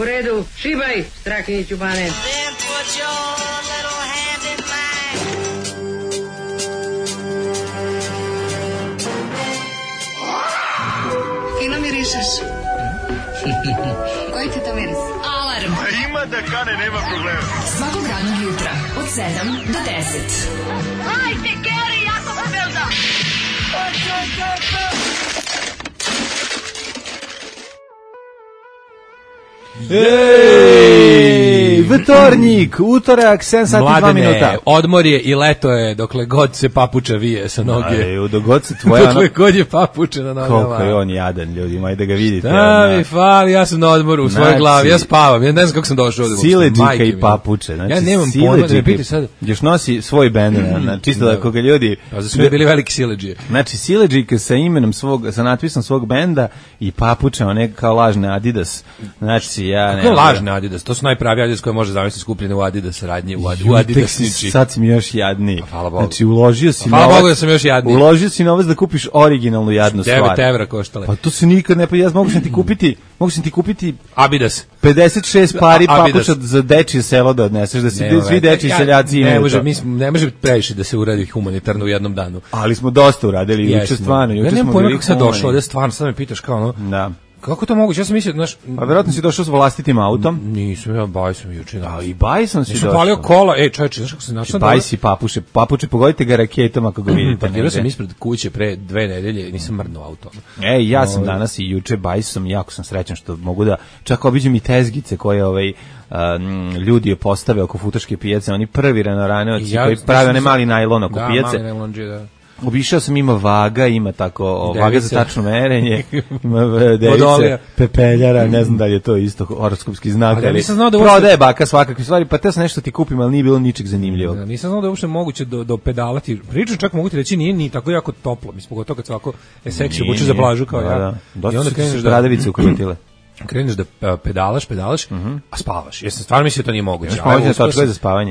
U redu, šibaj, Strakiniću Bane. Then put your little hand in mine. Fino mirišeš. Koji ti to miris? Alarm. Ima da kane, nema problema. Svakog radnog jutra od 7 do 10. Hajde, Geri, jako se velda. Ej, vtornik, utorak, 7 sati 2 minuta. Odmor je i leto je, dokle god se papuča vije sa noge. Aj, dok god se tvoja... Dokle god je papuča na nogama. Koliko je on jadan, ljudima, ajde da ga vidite. Da mi fali, ja sam na odmoru u svojoj glavi, ja spavam, ja ne znam kako sam došao ovdje. Sileđika i papuče. Znači, ja nemam pojma, da me piti sad. Još nosi svoj bend, čisto da koga ljudi... Pa za sve bili veliki sileđije. Znači, sileđika sa imenom svog, sa natpisom svog benda i papuče, one kao lažne Adidas. Znači, ja ne... Kako lažne Adidas? To su najpravi Adidas koje može zamisliti skupljene u Adidas radnje, u Adidasnici. Sad si mi još jadniji. Hvala Bogu. Znači, uložio si hvala Bogu da sam još jadniji. Uložio si novac da kupiš originalnu jadnu stvar. 9 evra koštale. Pa to se nikad ne... Pa ja mogu sam ti kupiti Adidas. 56 pari papuča za dečije selo da odneseš, da svi dečiji seljaci imaju to. Ne može previše da se uradi humanitarno u jednom danu. Ali smo dosta uradili, juče stvarno. Ja nemam pojma kako sad došlo, ovdje stvarno, sad me pitaš kao ono... Da. Kako to moguće? Ja sam mislio, znaš... A verovatno si došao s vlastitim autom? Nisam, ja bajsom juče. A i bajsom si došao. Nisam palio kola, čovječe, znaš kako se našao? Bajsi papuče, pogodite ga raketom ako ga vidite. Parkirao sam ispred kuće pre 2 nedelje i nisam mrnuo auto. Ja sam danas i juče bajsom, jako sam srećan što mogu da, čak obiđem i tezgice koje ljudi je postave oko futaške pijace, oni prvi renoraneoci koji prave one mali najlon oko pijace. Da, mali najlonđe, da. Obišao sam, ima vaga, ima tako, vaga za tačno merenje, ima device, pepeljara, ne znam da li je to isto horoskopski znak, ali prodaje baka svakakve stvari, pa te sam nešto ti kupim, ali nije bilo ničeg zanimljivog. Da, nisam znao da je uopšte moguće do pedalati, pričam čak mogu ti reći, nije ni tako jako toplo, mislim, pogotovo kad svako seksi obuče za plažu kao ja. Da. Dosta su se bradavice ukrotile. Kreneš da pedalaš, a spavaš. Ja sam stvarno mislio da to nije moguće.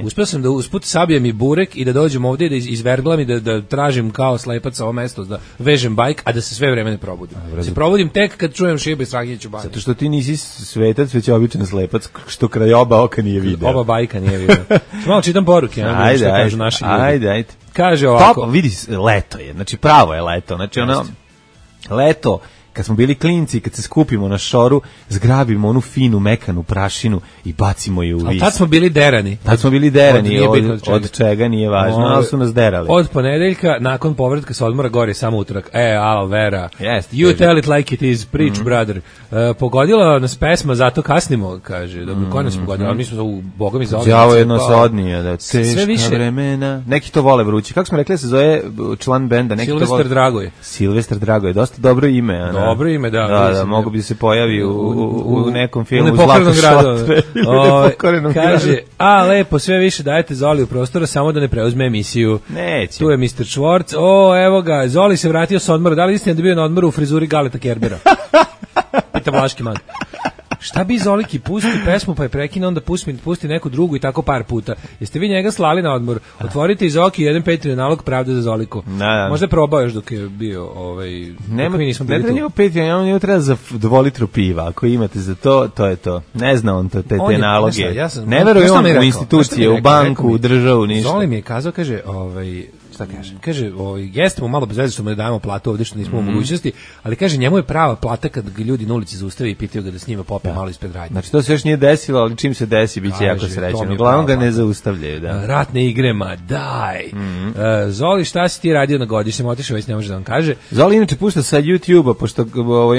Uspio sam da usput sabijem i burek i da dođem ovdje i da izverglam i da tražim kao slepac ovo mesto, da vežem bajk, a da se sve vreme ne probudim. Se probudim tek kad čujem šibe Strakiniću Bane. Zato što ti nisi svetac, već običan slepac, što kraj oba oka nije video. Oba bajka nije video. Malo čitam poruke, ajde, što kažu naši ljudi. Ajde. Kaže ovako. Vidi, leto je, znači pravo je leto, znači ono, leto, kad smo bili klinci, kad se skupimo na šoru, zgrabimo onu finu, mekanu prašinu i bacimo je u vis. Ali tad smo bili derani. Od čega nije važno, ali su nas derali. Od ponedeljka, nakon povratka sa odmora, gore samo utorak. alo vera, you tell it like it is, preach brother. Pogodila nas pesma, zato kasnimo, kaže. Dobro, ko nas pogodila? Mi smo u Boga mi za odmah. Đavo jedno se odnije, da teška vremena. Neki to vole vrući. Kako smo rekli se zove član benda? Silvestar Dragoje. Dosta dobro ime, dobro ime, da. Da, mogu bi se pojavi u nekom filmu Zlato šotre. Kaže, lepo, sve više dajete Zoli u prostora, samo da ne preuzme emisiju. Neće. Tu je Mr. Schwartz. Evo ga, Zoli se vratio sa odmora. Da li istina da bio na odmoru u frizuri Galeta Kerbera? Pita Vlaški man. Šta bi Zoliki, pusti pesmu pa je prekine, onda pusti neku drugu i tako par puta. Jeste vi njega slali na odmor? Otvorite iz Oki jedan Patreon nalog Pravde za Zoliku. Možda je probao još dok je bio ne treba njima Patreon, njima treba za 2 litru piva. Ako imate za to, to je to. Ne zna on te naloge. Ne veruje on u institucije, u banku, u državu, ništa. Zoli mi je kazao, kaže, kaže, jeste mu malo bez veze što mu ne dajemo platu ovdje što nismo u mogućnosti, ali kaže, njemu je prava plata kad ga ljudi na ulici zaustave i pitaju ga da s njima popije malo ispred radnje. Znači to se još nije desilo, ali čim se desi bit će jako srećan. Uglavnom ga ne zaustavljaju. Ratne igre, ma daj. Zoli, šta si ti radio na godišnjem? Otišao već ne može da vam kaže. Zoli inače pušta sa YouTube-a, pošto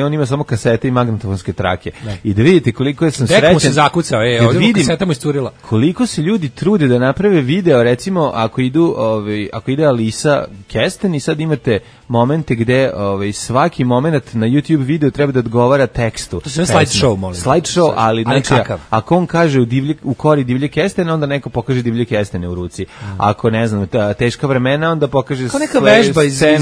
on ima samo kasete i magnetofonske trake. I da vidite koliko sam srećan. Tek mu se zakucao, ovdje mu kaseta mu iscurila. Koliko se ljudi trude da naprave video, recimo ako ide Alisa Kesten i sad imate momente gde svaki moment na YouTube video treba da odgovara tekstu. To se slideshow, molim. Slideshow, ali znači, ako on kaže u kori divlje kestene, onda neko pokaže divlje kestene u ruci. Ako ne znam, teška vremena, onda pokaže scenu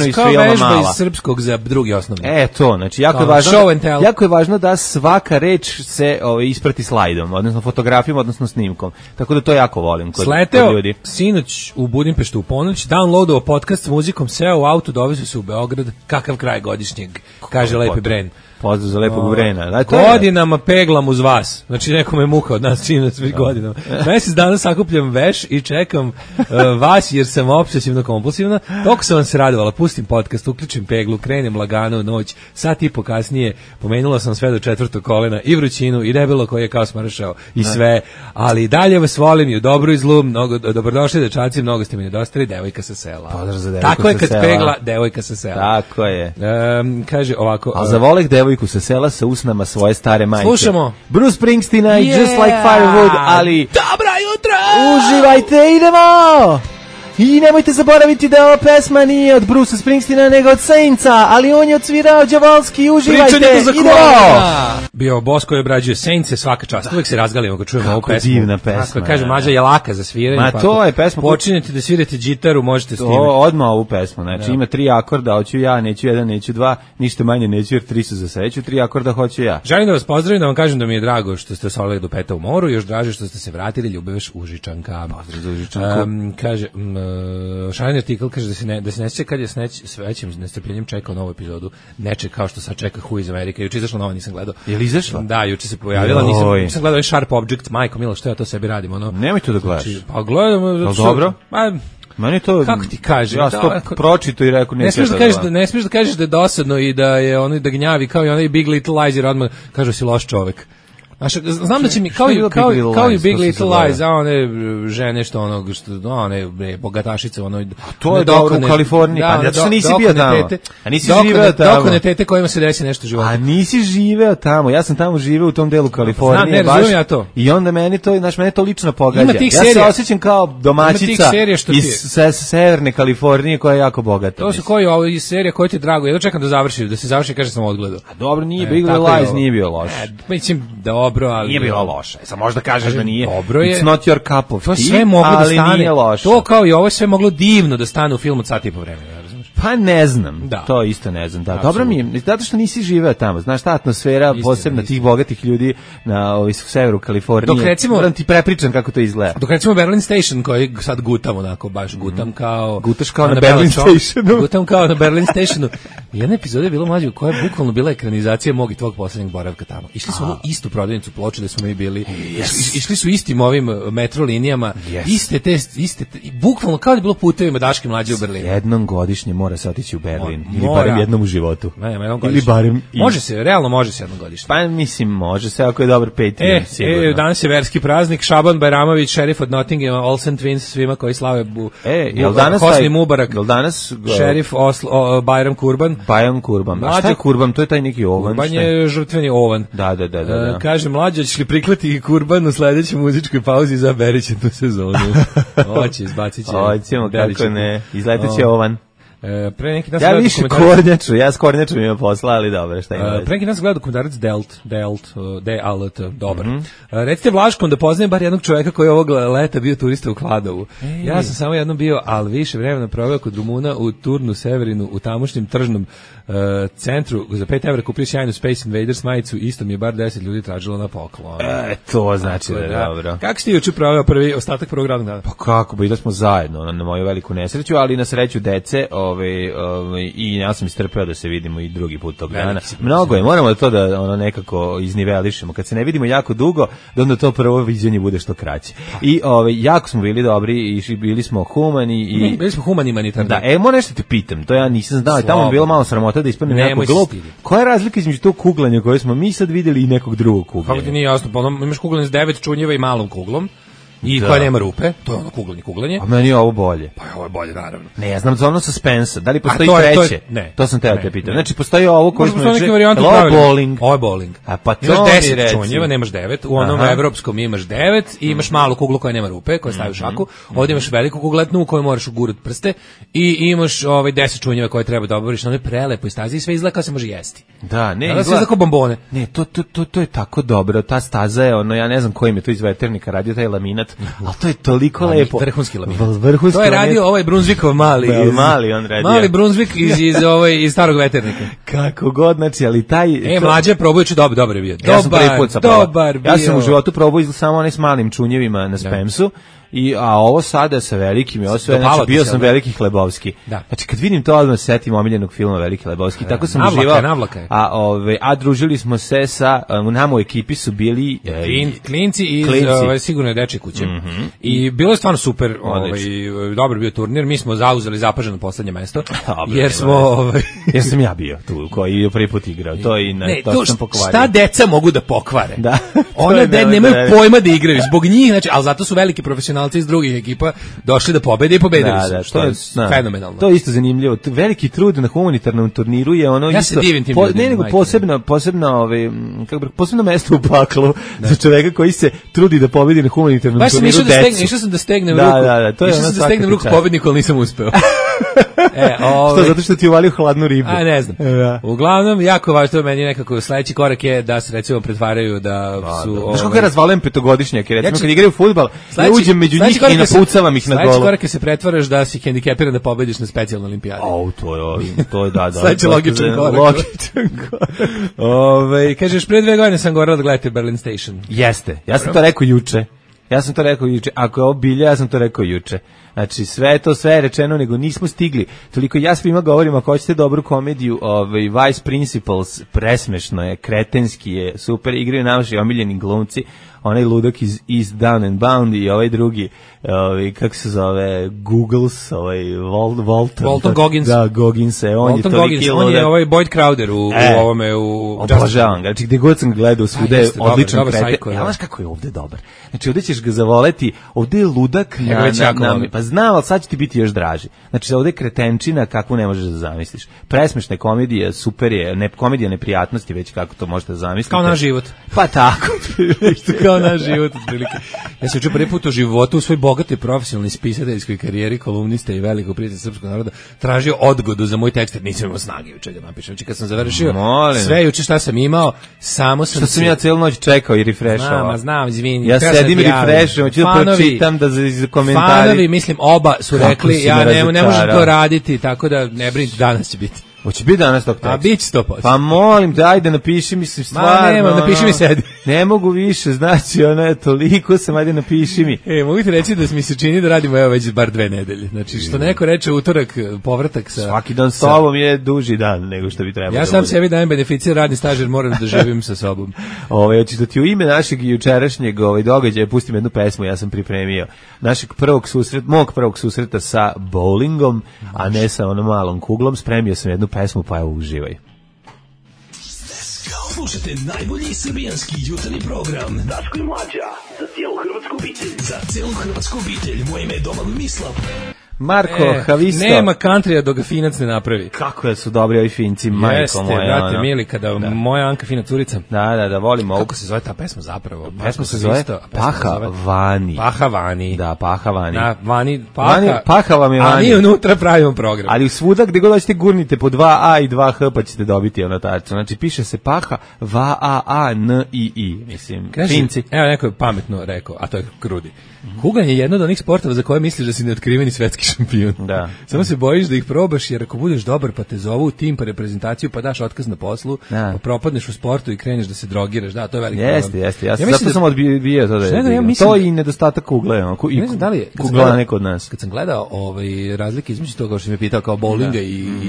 iz filma Mala. Kao vežba iz srpskog za drugi osnovni. To, znači jako je važno da svaka reč se isprati slajdom, odnosno fotografijom, odnosno snimkom. Tako da to jako volim kod ljudi. Sinoć u Budimpeštu u ponoć, downloadovao podcast s muzikom, seo u auto, dovezu se u Beograd, kakav kraj godišnjeg, kaže Lepi Bren. Pozdrav za lepog Vrena. Godinama peglam uz vas. Znači nekome je muka od nas čini svih godinama. Mesec dana sakupljam veš i čekam vas jer sam obsesivno kompulsivna. Toliko sam vam se radovala. Pustim podcast, uključim peglu, krenem lagano u noć. Sat i po kasnije pomenula sam sve do 4. kolena i vrućinu i debelo koji je kao smršao i sve. Ali i dalje vas volim i u dobru i zlu. Dobrodošli dečaci, mnogo ste mi nedostali. Devojka sa sela. Pozdrav za devojku. Tako je kad pegla devojka sa sela. Tako je. Kaže ovako. A zavoleh devojku sa sela sa usnama svoje stare majke. Slušamo. Bruce Springsteena i Just Like Firewood, ali... Dobra jutra! Uživajte, idemo! I nemojte zaboraviti da ova pesma nije od Brucea Springsteena, nego od Saintsa, ali on je odsvirao đavolski, uživajte, idemo! Bio boss koji obrađuje Saintse svaka čast. Uvijek se razgalimo kad čujemo ovu pesmu. Divna pesma. Kako kaže Mađa je laka za sviranje. Ma to je pesma. Počinjete da svirate gitaru, možete s time. Odmah ovu pesmu, znači ima 3 akorda, hoću ja, neću 1, neću 2, ništa manje neću jer 3 su za sreću, 3 akorda hoću ja. Želim da vas pozdravim, da vam kažem da mi je drago što ste osvojili do peta u moru, još draže što ste se vratili, ljubeveš Užičanka. Pozdrav za Užičanku. Kaže, šaleni artikl kaže da se ne sjeća kad je s većim nestrpljenjem čekao novu epizodu, neče kao što sad čeka Who iz Amerike. Juče izašla nova, nisam gledao. Je li izašla? Da, juče se pojavila, nisam gledao Sharp Object, majko milo, što ja to sebi radim, ono. Nemoj to da gledaš. Znači, pa gledam. Dobro? Meni to, kako ti kažem? Ja to pročito i rekao ne smiješ da kažeš da je dosadno i da je ono da gnjavi kao i onaj Big Little Lies jer odmah kaže si loš čovek. Znam da će mi kao i Big Little Lies, a one žene što onog što one bogatašice ono to je dobro u Kaliforniji, pa ja što nisi bio tamo. A nisi živeo tamo. Dokone tete kojima se desi nešto u životu. A nisi živeo tamo. Ja sam tamo živeo u tom delu Kalifornije. Ne razumem ja to. I onda meni to lično pogađa. Ja se osjećam kao domaćica iz severne Kalifornije koja je jako bogata. To su koji ovo iz serije koje ti drago. Ja čekam da se završi kaže sam odgledao. A dobro, nije Big Little Lies nije bio loš. Mislim dobro, ali nije bilo loše. Sad možda kažeš da nije. Dobro je. It's not your cup of tea, sve moglo da stane. To kao i ovo sve moglo divno da stane u filmu sat i po vremena. Pa ne znam, to isto ne znam. Da, dobro mi je, zato što nisi živeo tamo. Znaš, ta atmosfera, posebno tih bogatih ljudi na severu Kalifornije. Dok recimo, moram ti prepričam kako to izgleda. Dok recimo Berlin Station, koji sad gutam onako, baš gutam kao... Gutaš kao na Berlin Stationu. Gutam kao na Berlin Stationu. Jedna epizoda je bila mlađa koja je bukvalno bila ekranizacija mog i tvog poslednjeg boravka tamo. Išli smo u istu prodavnicu ploče da smo mi bili. Išli su istim ovim metro linijama. Iste, bukvalno kao da je bilo putevima Daške mlađe u Berlinu. Jednom godišnje mora se otići u Berlin. Ili barem jednom u životu. Ili barem... Može se, realno može se jednom godišnje. Pa mislim, može se ako je dobar Patreon, sigurno. Danas je verski praznik, Šaban Bajramović, šerif od Nottinghama, Olsen Twins, svima koji slave Hosni Mubarak, šerif Bajram Kurban. Bajram Kurban. A šta je Kurban? To je taj neki ovan. Kurban je žrtveni ovan. Da. Kaže, mlađa, ćeš li priklati Kurban u sledećoj muzičkoj pauzi za Beriće tu sezonu? Hoće, izbacit će. Hoćemo, kako ne. Izletat će ovan. Pre neki dan ja više kornjaču, ja s kornjačom ima posla, ali dobro, šta ima. Pre neki dan sam gledao dokumentarac D-A-L-T, dobar. Recite Vlaškom da poznajem bar jednog čoveka koji je ovog leta bio turista u Kladovu. Ja sam samo jednom bio, ali više vremena proveo kod Rumuna u Turnu Severinu, u tamošnjem tržnom centru. Za 5 € kupio sjajnu Space Invaders majicu, isto mi je bar 10 ljudi tražilo na poklon. To znači da je dobro. Kako ste juče proveo prvi ostatak prvog radnog dana? Pa kako, bili smo zajedno na moju veliku nesreću, ali na sreću dece, i ja sam istrpeo da se vidimo i drugi put tog dana. Mnogo je, moramo to da nekako iznivelišemo. Kad se ne vidimo jako dugo, da onda to prvo viđenje bude što kraće. I jako smo bili dobri i bili smo humani i bili smo humanitarni. Da, moram nešto te pitam, to ja nisam znao, tamo je bilo malo sramota da ispadnem jako glup. Koja je razlika između tog kuglanja koje smo mi sad videli i nekog drugog kuglanja? Kako ti nije jasno, pa imaš kuglanje s 9 čunjeva i malom kuglom. I koja nema rupe, to je ono kuglanje. A meni je ovo bolje. Pa ovo je bolje, naravno. Ne, ja znam za ono suspensa, da li postoji treće? Ne. To sam teo te pitati. Znači, postoji ovo koji smo reći, ovo je bowling. Ovo je bowling. A pa to imaš 10 čunjeva, nemaš 9, u onom evropskom imaš 9 i imaš malu kuglu koja nema rupe, koja stavi u šaku, ovdje imaš veliku kugletnu u kojoj moraš ugurati prste i imaš 10 čunjeva koje treba da obavoriš na onoj prelepoj stazi i sve izgleda kao se može jesti. Da, ne, izgleda kao bombone. Ne, to je tako dobro, ta staza je ono, ja ne znam kojim je to iz veternika radio taj laminat, al to je toliko lepo. Vrhunski laminat. To je radio ovaj Brunsvikov mali. Mali on radio. Mali Brunsvik iz starog veternika. Kako god, znači, ali taj... mlađe probujući dobar je bio. Ja sam prvi put dobar bio. Ja sam u životu probao samo onaj s malim čunjevima na Spemsu a ovo sada sa velikim je osvoje, znači bio sam Veliki Hlebovski. Da. Znači kad vidim to odmah setim omiljenog filma Veliki Hlebovski, tako sam uživao. A družili smo se sa nama u ekipi su bili klinci iz sigurno dečje kuće. I bilo je stvarno super, dobar bio turnir, mi smo zauzeli zapaženo poslednje mesto. Jer smo jer sam ja bio tu koji je prvi put igrao. To i to sam pokvario. Šta deca mogu da pokvare? Da. Ona nemaju pojma da igraju zbog njih, znači, al zato su veliki profesionalci iz drugih ekipa došli da pobede i pobedili su. Što je fenomenalno. To je isto zanimljivo. Veliki trud na humanitarnom turniru je ono ja isto posebno mesto u paklu za čoveka koji se trudi da pobedi na humanitarnom turniru. Išao sam da stegnem ruku pobedniku, ali nisam uspeo. Što, zato što ti uvalio hladnu ribu? A, ne znam. Uglavnom, jako važno meni nekako sledeći korak je da se recimo pretvaraju da su... Znaš kako ja razvalujem petogodišnjake, recimo kad igraju fudbal, ja uđem među njih i napucavam ih na golu. Sledeći korak je se pretvaraš da si hendikepiran da pobediš na specijalnoj olimpijadi. To je da. Sledeći logičan korak. Kažeš, pre 2 godine sam govorila da gledate Berlin Station. Jeste, ja sam to rekao juče. Ako je ovo bilje, ja sam to rekao juče. Znači, sve je rečeno, nego nismo stigli. Toliko ja svima govorim, ako hoćete dobru komediju, Vice Principals, presmešno je, kretenski je, super, igraju naši omiljeni glumci, onaj ludak iz East Down and Bound i ovaj drugi, kako se zove, Googles, Walton Goggins. Da, Goggins, on je toliki ludak. On je ovaj Boyd Crowder u ovome, u... Obožavam ga, znači gde god sam ga gledao, svuda je odličan kreten. Ja znaš kako je ovde dobar. Znači, ovde ćeš ga zavoleti, ovde je ludak pa znam, ali sad će ti biti još draži. Znači, ovde je kretenčina kakvu ne možeš da zamisliš. Presmešna komedija, super je, komedija neprijatnosti, već kako to možete da zamislite. Kao naš život. Pa tako. Kao naš život, otprilike. Ja sam učio prvi put u životu u svoj bogatoj profesionalnoj spisateljskoj karijeri, kolumnista i velikog prijatelja srpskog naroda, tražio odgodu za moj tekst, jer nisam imao snage juče da napišem. Znači, kad sam završio sve juče šta sam imao, samo sam... Što sam ja celu noć čekao i refrešao. Znam, izvini. Ja sedim i refrešujem, hoću da pročitam da za komentari. Fanovi, mislim, oba su rekli, ja ne možem to raditi, tako da ne brinite, danas će biti. Hoće biti danas tog teksta? A bit će 100%. Pa molim te, ajde napiši mi se stvarno. Napiši mi sedi. Ne mogu više, znači, toliko sam, ajde napiši mi. Mogu ti reći da mi se čini da radimo već bar 2 nedelje. Znači, što neko reče utorak, povratak sa... Svaki dan s tobom je duži dan nego što bi trebalo. Ja sam sebi dajem beneficij radni staž jer moram da živim sa sobom. Hoćeš da ti u ime našeg jučerašnjeg događaja pustim jednu pesmu, ja sam pripremio. Mog prvog susreta sa bowlingom, a ne sa onom malom kuglom, spremio sam jednu pesmu, pa evo uživaj. Slušajte najbolji srbijanski jutarnji program Daško i Mlađa, za cijelu hrvatsku obitelj. Za cijelu hrvatsku obitelj, moje ime je Domagoj Mislav. Marko Havisto. Nema countrya dok ga Finac ne napravi. Kako su dobri ovi Finci, majko moja. Jeste, brate, mili, kada moja Anka fina curica. Da, volimo. Kako se zove ta pesma zapravo? Pesma se zove Paha Vani. Paha Vani. Da, Paha Vani. Paha vam je Vani. A mi unutra pravimo program. Ali svuda gde god hoćete gurnite po 2A i 2H pa ćete dobiti tačno. Znači piše se Paha V-A-A-N-I-I. Mislim, Finci. Evo neko je pametno rekao, a to je Krudi. Kuganje je jedno od onih sportova za koje misliš da si neotkriveni svetski šampion. Da. Samo se bojiš da ih probaš, jer ako budeš dobar pa te zovu u tim pa reprezentaciju pa daš otkaz na poslu, pa propadneš u sportu i kreneš da se drogiraš. Da, to je veliki problem. Jeste. Zato sam odbijao to da je. To i nedostatak kugle. Ne znam da li je. Kugla neko od nas. Kad sam gledao razlike između toga što si me pitao kao bowlinga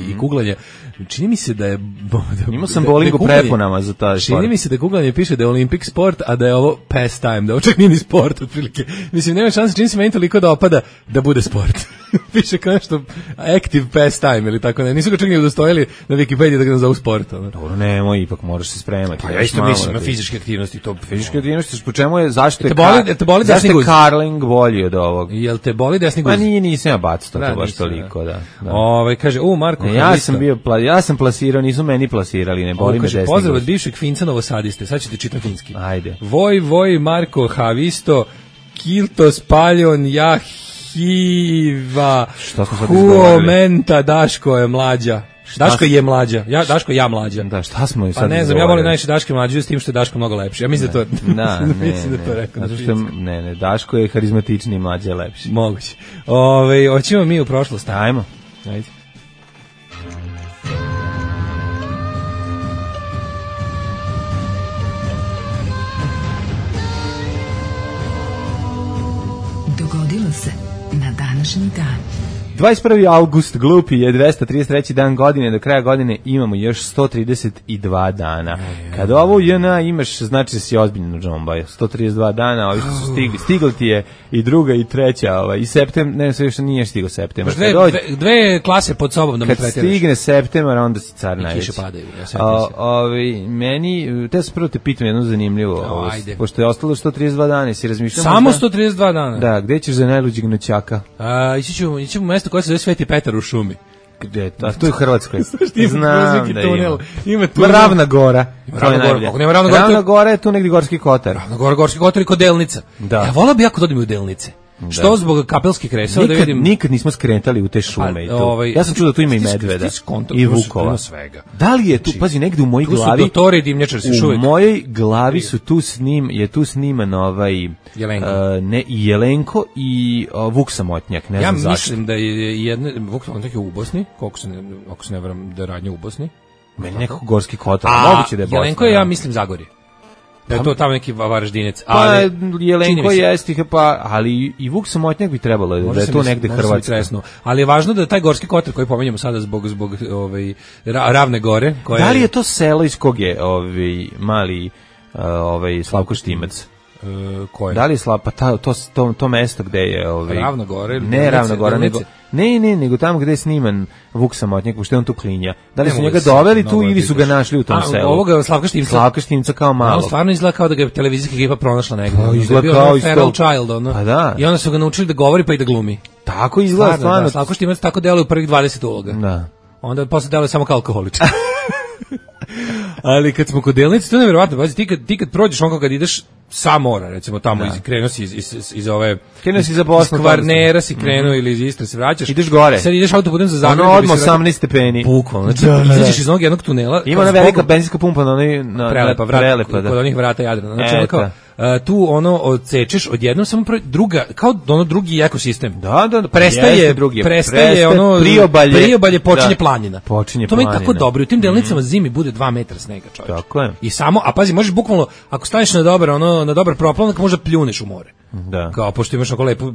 i kuglanja, čini mi se da je... Imao sam bowling u prepunama za taj sport. Čini mi se da kuglanje piše da je Olympic sport, a da je ovo pastime, da ovo čak nije ni sport, otprilike. Mislim, nema šanse, čini se meni toliko da opada da bude sport. Piše kao nešto active pastime ili tako ne. Nisu ga čak ni udostojili na Wikipediji da ga nazovu sport. Dobro, nemoj, ipak moraš se spremati. Pa ja isto mislim na fizičke aktivnosti. Fizičke aktivnosti, po čemu je, zašto je curling bolji od ovog? Jel te boli desni guz? Pa nisam ja bacao to baš toliko, da. Kaže, Marko, ja sam plasirao, nisu meni plasirali, ne boli me desni guz. Pozdrav od bivšeg Finca Novosadiste, sad ćete čitam finski. Ajde. Voj, Marko, Havisto, Kiltos, Paljon, Jahiva, Huomenta, Daško je mlađa. Daško je mlađa. Daško ja mlađa. Da, šta smo i sad? Pa ne znam, ja volim najviše Daške mlađe s tim što je Daško mnogo lepši. Ja mislim da to. Mislim da to rekao. Ne, Daško je harizmatičniji, mlađe je lepši. Moguće. Hoćemo mi u prošlost. Ajmo. Ajde. Dogodilo Desilo se na današnji dan. 21. august, glupi, je 233. dan godine, do kraja godine imamo još 132 dana. Kad ovo u JNA imaš, znači da si ozbiljno džomba. 132 dana, ovi što su stigli ti je i druga i treća, i septembar, ne, sve još nije stigao septembar. Dve klase pod sobom da me pretjeraš. Kad stigne septembar, onda si car najveći. I kiše padaju. Meni, te sam prvo te pitam jedno zanimljivo, pošto je ostalo 132 dana, si razmišljamo... Samo 132 dana? Da, gde ćeš za najluđeg noćaka? Ići ćemo u mesto koje se zove Sveti Petar u šumi. Gde? A to je u Hrvatskoj. Znam da ima. Ravna Gora. Ravna Gora je tu negdje Gorski Kotar. Ravna Gora, Gorski Kotar i kod Delnica. Ja volao bi jako da odem u Delnice. Što zbog Kapelskih kresova da vidim. Nikad nismo skretali u te šume i to. Ja sam čuo da tu ima i medveda i vukova. Da li je tu, pazi, negde u mojoj glavi. Dotori dimnjačar se u mojoj glavi su tu sniman ne Jelenko i Vuk Samotnjak, ne znam zašto. Ja mislim da je jedna Vuk Samotnjak je u Bosni, ako se ne varam da je radnja u Bosni. Meni nekako Gorski Kotar, moguće da je Bosna. Jelenko je, ja mislim, Zagorje. Da je to tamo neki Varaždinec. Pa Jelenko jeste, ali i Vuk Samotnjak bi trebalo da je to negde Hrvatska. Ali je važno da taj Gorski Kotar koji pominjemo sada zbog Ravne Gore. Da li je to selo iz kog je mali Slavko Štimac? Koje? Da li je to mesto gde je Ravna Gore? Ne Ravna Gora, nego tamo gde je sniman Vuk Samotnjak, što je on tu klinja. Da li su njega doveli tu ili su ga našli u tom selu? Ovoga Slavka Štimca. Slavka Štimca kao malo. On stvarno izgleda kao da ga je televizijska ekipa pronašla negdje. Izgleda kao iz Feral Child, ono. Pa da. I onda su ga naučili da govori pa i da glumi. Tako izgleda stvarno. Slavko Štimac tako deluje u prvih 20 uloga. Da. Onda posle deluje samo kao alkoholičar. Ali kad smo kod Delnice, to je nevjerovatno. Pazi, ti kad prođeš onko kad ideš sa mora, recimo tamo krenuo si iz ove... Krenuo si za Bosnu. Iz Kvarnera si krenuo ili iz Istre se vraćaš. Ideš gore. Sad ideš autoputem za Zagreb. Ono odmah 18 stepeni. Bukvalno. Znači, izađeš iz onog jednog tunela. Ima ona velika benzinska pumpa na Prelepa, kod onih vrata Jadrana. Znači, kao, tu ono odsečeš odjednom samo druga, kao ono drugi ekosistem. Da. Prestaje ono priobalje počinje planina. To mi je tako dobro. U tim Delnicama zimi bude 2 metra snega, čovječe. Tako je. I samo, a pazi, možeš bukvalno, ako staneš na dobar proplavnik, možda pljuneš u more. Da. Kao, pošto imaš oko lepu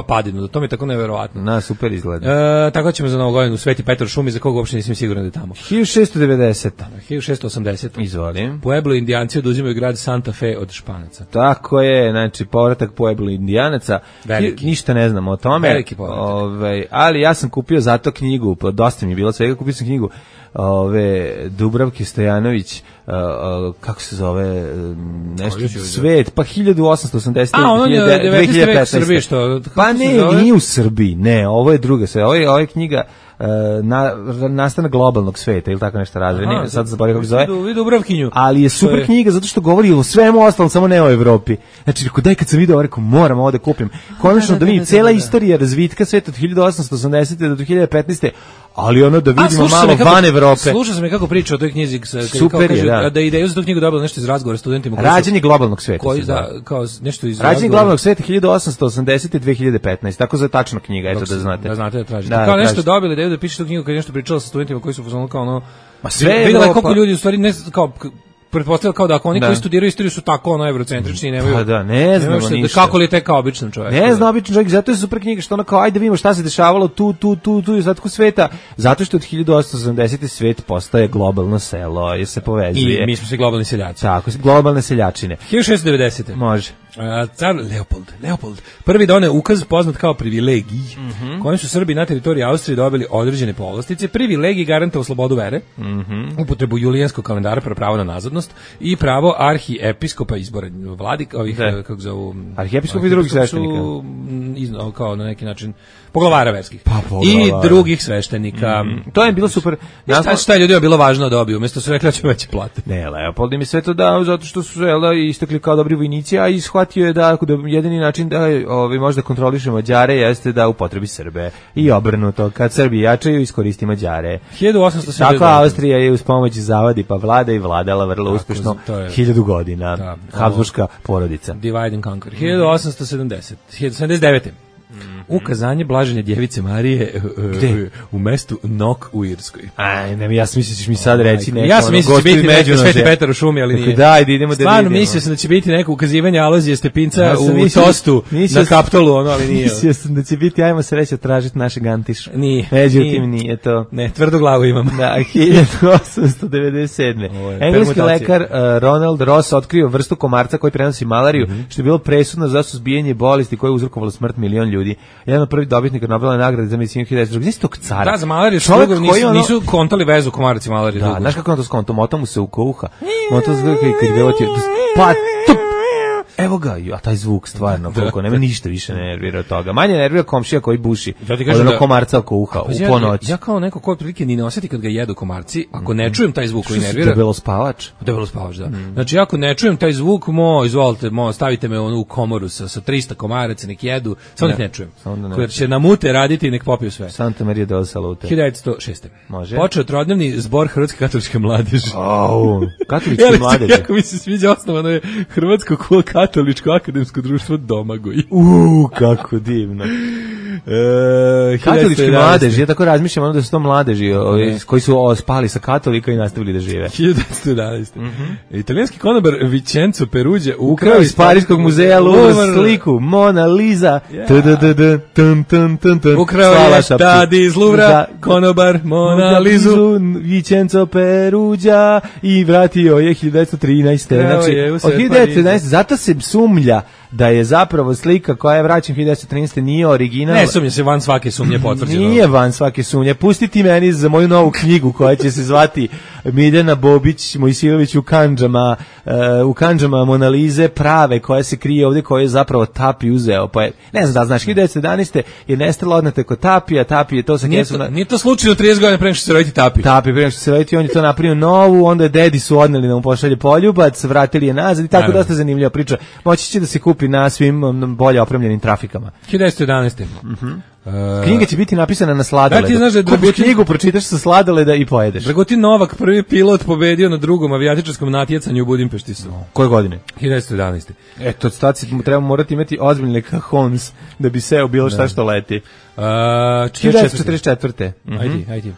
padinu, to mi je tako nevjerovatno. Na, super izgleda. Tako ćemo za Novu godinu u Sveti Petar u šumi, za koga uopšte nisam siguran da je tamo. 1690. 1680. Izvolim. Pueblo Indijanci oduzimaju grad Santa Fe od Španaca. Tako je, znači povratak Pueblo Indijanaca. Ništa ne znamo o tome. Veliki povratak. Ali ja sam kupio zato knjigu, dosta mi je bilo svega, kupio sam knjigu Dubravke Stojanović, kako se zove, nešto svet, pa 1880. A, on je 19. vek u Srbiji, što? Pa ne, nije u Srbiji, ne, ovo je druga sve, ovo je knjiga nastanak globalnog sveta ili tako nešto razredno, sad zaboravim kako se zove. Dubravkinju. Ali je super knjiga zato što govori o svemu ostalom, samo ne o Evropi. Znači, daj kad sam video, rekao, moram ovo da kupim. Konačno da vidim cijela istorija razvitka sveta od 1880. do 2015. Ali ono da vidimo malo van Evrope. Slušao sam je kako priča o toj knjizi. Super je, da. Da ideju za tu knjigu dobila nešto iz razgovora studentima. Rađenje globalnog sveta. Kao nešto iz Rađenje globalnog sveta 1880. i 2015. Tako za tačna knjiga, eto da znate. Da znate da tražite. Kao nešto dobili ideju da piše tu knjigu kad je nešto pričala sa studentima koji su kao ono... Ma sve videla je koliko ljudi u stvari ne kao pretpostavljam kao da ako oni koji studiraju istoriju su tako eurocentrični i nemaju. Pa da, ne znamo ništa. Kako li je kao običan čovjek? Ne znam običan čovjek, zato je super knjiga što ona kao ajde vidimo šta se dešavalo tu i ostatku sveta, zato što od 1870. svet postaje globalno selo, jer se povezuje. I mi smo svi globalni seljaci. Tako, globalne seljačine. 1690. Može. Car Leopold prvi doneo ukaz poznat kao privilegij, kojim su Srbi na teritoriji Austrije dobili određene povlastice. Privilegij garantao slobodu vere, upotrebu julijanskog kalendara, pravo na nazadnost i pravo arhiepiskopa izbora vladik ovih kako zovu arhiepiskopi i drugih sveštenika, kao na neki način poglavara verskih i drugih sveštenika. To je bilo super. Šta je ljudima bilo važno da dobiju, umjesto su rekli da će veće plate. Ne, Leopold im je sve to dao zato što su istakli kao dobri vojnici, a shvatio je da jedini način da možda kontroliše Mađare jeste da upotrebi Srbe i obrnuto. Kad Srbi jačaju, iskoristi Mađare. 1879. Tako Austrija je uz pomoć zavadi pa vlada i vladala vrlo uspešno 1000 godina. Habsburška porodica. Divide and conquer. 1879. Ukazanje blaženja djevice Marije u mestu Nok u Irskoj. Aj, ne, ja sam mislio da ćeš mi sad reći neko. Ja sam mislio da će biti neko Sveti Petar u šumi, ali nije. Daj, idemo da vidimo. Stvarno mislio sam da će biti neko ukazivanje Alojzije Stepinca u tostu na Kaptolu, ali nije. Mislio sam da će biti, ajmo sreća tražiti našeg Antiša. Nije. Međutim, nije to. Ne, tvrdu glavu imam. Da, 1897. Engleski lekar Ronald Ross otkrio vrstu komarca koji prenosi malariju, što je bilo presudno za suzbijanje bolesti koje je uzrokovalo smrt milion ljudi. Jedan od prvih dobitnika Nobelove nagrade za medicinu 1902. Gdje si tog cara? Da, za malariju nisu kontali vezu komarac i malariju. Da, znaš kako on to skonto? Mota mu se u uha. Mota se kad je pa tup. Evo ga, a taj zvuk stvarno, koliko nema ništa više ne nervira od toga. Manje nervira komšija koji buši od onog komarca oko uha u ponoć. Ja kao neko ko prilike ni ne osjeti kad ga jedu komarci, ako ne čujem taj zvuk koji nervira. Debelo spavač. Debelo spavač, da. Znači, ako ne čujem taj zvuk, izvolite, stavite me u komoru sa 300 komaraca, nek jedu, samo nek ne čujem. Koji će na mute raditi i nek popiju sve. Santa Maria del Salute. 1906. Može. Počeo trodnevni zbor Hrvatske katoličke mladeži. Katoličke mladeži. Jako mi se sviđa, osnovano je Hrvatsko katoličko akademsko društvo Domagoj. Kako divno. Katolički mladeži, ja tako razmišljam, ono da su to mladeži koji su spali sa katolika i nastavili da žive. 1911. Italijanski konobar Vincenzo Perugia ukrao iz Pariškog muzeja Louvre sliku Mona Lisa. Ukrao je tad iz Louvra konobar Mona Lisu Vincenzo Perugia i vratio je 1913. Znači, od 1913. Zato se sumlja da je zapravo slika koja je vraćena 1913. nije original. Ne sumnja se, van svake sumnje potvrđeno. Nije van svake sumnje. Pustiti meni za moju novu knjigu koja će se zvati Miljana Bobić Mojsilović u kandžama Mona Lize prave, koja se krije ovdje, koja je zapravo Tapi uzeo. Pa je, ne znam da znaš, 1911. je nestala odnete kod Tapija, Tapi je to sa kesom. Nije to slučajno 30 godina pre nego što se roditi Tapi. Tapi, pre nego što se roditi, on je to napravio novu, onda je dedi su odneli da mu pošalje poljubac, vratili je nazad i tako dosta zanimljiva priča. Moći će da se kupi na svim bolje opremljenim trafikama. 1911. Knjiga će biti napisana na sladoleda. Da, ti znaš da je Kupiš knjigu, pročitaš sa sladoleda i pojedeš. Dragutin Novak, prvi pilot, pobedio na drugom avijatičarskom natjecanju u Budimpešti su. Koje godine? 1911. Eto, staci treba morati imati ozbiljne kahons da bi seo bilo šta što leti. 1944. Ajde.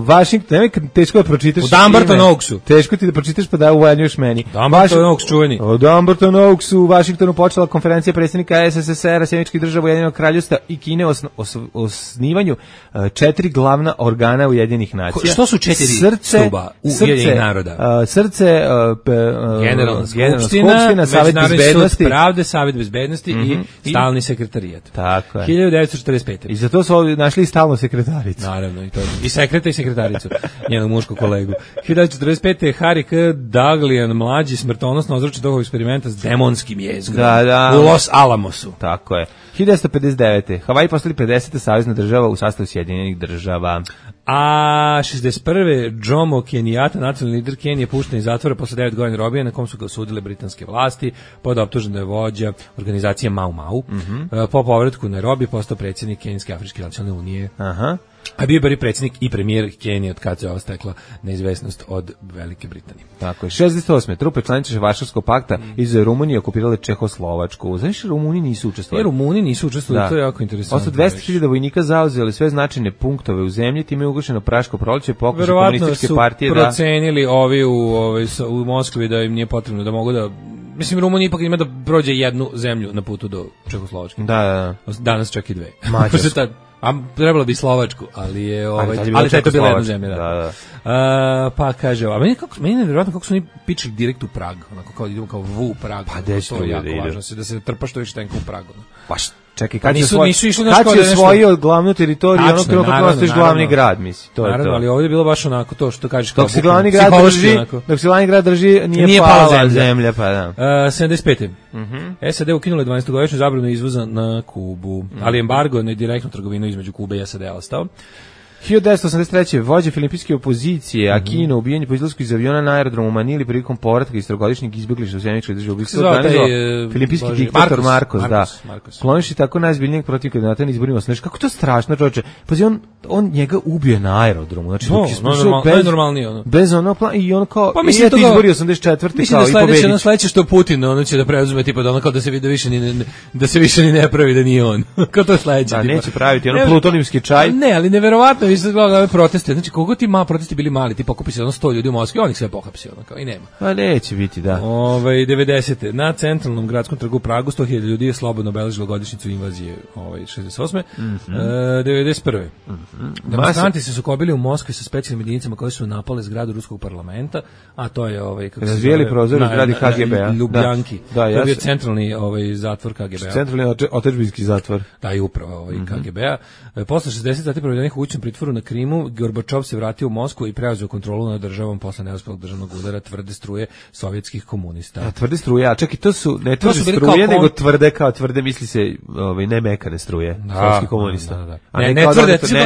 Washington, teško da pročitaš. U Dumbarton Oaksu. Teško ti da pročitaš pa da uvaljuješ meni. Dumbarton Oaks čuveni. U Dumbarton Oaksu u Washingtonu počela konferencija predsjednika SSSR-a, Sjemeničkih država, Ujedinjenog kraljevstva i Kine o osnivanju 4 glavna organa Ujedinjenih nacija. Što su 4 stuba Ujedinjenih naroda? Srce, Generalna skupština, Savet bezbednosti, pravde, Savet bezbednosti i stalni sekretarijat. Tako je. 1945. I za to su našli stalnu sekretaricu. Naravno, i sekreta i sekretaricu, njenog muškog kolegu. 1945. Harry K. Daglian, mlađi, smrtonosno ozročen toga eksperimenta s demonskim jezgrom u Los Alamosu. Tako je. 1959. Havaji postali 50. savezna država u sastavu Sjedinjenih država. A 61. Jomo Kenyatta, nacionalni lider Kenije, pušten iz zatvora posle 9 godina robije, na kom su ga osudile britanske vlasti, pod optužen da je vođa organizacije Mau Mau. Po povratku na robije postao predsjednik Kenijske Afričke nacionalne unije. A bio je predsjednik i premijer Kenije od kad se ova stekla neizvesnost od Velike Britanije. Tako je. 68. Trupe članice Varšavskog pakta iz Rumunije okupirale Čehoslovačku. Znaš, Rumuni nisu učestvovali. Rumuni nisu učestvovali, to je jako interesantno. Posle 200.000 vojnika zauzeli sve značajne punktove u zemlji, time je ugašeno Praško proleće, pokušaj komunističke partije da... Verovatno su procenili ovi u Moskvi da im nije potrebno, da mogu da... Mislim, Rumunija ipak ima da prođe jednu zemlju na putu do Čehoslovačke. Da. Danas čak i 2. Mađarsku. A trebalo bi Slovačku, ali je ali to je bila jedna zemlja. Da. Pa kaže, a meni je nevjerojatno kako su oni pičili direkt u Prag, onako kao idemo kao u Prag. Pa dečko je jako važno da se trpaš što više tenka u Pragu. Pa čekaj, kad će osvojio glavnu teritoriju, ono trenutno ostaješ glavni grad, misli. To je to. Ali ovdje je bilo baš onako to što kažeš kao glavni grad drži, nije pala zemlja, pa da. 75. SAD ukinule 12-godišnju zabranu izvoza na Kubu, ali embargo na direktnu trgovinu između Kube i SAD ostao. 1983. vođa filipinske opozicije Aquino ubijen po izlasku iz aviona na aerodromu u Manili prilikom povratka iz trogodišnjeg izbeglišta u zemljičkoj državi. Ubistvo organizovao filipinski diktator Marcos, da. Kloniši tako najzbiljnijeg protiv kandidata na izborima. Znaš, kako to strašno, čoveče. Pazi, on njega ubije na aerodromu. Znači, bez ono plan, i on kao, pa mislim, izbori 84. kao i pobedić. Mislim da sledeće što Putin, ono će da preuzme, tipa da ono kao da se vidi da se više ni ne pravi da nije on. Kao to sledeće. Da, neće praviti ono plutonijski čaj. Ne, ali neverovatno, vi ste gledali ove proteste. Znači, koliko ti protesti bili mali, ti pokupi se ono 100 ljudi u Moskvi, oni sve pohapsi, ono kao i nema. Pa neće biti, da. 90. Na centralnom gradskom trgu u Pragu 100.000 ljudi je slobodno obeležilo godišnjicu invazije 68. 91. Demonstranti se sukobili u Moskvi sa specijalnim jedinicama koje su napale zgradu ruskog parlamenta, a to je kako se razvijeli prozor u zgradi KGB-a. Ljubljanki. Da, to je bio centralni zatvor KGB-a. Centralni otadžbinski zatvor. Da, i upravo KGB-a. Posle 60 sati provedenih u kućnom pritvoru na Krimu, Gorbačov se vratio u Moskvu i preuzeo kontrolu nad državom posle neuspelog državnog udara tvrde struje sovjetskih komunista. A tvrde struje, a čak i to su ne tvrde struje, nego tvrde misli se ne mekane struje sovjetskih komunista. Da. Ne tvrde struje.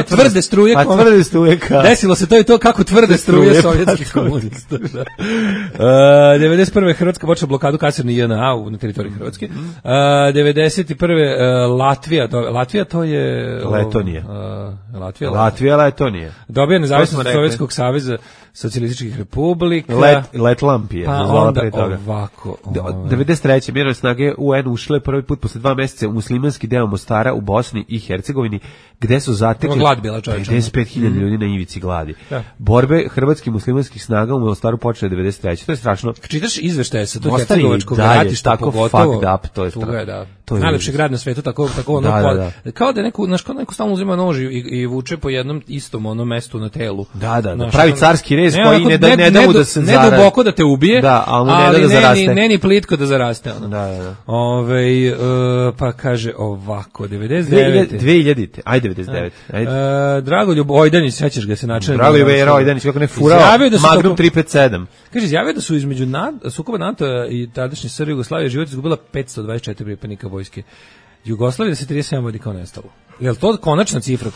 A tvrde struje kao. Desilo se to i to kako tvrde struje sovjetskih komunista. 91. Hrvatska počela blokadu kasirne JNA na teritoriji Hrvatske. 91. Latvija to je Letonija. Letonija. Dobija nezavisnost Sovjetskog saveza socijalističkih republika. Letlampije. Pa onda ovako. 93. mirovne snage UN ušle prvi put posle 2 meseca u muslimanski deo Mostara u Bosni i Hercegovini, gde su zatekli 55.000 ljudi na ivici gladi. Da. Borbe hrvatskih muslimanskih snaga u Mostaru počele 93. To je strašno. Čitaš izveštaje sa tog hercegovačkog ratišta, pogotovo fucked up, to je strašno. Najlepši grad na svetu, tako ono kao da neko stalno uzima nož i vuče po jednom istom onom mestu na telu. Da, pravi carski rez koji ne da mu da se ne duboko da te ubije, ali ne zaraste. Ne ni plitko da zaraste. Da. Pa kaže ovako, 99. 2000. Ajde 99. Dragoljub Ojdanić, sećaš ga se načelno. Dragoljub Ojdanić, kako ne furao. Magnum 357. Kaže, izjavio da su između sukoba NATO i tadašnje SR Jugoslavije život izgubila 524 pripadnika vojske Jugoslavije, da se 37 vojnika nestalo. Je li to konačna cifra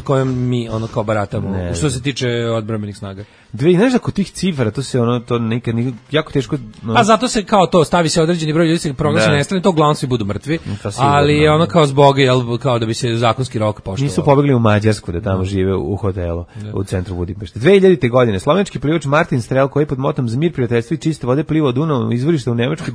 kojom mi ono kao baratamo, što se tiče odbrambenih snaga? Znaš da kod tih cifra, to se to nikad jako teško... A zato se kao to, stavi se određeni broj ljudi, se proglasi nestane, to uglavnom svi budu mrtvi, ali je ono kao zbog, kao da bi se zakonski rok poštovao. Nisu pobegli u Mađarsku da tamo žive u hotelu u centru Budimpešte. 2000. godine slovenski plivač Martin Strel, koji je pod motom za mir, prijateljstvo i čiste vode plivao Dunavom izvorišta u Nemačkoj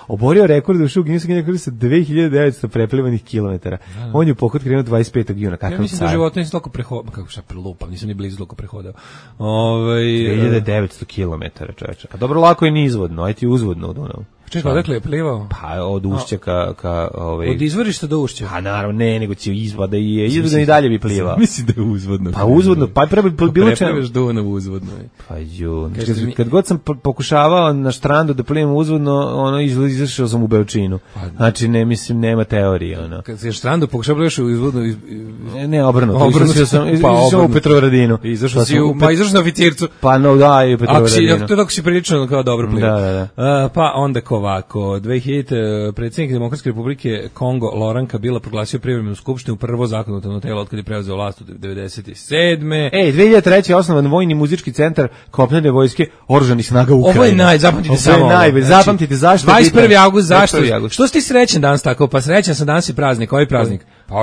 oborio rekord u Guinness rekorda sa 2900 preplivanih kilometara. On je u pohod krenuo 25. juna. Ja mislim da u životu nisam toliko prehodao, kako šta prelupam, nisam ni blizu toliko prehodao. 2900 kilometara, čoveče. A dobro, lako je nizvodno, aj ti uzvodno u Dunavu. Čekaj, odakle je plivao? Pa od Ušća ka od izvorišta do Ušća? Pa naravno, nego će izvoda i izvodno i dalje bi plivao. Mislim da je uzvodno. Pa uzvodno, pa treba bilo čemu. Preplivaš Dunav uzvodno. Pa kad god sam pokušavao na štrandu da plivam uzvodno, izašao sam u Beočinu. Znači, ne mislim, nema teorije. Kad si štrandu pokušavaš uzvodno... Ne, obrnuto. Izašao u Petrovaradinu. Izašao na oficircu. Pa no, da, i u Petrovaradinu. To tako si prilično kao dobro plivao. Da. Pa onda ovako, 2000. predsjednik Demokratske republike Kongo Laurent Kabila proglasio privremenu skupštinu, prvo zakonodavno telo od kad je preuzeo vlast u 97. 2003. osnovan vojni muzički centar kopnene vojske oružanih snaga Ukrajine. Ovo je zapamtite zašto. 21. avgust, zašto? Što si ti srećan danas tako? Pa srećan sam, danas je praznik. Koji praznik? Pa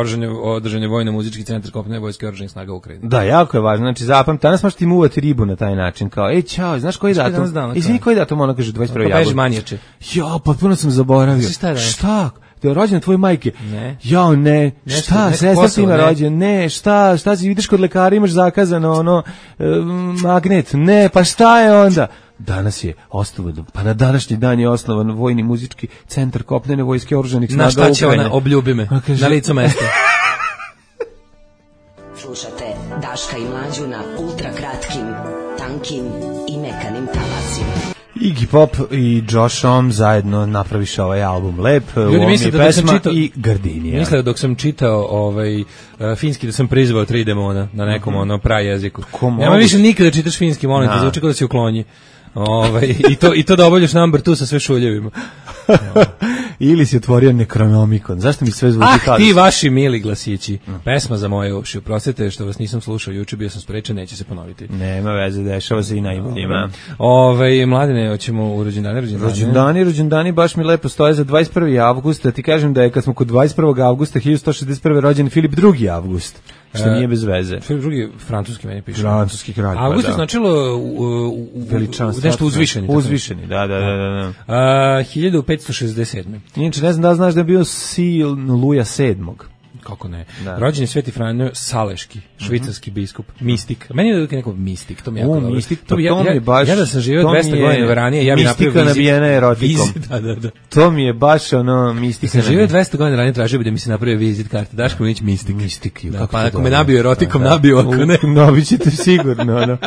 održan je vojno muzički centar kopnene vojske oružanih snaga Ukrajine. Da, jako je važno. Znači zapamti, danas možeš ti muvati ribu na taj način, kao čao, znaš koji datum? Izvini, koji datum ona kaže 21. avgust. Manjače. Ja, potpuno sam zaboravio. Šta? Te je rođena tvoje majke? Ne. Ja, ne. Šta? Sestra ti ima rođen? Ne. Šta si vidiš kod lekara, imaš zakazano magnet? Ne, pa šta je onda? Danas je osnovan, pa na današnji dan je osnovan vojni muzički centar kopnene vojske oružanih snaga Ukrajine. Na šta će ona, obljubi me, na licu mesta. Slušate Daška i Mlađu na ultra kratkim, tankim i mekanim talasima. Iggy Pop i Josh Homme zajedno napraviše ovaj album lep, ljudi misle da pesma čitao, i Gardinija. Misle dok sam čitao finski da sam prizvao 3 demona na nekom prajeziku. Nema više nikada čitaš finski, molim te, zvuči kao da si u Klonji. I to da obavljaš number 2 sa sve šuljevima. ili si otvorio Necronomicon. Zašto mi sve zvuči kao... ti vaši mili glasići. Pesma za moje uši. Oprostite što vas nisam slušao, juče bio sam sprečen, neće se ponoviti. Nema veze, dešava se i najboljima. Mladine, hoćemo u rođendani, baš mi lepo stoje za 21. avgusta. Ti kažem da je kad smo kod 21. avgusta 1161. rođen Filip II. Avgust. Što nije bez veze. Filip II. Francuski meni piše. Francuski kralj. Avgust je značilo veličanstvo. Nešto uzvišeni. Uzvišeni, da. 1567. Inače, ne znam da znaš da je bio Sil Luja VII. Kako ne? Da. Rođen je Sveti Franjo Saleški, švicarski biskup, mistik. Meni je neko mistik, to mi je jako dobro. Mistik, to mi je baš... Ja da sam živio 200 godina ranije, ja bih napravio mistika nabijena erotikom. Da. To mi je baš ono mistika. Sam živio 200 godina ranije, tražio bi da mi se napravio vizit karte. Daško Minić mistik. Mistik. Da, pa ako me nabio erotikom, nabio, ako ne. Nabit ćete sigurno.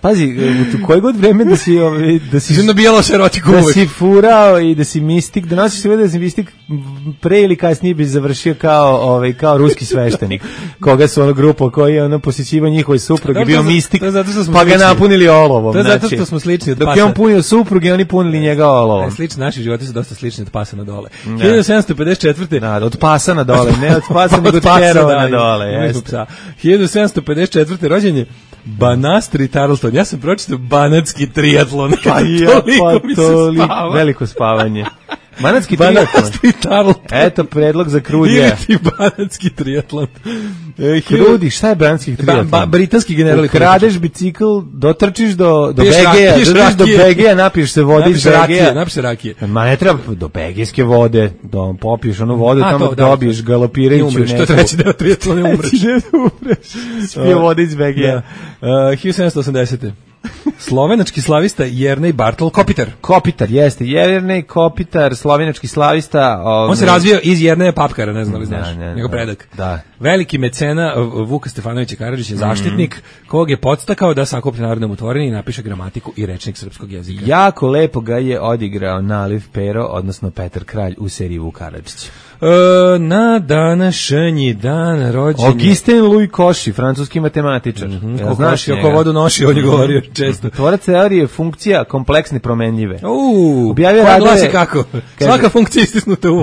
Pazi, u koje god vreme da si nabijalo se erotikom uvek. Da si furao i da si mistik, da nosiš sve da si mistik, pre ili kasnije bi završio kao ruski sveštenik, koga su ono grupa koji je posjećivao njihove supruge, bio mistik, pa ga napunili olovom. To je zato što smo slični od pasa. Dok je on punio supruge, oni punili njega olovom. Slični, naši životi su dosta slični od pasa na dole. 1754. Da, od pasa na dole, ne od pasa, nego od kerova na dole. 1754. rođen je Banastri Tarleton. Ja sam pročitao banatski triatlon. Veliko spavanje. Banatski triatlon. Eto predlog za Krudija. Ili ti banatski triatlon. Krudi, šta je banatski triatlon? Britanski general. Kradeš bicikl, dotrčiš do Begeja, napiješ se vode iz Begeja. Napiš se rakije. Ma ne treba do begejske vode, popiješ onu vodu, tamo dobiješ galopirajuću. Što treći deo triatlona umreš. Spio vode iz Begeja. 1780. Slovenački slavista Jernej Bartol Kopitar. Kopitar, jeste. Jernej Kopitar, slovenački slavista. On se razvio iz Jerneja Papkara, ne znam da li znaš. Njegov predak. Da. Veliki mecena Vuka Stefanovića Karadžić je zaštitnik kog je podstakao da sakuplja narodnom utvorenje i napiše gramatiku i rečnik srpskog jezika. Jako lepo ga je odigrao Naliv Pero, odnosno Petar Kralj u seriji Vuk Karadžić. Na današnji dan rođen Augustin Louis Cauchy, francuski matematičar. Znaš, oko vodu noši, on je govorio često. Tvorac teorije funkcija kompleksne promenljive. Objavio radove kako? Svaka funkcija istisnuta u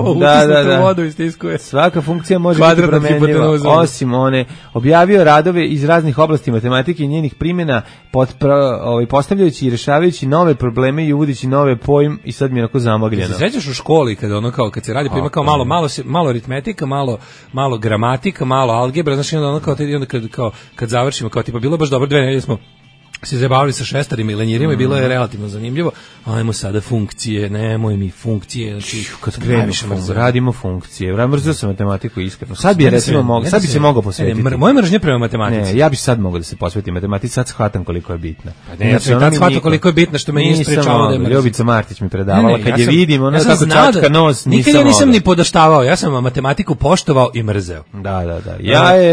vodu istiskuje. Svaka funkcija može biti promenljiva, osim one. Objavio radove iz raznih oblasti matematike i njenih primjena, postavljajući i rešavajući nove probleme i uvodeći nove pojm, i sad mi je onako zamagljeno. Se sećaš u školi kad se radi, pa ima kao malo aritmetika, malo gramatika, malo algebra, znači onda kad završimo, kao tipa bilo baš dobro 2 nedelje smo se zabavili sa šestarima i lenjirima i bilo je relativno zanimljivo. Ajmo sada funkcije, nemoj mi funkcije, znači kad krenemo radimo funkcije. Mrzio sam matematiku iskreno. Sad bi se mogao posvetiti. Moje mržnje prema matematici. Ne, ja bih sad mogao da se posvetim matematici, sad shvatam koliko je bitna. Pa ne, sad shvatam koliko je bitna, što me nije sprečavalo da je mrzim. Ljubica Martić mi predavala, kad je vidim, ona tako čačka nos, nikad ja nisam ni podaštavao, ja sam matematiku poštovao i mrzeo. Da.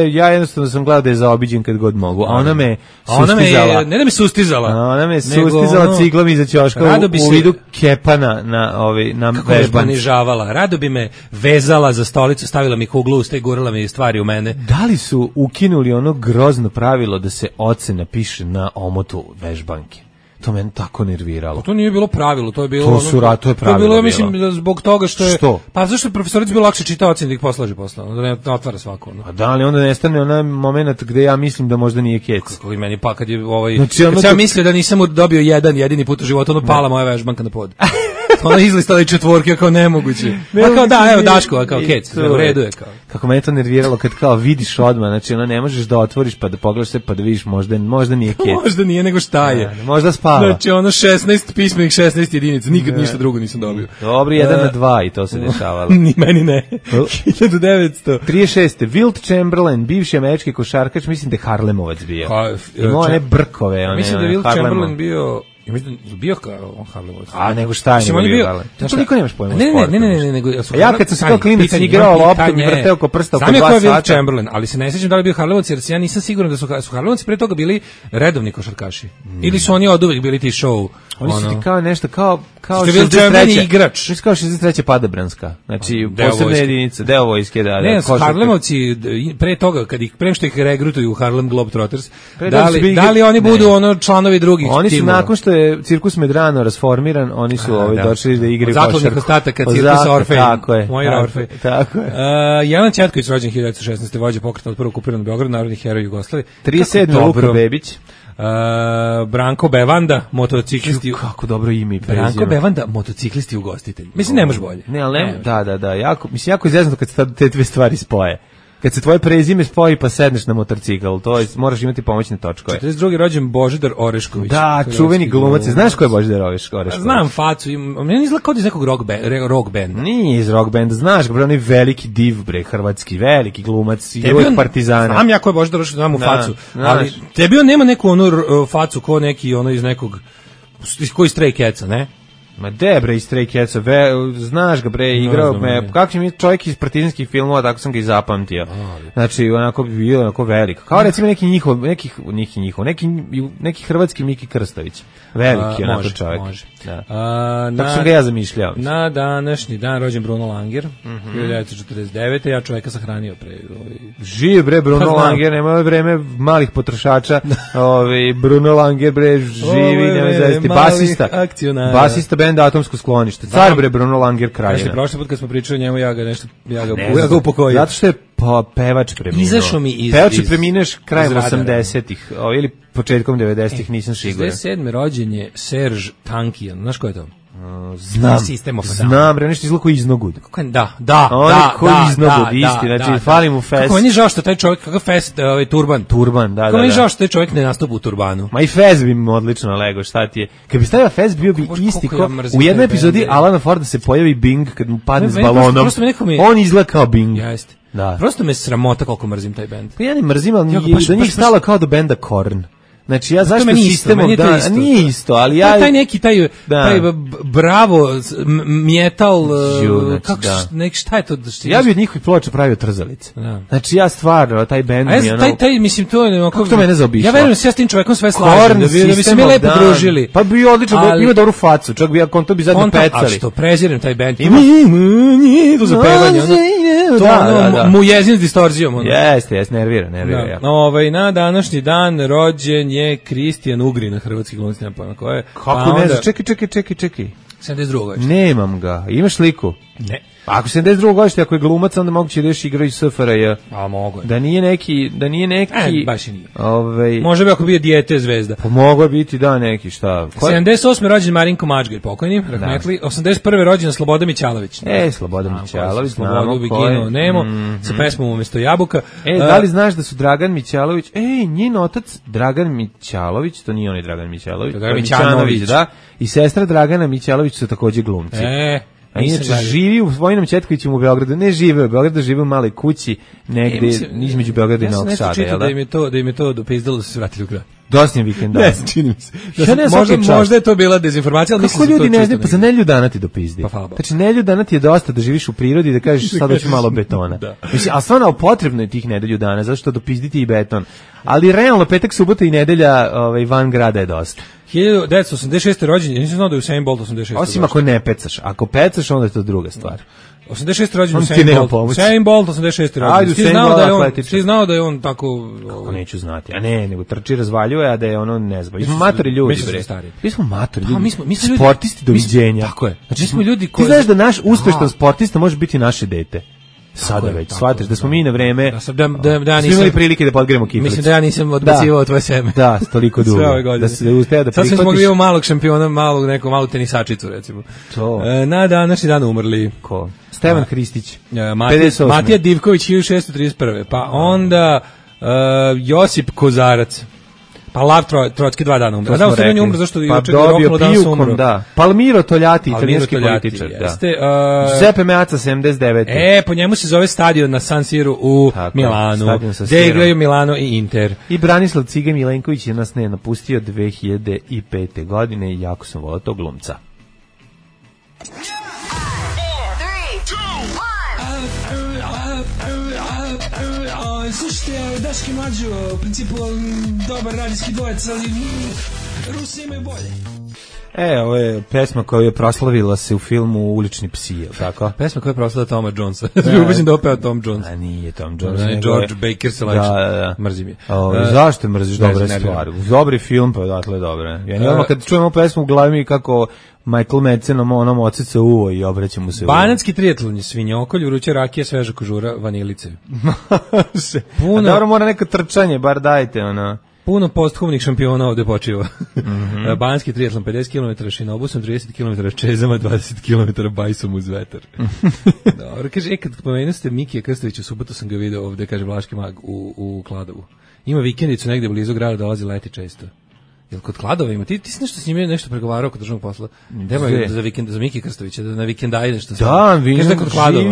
Ja jednostavno sam gledao da je zaobiđen kad god mogu, a ona me sustizala. Ne da me sustizala. Ona me sustizala ciglom iza ćoška u vidu kepa na vežbanci. Kako me ponižavala. Rado bi me vezala za stolicu, stavila mi kuglu usta i gurala mi stvari u mene. Da li su ukinuli ono grozno pravilo da se ocena piše na omotu vežbanke? To mene tako nerviralo. To nije bilo pravilo, to je bilo to je pravilo. To je bilo, mislim, zbog toga što je... Što? Pa zašto je profesoric bilo lakše čitao ocene da ih poslaže posle, da ne otvara svako. A da, ali onda nestane onaj moment gde ja mislim da možda nije kec. Kako i meni kad je kad sam mislio da nisam dobio jedini put u životu, pala moja vežbanka na pod. Ona izlistala i četvorke, kao nemoguće. Pa kao da, evo Daško, kao kec, u redu je kao. Kako me to nerviralo kad kao vidiš odmah, znači ne možeš da otvoriš pa da pogledaš sve pa da vidiš možda nije kec. Možda nije, nego šta je. Možda spava. Znači 16 pismenih 16 jedinica, nikad ništa drugo nisam dobio. Dobro, 1/2 i to se dešavalo. Ni meni ne. 1936. Wilt Chamberlain, bivši američki košarkaš, mislim da je Harlemovac bio. Imao one brkove. Mislim da je Wilt Chamberlain bio... Ja mislim da bio kao Harlemovac. A nego šta je bio? Znači niko nemaš pojma. Ne, nego ja kad sam kao klinac igrao loptom i vrteo oko prsta oko 2 sata. Znam je ko je Chamberlain, ali se ne sećam da li je bio Harlemovac, jer ja nisam siguran da su Harlemovci pre toga bili redovni košarkaši. Ili su oni oduvek bili ti show Oni su ti kao nešto, kao 63. igrač. Mislim kao 63. Padobranska. Znači, posebna jedinica, deo vojske, da. Ne, Harlemovci, pre toga, pre što ih regrutuju u Harlem Globetrotters, da li oni budu članovi drugih timova? Oni su, nakon što je Cirkus Medrano rasformiran, oni su došli da igraju košarku. Zakladnih ostataka Cirkus Orfej. Tako je. Moj Orfej. Tako je. Jelan Ćetković, rođen 1916. vođa pokreta od prvog okupiranog Beograda, narodni heroj Jugoslavije. 37. Luka Bebić. Branko Bevanda, motociklisti. Kako dobro ime i prezime. Branko Bevanda, motociklisti ugostitelj. Mislim, ne može bolje. Ne, ali ne, da. Jako izjezno kad se te dve stvari spoje. Kad se tvoje prezime spoji pa sedneš na motorcikl, to je, moraš imati pomoćne točkove. 42. rođen Božidar Orešković. Da, čuveni glumac. Znaš ko je Božidar Orešković? Znam facu. Meni izgleda kao iz nekog rock benda. Nije iz rock benda, znaš ga, onaj veliki div, hrvatski, veliki glumac, igrao Partizana. Znam ja ko je Božidar Orešković, znam u facu. Ali tebi on nema neku onu facu ko neki iz nekog, koji Stray Catsa, ne? Ma de bre, iz Stray Catsa, znaš ga bre, igrao me, kako će mi čovjek iz partizanskih filmova, tako sam ga i zapamtio. Znači, onako bi bio onako velik. Kao recimo neki hrvatski Miki Krstović. Veliki onako čovjek. Može. Da. Tako sam ga ja zamišljao. Na današnji dan rođen Bruno Langer, 1949. Ja čovjeka sahranio pre. Živ bre Bruno Langer, nema vreme malih potrošača. Bruno Langer bre živi, nema zesti, basista benda Atomsko sklonište. Car bre Bruno Langer Krajina. Prošli put kad smo pričali o njemu, ja ga upokojio. Zato što je pevač preminuo. Izašao mi iz... Pevač je premineš krajem 80-ih, ili početkom 90-ih, nisam siguran. 67. rođen je Serge Tankian. Znaš ko je to? Znam, bre, nešto izgleda koji iznogud. Da. On je koji iznogud, isti, znači, fali mu fest. Kako meni žao što taj čovjek, kakav fest, turban. Turban, da. Kako meni žao što taj čovjek ne nastupa u turbanu. Ma i fest bi mu odlično lego, šta ti je. Kad bi stavio fest, bio bi isti ko u jednoj epizodi Alana Forda se pojavi Bing kad mu padne s balonom. On izgleda kao Bing. Jeste. Da. Prosto me sramota koliko mrzim taj bend. Pa ja ne mrzim, ali do njih stalo kao do benda Korn. Znači ja zašto sistemom da nije isto, ali ja taj neki taj bravo metal kako šta je to? Ja bih od njihovih ploča pravio trzalice. Znači ja stvarno taj bend mi ono taj mislim to je kako to mene zaobišlo. Ja verujem se ja s tim čovekom sve slažem da bi se mi lepo družili. Pa bi odlično ima dobru facu, čak bi ja to bi zajedno pecali. A što prezirem taj bend. To za pevanje. To mu jezin s distorzijom. Jeste, nervira. Na današnji dan rođen je Kristijan Ugrin, hrvatski glumac, nema pojma ko je. Kako ne znam, čekaj. 72. godište. Nemam ga, imaš sliku? Ne. Ako 72. godište, ako je glumac, onda moguće da još igra iz SFRJ. A mogo je. Da nije neki... baš i nije. Može bi ako bio dijete zvezda. Pa mogo je biti, da, neki, šta? 78. rođen Marinko Mačgaj, pokojni, rahmetli. 81. rođen Slobodan Mićalović. Slobodan Mićalović, znamo ko je. Nemo, sa pesmom umjesto jabuka. Da li znaš da su Dragan Mićalović, njen otac Dragan Mićalović, to nije onaj Dragan Mićalović, Mićanović, da, i sestra Dragana Mićalović su također glumci. A inače živi u Vojnom Ćetkovićem u Beogradu, ne žive u Beogradu, žive u maloj kući negde između Beograda i Novog Sada. Ja sam nešto čitao da im je to dopizdalo da se vratili u grad. Dosta vikenda. Ne, čini mi se. Možda je to bila dezinformacija, ali mislim da to ljudi ne znaju, pa za Nelju dana ti dopizdi. Znači Nelju dana ti je dosta da živiš u prirodi i da kažeš sad hoću malo betona. Mislim, a stvarno potrebno je tih nedelju dana, zato što dopizditi i beton. Ali realno petak, subota i nedelja van grada je dosta. 1986. rođen, ja nisam znao da je Usain Bolt 86. Osim ako ne pecaš. Ako pecaš, onda je to druga stvar. 86. rođen Usain Bolt 86. rođen. Ti znao da je on tako... Kako neću znati. A ne, nego trči, razvaljuje, a da je ono ne znam. Mi smo matori ljudi, bre. Mi smo matori ljudi. Sportisti doviđenja. Tako je. Znači, mi smo ljudi koji... Ti znaš da naš uspešan sportista može biti naše dete. Sada već, shvatiš da smo mi na vreme svi imali prilike da podgremo kiflicu. Mislim da ja nisam odbacivao tvoje seme. Da, toliko dugo. Da se uspeo da prihvatiš. Sad smo mogli malog šampiona, malu tenisačicu, recimo. Na današnji dan umrli. Ko? Stevan Hristić, Matija Divković, 1631. Pa onda Josip Kozarac. Pa Lav Trotski 2 dana umre. Da, u stvari umre zašto juče je roknulo dan su umro. Da. Palmiro Toljati, italijanski političar. Giuseppe Meazza 79. Po njemu se zove stadion na San Siru u Milanu. Gde igraju Milano i Inter. I Branislav Cige Milenković je nas napustio 2005. godine i jako sam volao tog glumca. Slušajte, Daški Mlađo, u principu dobar radijski dvojec, ali Rusi imaju bolje. Ovo je pesma koju je proslavila se u filmu Ulični psi, je li tako? Pesma koja je proslavila Toma Jonesa. Ubeđen da opeo Tom Jones. A nije Tom Jones. George Baker se leči. Mrzim je. Zašto mrziš dobre stvari? Dobri film, pa odatle dobre. Ja odmah kad čujemo pesmu u glavi mi kako Michael Madsen onom ocica uvo i obraća mu se. Banatski triatlon je svinjokolj, vruće rakije, sveža kožura, vanilice. Puno. Dobro, mora neko trčanje, bar dajte, ono. Puno posthumnih šampiona ovde počiva. Banatski triatlon 50 km šinobusom, 30 km čezama, 20 km bajsom uz vetar. Dobro, kaže, kad pomenuo ste Mikija Krstovića, u subotu sam ga video ovde, kaže Vlaški mag u Kladovu. Ima vikendicu negde blizu grada, dolazi leti često. Jel kod Kladova ima? Ti si nešto s njime nešto pregovarao kod državnog posla? Dema za vikend, za Miki Krstovića, da na vikenda ide što da,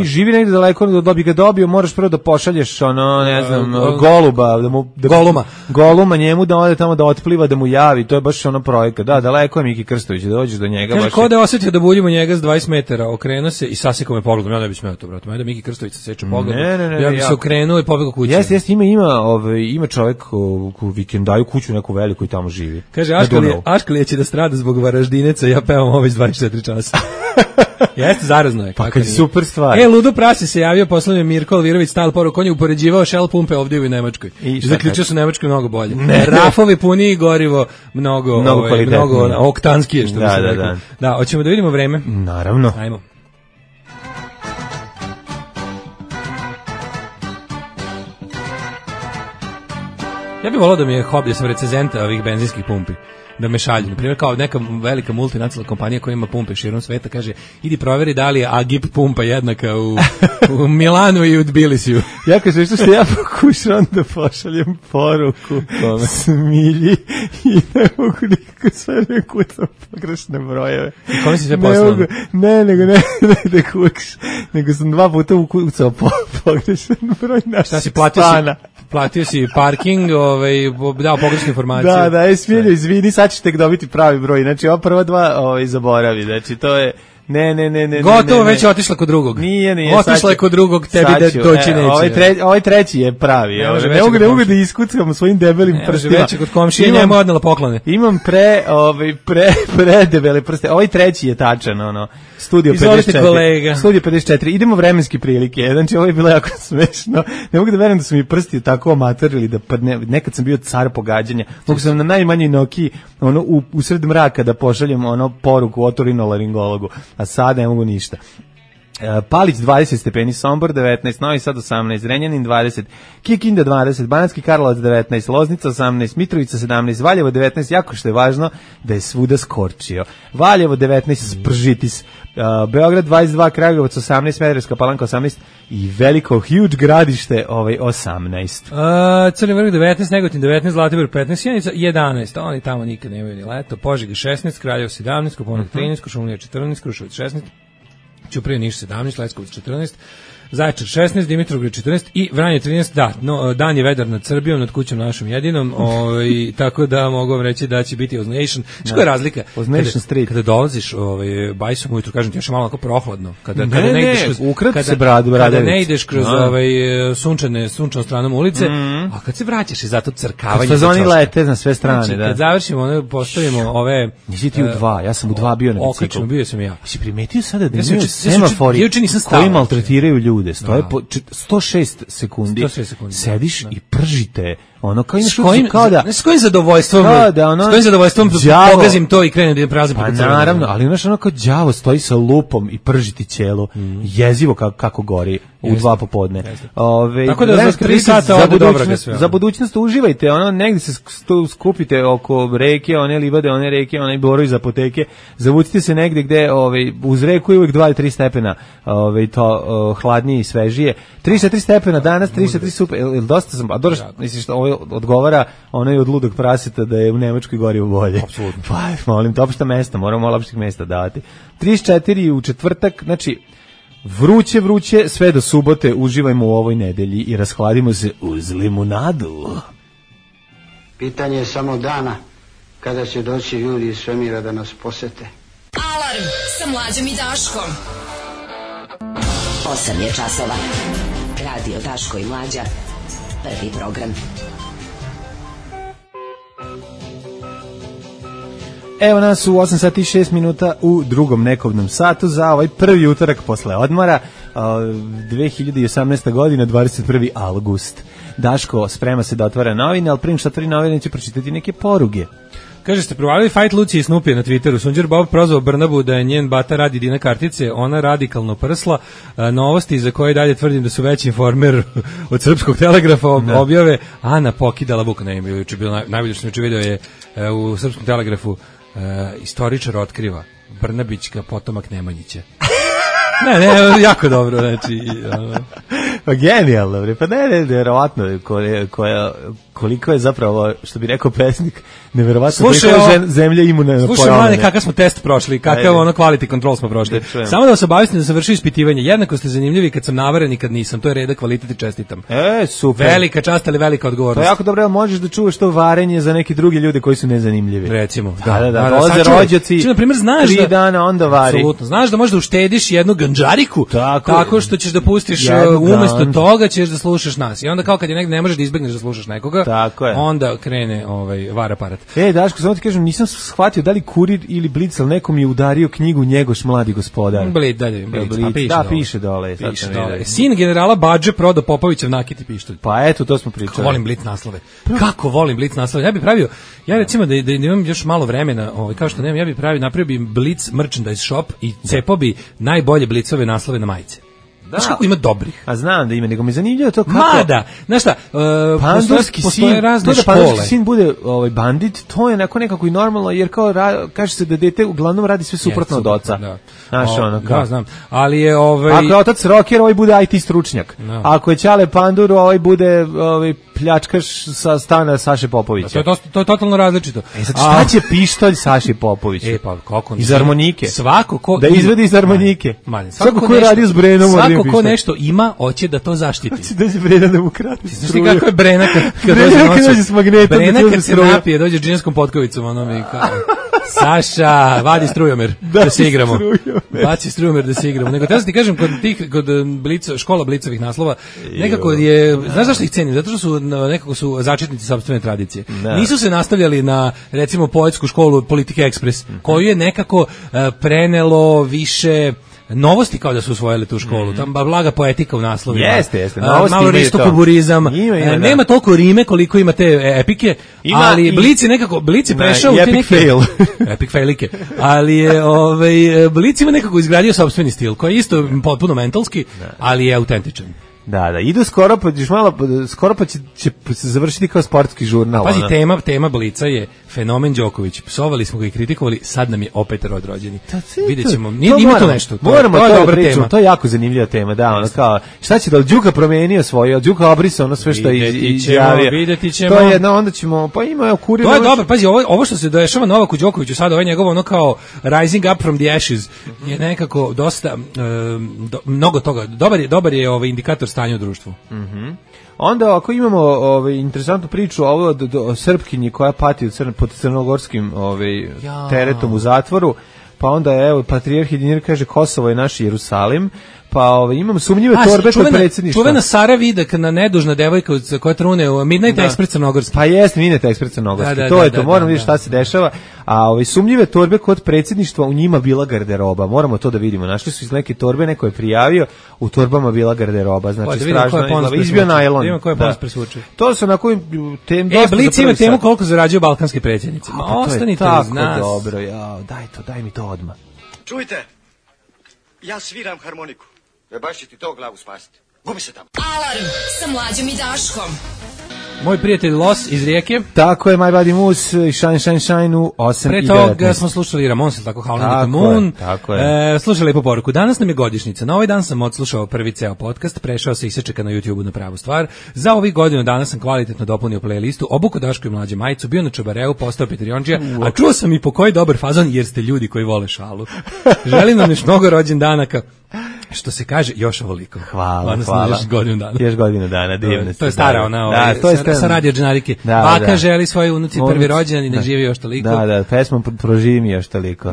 živi negde daleko, da bi ga dobio, moraš prvo da pošalješ ono, ne znam, goluba, goluma njemu da ode tamo da otpliva, da mu javi, to je baš ono projekat. Da, daleko je Miki Krstović, da dođeš do njega. Kaže, ko da je osetio da buljimo njega s 20 metara, okrenuo se i sasekao me pogledom, ja ne bih smeo to, brate. Da Miki Krstović seče pogledom, ja bih se okrenuo i pobegao kući. Jeste, ima čovjek u vikendaju kuću neku veliku i tamo živi. Kaže, Aškalije će da strada zbog Varaždineca, ja pevam ovo iz 24 časa. Jeste, zarazno je. Pa kad je super stvar. Ludo Prasi se javio, poslao je Mirko Alvirović stal poruku, on je upoređivao Shell pumpe ovdje u Nemačkoj. I zaključio su u Nemačkoj mnogo bolje. Rafovi puniji gorivo, mnogo oktanskije, što bi se rekao. Da, hoćemo da vidimo vreme? Naravno. Ajmo. Ja bih volao da mi je hobi, da sam recenzenta ovih benzinskih pumpi, da me šalju. Naprimjer, kao neka velika multinacionalna kompanija koja ima pumpe širom sveta, kaže, idi proveri da li je Agip pumpa jednaka u Milanu i u Tbilisiju. Ja kažem, što ja pokušam da pošaljem poruku Smilji i ne mogu nikako sve rekutam pogrešne brojeve. I kome si sve poslao? Nego sam 2 puta ukucao pogrešan broj našeg šta si platio stana. Platio si parking, dao pogrešnu informaciju. Da, Smiljo, izvini, sad ćeš tek dobiti pravi broj. Znači, ova prva 2 zaboravi. Znači, to je... Ne. Gotovo, već je otišla kod drugog. Nije. Otišla je kod drugog, tebi da doći neće. Ovaj treći je pravi. Ne mogu da iskuckam svojim debelim prstima. Već je kod komšije, njemu odnela poklone. Imam predebele prste. Ovaj treći je tačan, ono. Studio 54. Studio 54. Idemo vremenski prilike. Znači, ovo je bilo jako smešno. Ne mogu da verujem da su mi prsti tako amaterili da nekad sam bio car pogađanja. Mogu sam na najmanjoj Nokiji, ono, usred mraka da pošaljem ono poruku otorinolaringologu. A sada ne mogu ništa. Palić 20 stepeni, Sombor 19, Novi Sad 18, Renjanin 20, Kikinda 20, Banatski Karlovac 19, Loznica 18, Mitrovica 17, Valjevo 19, jako što je važno da je svuda skorčio. Valjevo 19, Spržitis, Beograd 22, Kragujevac 18, Smederevska Palanka 18 i veliko huge Gradište 18. Crni Vrh 19, Negotin 19, Zlatibor 15, Sjenica 11, oni tamo nikad nemaju ni leto, Požega 16, Kraljevo 17, Koponik 13, Košumlija 14, Kruševac 16, Ćuprija Niš 17, Leskovac 14, Zaječar 16, Dimitrovgrad 14 i Vranje 13, da, dan je vedar nad Srbijom, nad kućom našom jedinom, tako da mogu vam reći da će biti Oznation. Što je razlika? Oznation Street. Kada dolaziš bajsom ujutru, kažem ti, još je malo onako prohladno. Kada ne ideš kroz sunčanom stranom ulice, a kad se vraćaš i zato crkavanje. Kad oni lete na sve strane, znači, da. Kad završimo, postavimo ove... Nisi ti u 2, ja sam u 2 bio na biciklu. Oklično, bio sam ja. Si primetio sada da imaju semafori koji maltretiraju ljude? Stoje po 106 sekundi. Sediš i pržite. Ono kao s kojim zadovoljstvom pogazim to i krenem da prelazim preko crvenog. Naravno, ali znaš ono kao đavo stoji sa lupom i pržiti ćelo. Jezivo kako gori u 2 popodne. Tako da za 3 sata ode dobro ga sve. Za budućnost uživajte, ono negdje se skupite oko reke, one livade, one reke, onaj borovi za apoteke. Zavucite se negdje gde uz reku je uvijek 2 ili 3 stepena to hladnije i svežije. 3-4 stepena danas, 3-4 super. Dosta sam, misliš što odgovara onaj od ludog praseta da je u Nemačkoj gorivo bolje. Apsolutno. Pa, molim, to opšta mesta, moramo malo opštih mesta davati. 34 u četvrtak, znači, vruće, sve do subote, uživajmo u ovoj nedelji i rashladimo se uz limunadu. Pitanje je samo dana kada će doći ljudi iz svemira da nas posete. Alarm sa Mlađom i Daškom. 8 je časova. Radio Daško i Mlađa. Prvi program. Evo nas u 8 sati i 6 minuta u drugom nekobnom satu za ovaj prvi utorak posle odmora, 2018. godina, 21. avgust. Daško sprema se da otvara novine, ali prije što otvori novine će pročitati neke poruge. Kaže, ste provalili fight Lucije i Snupije na Twitteru. Sunđer Bob prozvao Brnabu da je njen bata radi Dina kartice, ona radikalno prsla. Novosti za koje dalje tvrdim da su veći informer od Srpskog telegrafa objave. Ana pokidala buka. Ne, juče bilo najbolje što sam vidio je u Srpskom telegrafu istoričar otkriva Brnabićka potomak Nemanjića. Ne, jako dobro, znači... Pa genijalno, pa ne, verovatno, koliko je zapravo, što bi rekao pesnik, neverovatno koliko zemlje imune na pojavljene. Slušaj, mlade, kakav smo test prošli, kakav ono quality control smo prošli. Samo da vas obavestim da sam vršio ispitivanje, jednako ste zanimljivi kad sam navaren i kad nisam, to je reda, kvalitet i čestitam. Super. Velika čast, ali velika odgovornost. To je jako dobro, možeš da čuvaš to varenje za neki drugi ljudi koji su nezanimljivi. Recimo. Da, dolaze rođaci, na primjer, znaš 3 dana onda vari. Apsolutno, znaš da možeš da uštediš jednu ganđariku, tako što ćeš da pustiš umesto toga ćeš da slušaš nas. I onda kao kad je negde ne možeš da izbegneš da slušaš nekoga, onda krene var aparat. Daško, samo ti kažem, nisam shvatio da li Kurir ili Blic, ali nekom je udario knjigu Njegoš mladi gospodar. Blic, piše dole. Sin generala Badže prodao Popovićev nakit i pištolj. Pa eto, to smo pričali. Kako volim Blic naslove. Kako volim Blic naslove. Ja bih pravio, recimo da imam još malo vremena, kao što nemam, ja bih napravio bi Blic merchandise shop i cepao bi najbolje Blicove naslove na majice. Znaš kako ima dobrih? A znam da ima, nego mi zanimljivo to kako... Mada! Znaš šta, postoje razne škole. Pandurski sin bude bandit, to je nekako i normalno, jer kao kaže se da dete uglavnom radi sve suprotno od oca. Znaš kao... Da, znam. Ali je... Ako je otac rocker, bude IT stručnjak. Ako je Ćale Pandur, bude pljačkaš sa stana Saše Popovića. To je totalno različito. Sad šta će pištolj Saši Popovića? Pa kako? Iz harmonike. Svako ko... Da izvedi iz harmonike. Svako ko je radio s Brenom... Svako ko nešto ima, hoće da to zaštiti. Hoće da će Brena da mu krati. Znaš ti kako je Brena kad dođe s magnetom? Brena kad se napije, dođe s džinskom potkovicom, ono mi kao... Saša, vadi strujomer da se igramo. Baci strujomer da se igramo. Nego te ti kažem, kod škola Blicovih naslova, nekako je, znaš zašto ih cenim? Zato što nekako su začetnici sopstvene tradicije. Nisu se nastavljali na, recimo, poetsku školu Politike Ekspres, koju je nekako prenelo više... novosti kao da su usvojili tu školu, tam blaga poetika u naslovima. Jeste. Malo ristokuburizam. Nema toliko rime koliko ima te epike, ali Blic je prešao u te neke... Epic failike. Ali je Blic ima nekako izgradio sopstveni stil, koji je isto potpuno mentalski, ali je autentičan. Da, idu skoro pa će se završiti kao sportski žurnal. Pazi, tema Blica je fenomen Đoković. Psovali smo ga i kritikovali, sad nam je opet rođeni. Videćemo. Ima to nešto. Moramo to pričamo. To je jako zanimljiva tema, da, ono kao šta će da Đuka promenio svoje, od Đuka obrisao ono sve što je izjavio. Videti ćemo. To je jedna, onda ćemo, pa ima Kurir. To je dobro, pazi, ovo što se dešava Novaku Đokoviću sada, ovaj njegov ono kao rising up from the ashes je nekako dosta mnogo toga. Dobar je indikator stanja u društvu. Onda ako imamo interesantnu priču o Srpkinji koja pati pod crnogorskim teretom u zatvoru, pa onda je patrijarh Edinir kaže Kosovo je naš Jerusalim, pa imamo sumnjive torbe kod predsjedništva. Čuvena Sara Vidak, nedužna devojka koja trune u Midnight Express crnogorski. Pa jeste, Midnight Express crnogorski. To je to, moramo vidjeti šta se dešava. A sumnjive torbe kod predsjedništva, u njima bila garderoba. Moramo to da vidimo. Našli su iz neke torbe, neko je prijavio, u torbama bila garderoba. Znači strašno, izbio najlon. Idemo koje ponos presvuče. To su onako tem Blic ima temu koliko zarađuju balkanski predsjednici. Ostanite uz nas. Tako dobro, daj mi to odmah. Čujte, ja sviram harmoniku. Baš će ti to glavu spasiti. Gubi se tamo. Alarm sa Mlađom i Daškom. Moj prijatelj Los iz Rijeke. Tako je, My Body Moose i Shine u 8 Pre i 19. toga smo slušali Ramonse, tako Howling at the Moon. Tako je. Slušali lepo poruku. Danas nam je godišnjica. Na ovaj dan sam odslušao prvi ceo podcast, prešao se i sečeka na YouTubeu na pravu stvar. Za ovih godinu dana sam kvalitetno dopunio playlistu, obuko Daško i Mlađe majicu, bio na Čabareu, postao Petrionđija, a čuo sam i po koji dobar fazon jer ste ljudi koji vole šalu. Želim nam još mnogo rođendanaka. Što se kaže, još ovoliko. Hvala. Još godinu dana. Još godinu dana, divno. To je stara ona, sa radio džanarike. Baka želi svoje unuci prvi rođendan i ne živi još toliko. Da, pesmom proživi mi još toliko.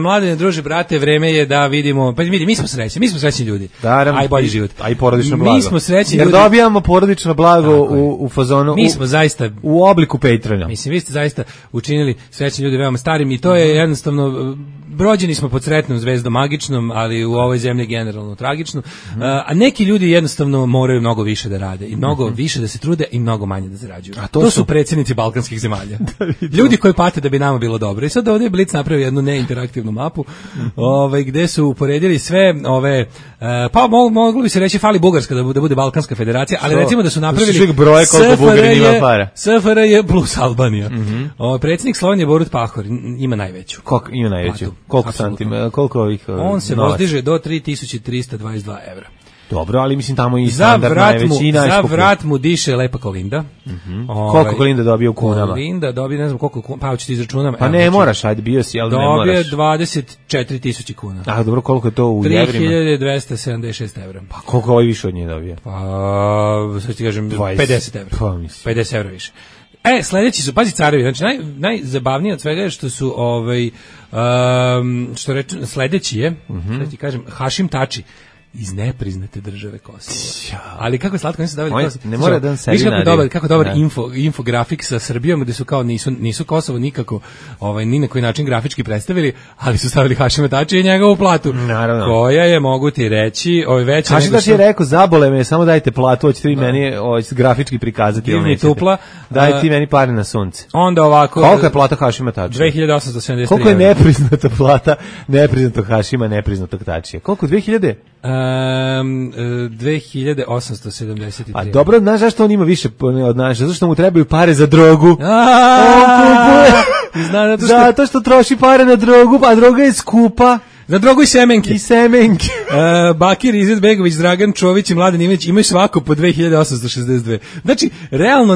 Mladene, druže, brate, vreme je da vidimo, pa vidi, mi smo srećni ljudi. Aj bolji život. Aj porodično blago. Mi smo srećni ljudi. Jer dobijamo porodično blago u fazonu, mi smo zaista u obliku Patreona. Mislim, vi ste zaista učinili srećni ljudi veoma starim i to je jednostavno, rođeni smo pod sretnom zvezdom magičnom, ali u ovoj zemlji generalno tragično. A neki ljudi jednostavno moraju mnogo više da rade i mnogo više da se trude i mnogo manje da zarađuju. A to su predsjednici balkanskih zemalja. Ljudi koji pate da bi nama bilo dobro. I sad ovdje je Blic napravio jednu neinteraktivnu mapu, gde su uporedili sve ove, pa moglo bi se reći fali Bugarska da bude Balkanska federacija, ali recimo da su napravili SFRJ plus Albanija. Predsjednik Slovenije Borut Pahor ima najveću. Ima najveću. Koliko santima, koliko ovih on se vozdiže do 3322 evra. Dobro, ali mislim tamo i standard najveći i najskuplji. Za vrat mu diše lepa Kolinda. Koliko Kolinda dobije u kunama? Kolinda dobije, ne znam koliko, pa hoću ti izračunam. Pa ne moraš, ajde, bio si, ali ne moraš. Dobije 24.000 kuna. A dobro, koliko je to u evrima? 3276 evra. Pa koliko ovaj više od nje dobije? Pa, sad ti kažem, 50 evra. Pa mislim. 50 evra više. Sledeći su, pazi, carevi, znači najzabavnije od svega je što su, što reče, sledeći je, sad ti kažem, Hašim Tači, iz nepriznate države Kosova. Ali kako je slatko, nisu davali Kosovo. Ne mora da on sebi nadi. Kako dobar infografik sa Srbijom, gde su kao nisu Kosovo nikako ni na koji način grafički predstavili, ali su stavili Hašima Tačija i njegovu platu. Naravno. Koja je, mogu ti reći, veća Hašim Tači je rekao, zabole me, samo dajte platu, hoćete vi meni grafički prikazati. Divni tupla. Daj ti meni pare na sunce. Onda ovako. Koliko je plata Hašima Tačija? 2873. Koliko je nepriznata plata nepriznatog Hašima, nepriznatog Tačija? Koliko? 2000? 2873. A dobro, znaš zašto on ima više od nas? Zato što mu trebaju pare za drogu. Zato što troši pare na drogu, a droga je skupa. Za drogu i semenke. Bakir, Izetbegović, Dragan Čović i Mladen Ivanić imaju svako po 2862. Znači, realno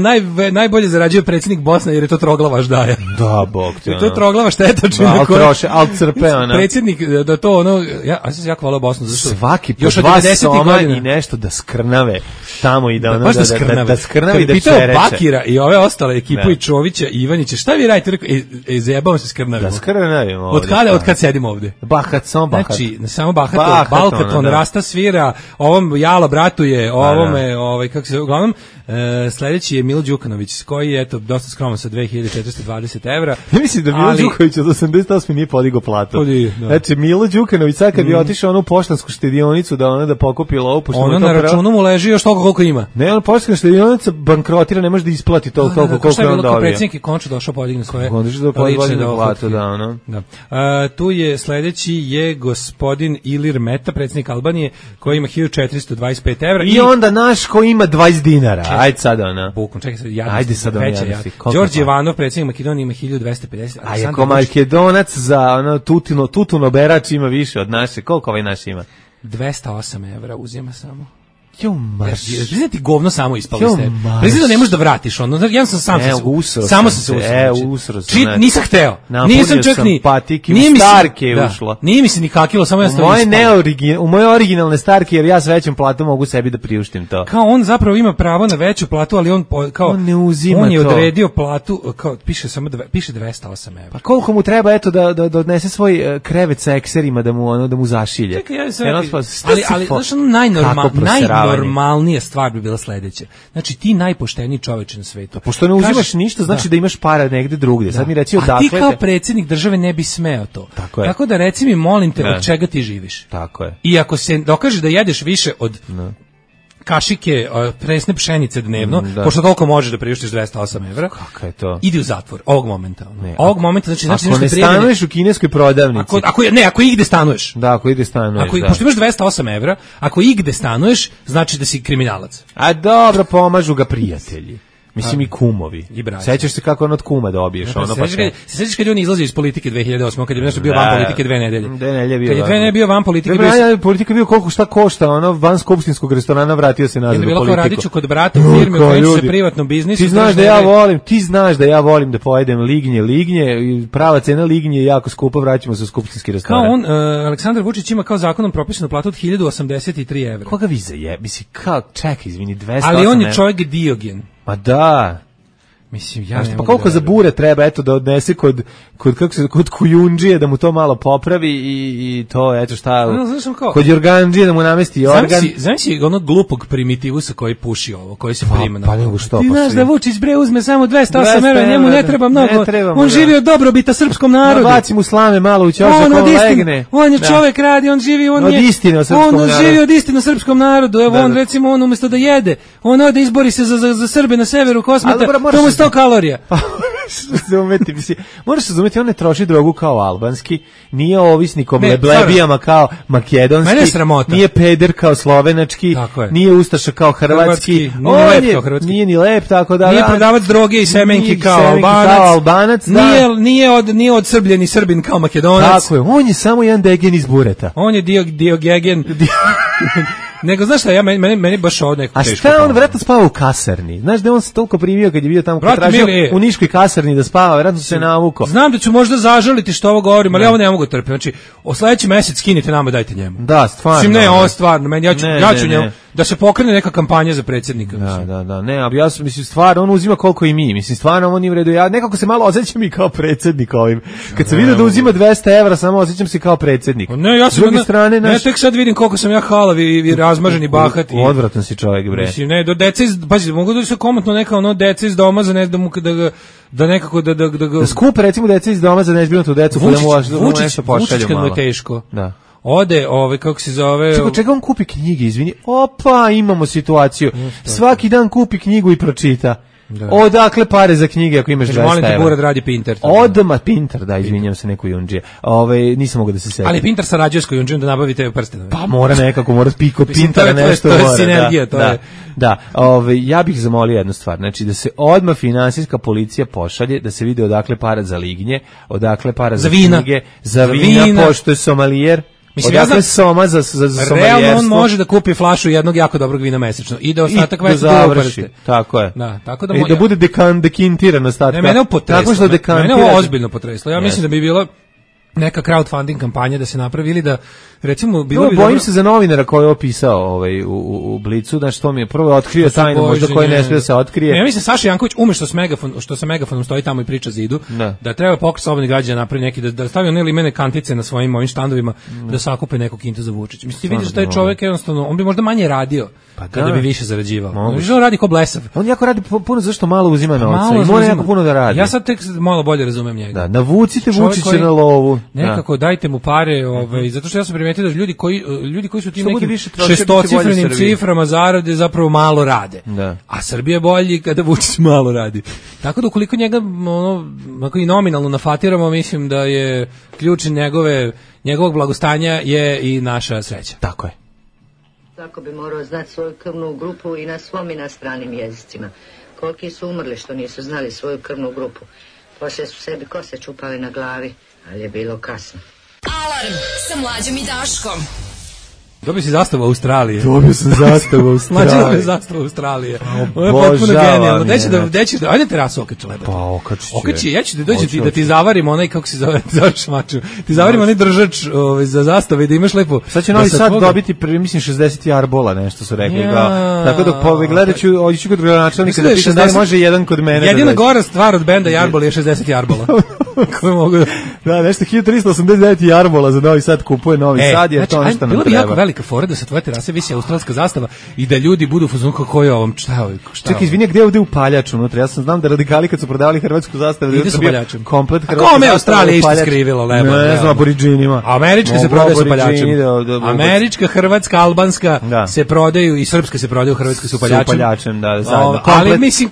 najbolje zarađuje predsjednik Bosne jer je to troglava ždaja. Da, bog te. To je troglava štetočina. Al crpe ona. Predsjednik, da to ja sam se jako volao Bosnu. Svaki po 2 soma i nešto da skrnave tamo i da skrnave i da čereče. Bakira i ove ostale ekipu i Čovića i Ivanića, šta vi radite? Zajebavam se skrnavimo. Da skrnavimo. Od kad sedimo ovde? Samo bahat. Znači, samo Balkaton, Rasta svira, ovom Jalo bratuje, ovome, kako se, uglavnom, sledeći je Milo Đukanović, koji je, eto, dosta skroman sa 2420 evra. Ja mislim da Milo Đukanović od 88 nije podigao platu. Znači, Milo Đukanović, sad kad bi otišao onu poštansku štedionicu da pokupi lovu, ono na računu mu leži još toliko koliko ima. Ne, ono poštanska štedionica bankrotira, ne može da isplati toliko koliko je on dobio. Predsjednik je končno došao podigne svoje lične platu, da, ono. Tu je sledeći je gospodin Ilir Meta, predsjednik Albanije, koji ima 1425 evra. I onda naš koji ima 20 dinara. Ajde sad ona. Bukom, čekaj sad. Ajde sad ona. Đorđe Ivanov, predsjednik Makedonije, ima 1250. A ako Makedonac za ono Tutuno berač ima više od naše, koliko ovaj naš ima? 208 evra uzima samo. Jo, marš. Priznati govno samo ispali ste. Priznati da ne možeš da vratiš ono. Ja sam sam se samo sam se usro. Nisam hteo. Nisam čak ni patike u starke ušla. Nije mi se ni kakilo, samo ja stavim. U moje originalne starke, jer ja s većom platom mogu sebi da priuštim to. Kao on zapravo ima pravo na veću platu, ali on kao on ne uzima to. On je odredio platu, kao piše 208 evra. Pa koliko mu treba eto da odnese svoj krevet sa ekserima da mu zašilje. Čekaj, ali znaš, najnormalnija stvar bi bila sledeća. Znači, ti najpošteniji čoveče na svetu. Pošto ne uzimaš ništa, znači da imaš para negde drugdje. Sad mi reci odakle. A ti kao predsjednik države ne bi smeo to. Tako da reci mi, molim te, od čega ti živiš. Tako je. I ako se dokaže da jedeš više od kašike presne pšenice dnevno, pošto koliko možeš da priuštiš 208 evra, kako je to? Idi u zatvor, ovog momenta. Ovog momenta, znači ako ne stanuješ u kineskoj prodavnici. Ako igde stanuješ. Da, ako igde stanuješ. Pošto imaš 208 evra, ako igde stanuješ, znači da si kriminalac. A dobro, pomažu ga prijatelji. Mislim i kumovi. Sećaš se kako on od kuma dobiješ ono pa sve. Sećaš kad on izlazi iz politike 2008, kad je nešto bio van politike 2 nedelje. 2 nedelje bio. Kad je 2 nedelje bio van politike, politika bio koliko šta košta, ono van skupštinskog restorana vratio se nazad u politiku. Bilo kao Radiću kod brata u firmi u kojoj se privatno biznis. Ti znaš da ja volim da pojedem lignje, prava cena lignje je jako skupa, vraćamo se u skupštinski restoran. Kao on, Aleksandar Vučić ima kao zakonom propisanu platu od 1083 evra. Koga vi mislim, kao, čekaj, izvini, 200. Ali on je čovjek Diogen. Pa da. Mislim, ja pa koliko za bure treba, eto, da odnese kod kujundžije, da mu to malo popravi i to, eto šta, kod jorgandžije da mu namesti organ. Znam si onog glupog primitivusa koji puši ovo, koji se prima na ovo. Ti znaš da Vučić bre uzme samo 208 evra, njemu ne treba mnogo, on živi od dobrobita srpskom narodu. Baci mu slame malo u ćošak, on legne. On je čovek radi, on živi, on živi od istine o srpskom narodu, evo on recimo, on umjesto da jede, on ode izbori se za Srbe na severu Kosmeta, to mu 100 kalorija. Moraš se razumeti, on ne troši drogu kao albanski, nije ovisnik o leblebijama kao makedonski, nije peder kao slovenački, nije ustaša kao hrvatski, nije ni lep, tako da... Nije prodavac droge i semenki kao albanac, nije odsrbljeni Srbin kao makedonac. Tako je, on je samo jedan degen iz bureta. On je diogegen... Nego, znaš šta, meni baš ovo neko teško. A šta on vjerojatno spava u kasarni? Znaš da on se toliko primio kad je bio tamo, kad tražio u niškoj kasarni da spava, vjerojatno se navuko. Znam da ću možda zažaliti što ovo govorim, ali ja ovo ne mogu trpiti. Znači, o sledeći mesec skinite nama, dajte njemu. Da, stvarno. Mislim, ne, ovo stvarno, ja ću njemu, da se pokrene neka kampanja za predsjednika. Da, ne, ali ja mislim, stvarno, on uzima koliko i mi, mislim, stvarno, on nije u redu, ja nekako se malo osjećam i kao predsjednik ovim. Kad sam vidio da uzima 200 evra, samo osjećam se kao predsjednik. Ne, ja sam, ne, tek sad vidim koliko sam ja halav i razmaženi bahati. Odvratan si čovjek, bre. Mislim, ne, do deca pazi, mogu da se komotno neka ono deca iz doma za da nekako da skupe recimo deca iz doma za nezbrinutu decu, pa da mu nešto pošalju malo. Vučić kad je teško. Da. Ode, kako se zove... Čega on kupi knjige, izvini? Opa, imamo situaciju. Svaki dan kupi knjigu i pročita. Da. Odakle pare za knjige ako imaš 200 evra? Molim te, Burad radi Pinter. Odmah Pinter, da, izvinjam se, neku junđije. Nisam mogu da se setim. Ali Pinter sarađuje s kojunđijom da nabavi te prstene. Pa mora nekako, mora piko Pintera nešto. To je sinergija, to je. Da, ja bih zamolio jednu stvar, znači da se odmah finansijska policija pošalje, da se vidi odakle para za lignje, odakle para za knjige, za vina, pošto je somalijer. Mislim, odakle soma za somalijerstvo. Realno on može da kupi flašu jednog jako dobrog vina mesečno i da ostatak već završi. Tako je. Da, tako da i da bude dekantiran ostatak. Mene ovo ozbiljno potreslo. Ja mislim da bi bilo neka crowdfunding kampanja da se napravi ili da recimo bilo bi bojim se za novinara koji je opisao u Blicu, da što mi je prvo otkrio tajnu možda koji ne smije da se otkrije. Ja mislim Saša Janković što sa megafonom stoji tamo i priča zidu, da treba pokret slobodnih građana napravi neki da stavi one limene kantice na svojim ovim štandovima da sakupe neku kintu za Vučića. Mislim, vidiš da je čovjek jednostavno, on bi možda manje radio kada bi više zarađivao. On radi ko blesav. On jako radi puno, zašto malo uzima novca i mora jako puno da radi. Ja sad tek malo bolje razumem njega. Da, navucite Vučića na lovu. Nekako dajte mu pare, zato što ja sam primetio da ljudi koji su tim nekim šestocifrenim ciframa zarade zapravo malo rade. A Srbija je bolji kada Vučić malo radi. Tako da ukoliko njega i nominalno nafatiramo, mislim da je ključ njegovog blagostanja je i naša sreća. Tako je. Svako bi morao znati svoju krvnu grupu i na svom i na stranim jezicima. Koliki su umrli što nisu znali svoju krvnu grupu. Poslije su sebi kose čupali na glavi, ali je bilo kasno. Alarm sa Mlađom i Daškom. Dobio si zastavu Australije. Dobio sam zastavu Australije. Mlađe dobio zastavu Australije. Ovo je potpuno genijalno. Deći da, ajde terasu okači lepo. Pa okači. Okači, ja ću da dođem da ti zavarim onaj, kako se zove, šmaču. Ti zavarim onaj držač za zastave da imaš lepo. Sad će Novi Sad dobiti, mislim, 60 jarbola, nešto su rekli. Tako dok gledat ću, ovdje ću kod gradonačelnika da pitam da li može jedan kod mene. Jedina gora stvar od benda Jarbol je 60 jarbola. Koje mogu da, nešto 1389 jarbola za Novi Sad kupuje Novi Sad, jer to nešto nam treba. Velika fora da sa tvoje terase visi australska zastava i da ljudi budu u fazonu kako je ovom, šta je ovo? Čekaj, izvini, gde je ovde upaljač unutra? Ja sam znam da radikali kad su prodavali hrvatsku zastavu, ide su paljačem. Komplet hrvatska zastava. A kome Australija isto skrivilo lepo? Ne znam, aboriđinima. Američka se prodaje sa paljačem. Američka, hrvatska, albanska se prodaju i srpska se prodaju, hrvatska su paljačem. Su paljačem, da, zajedno. Ali mislim,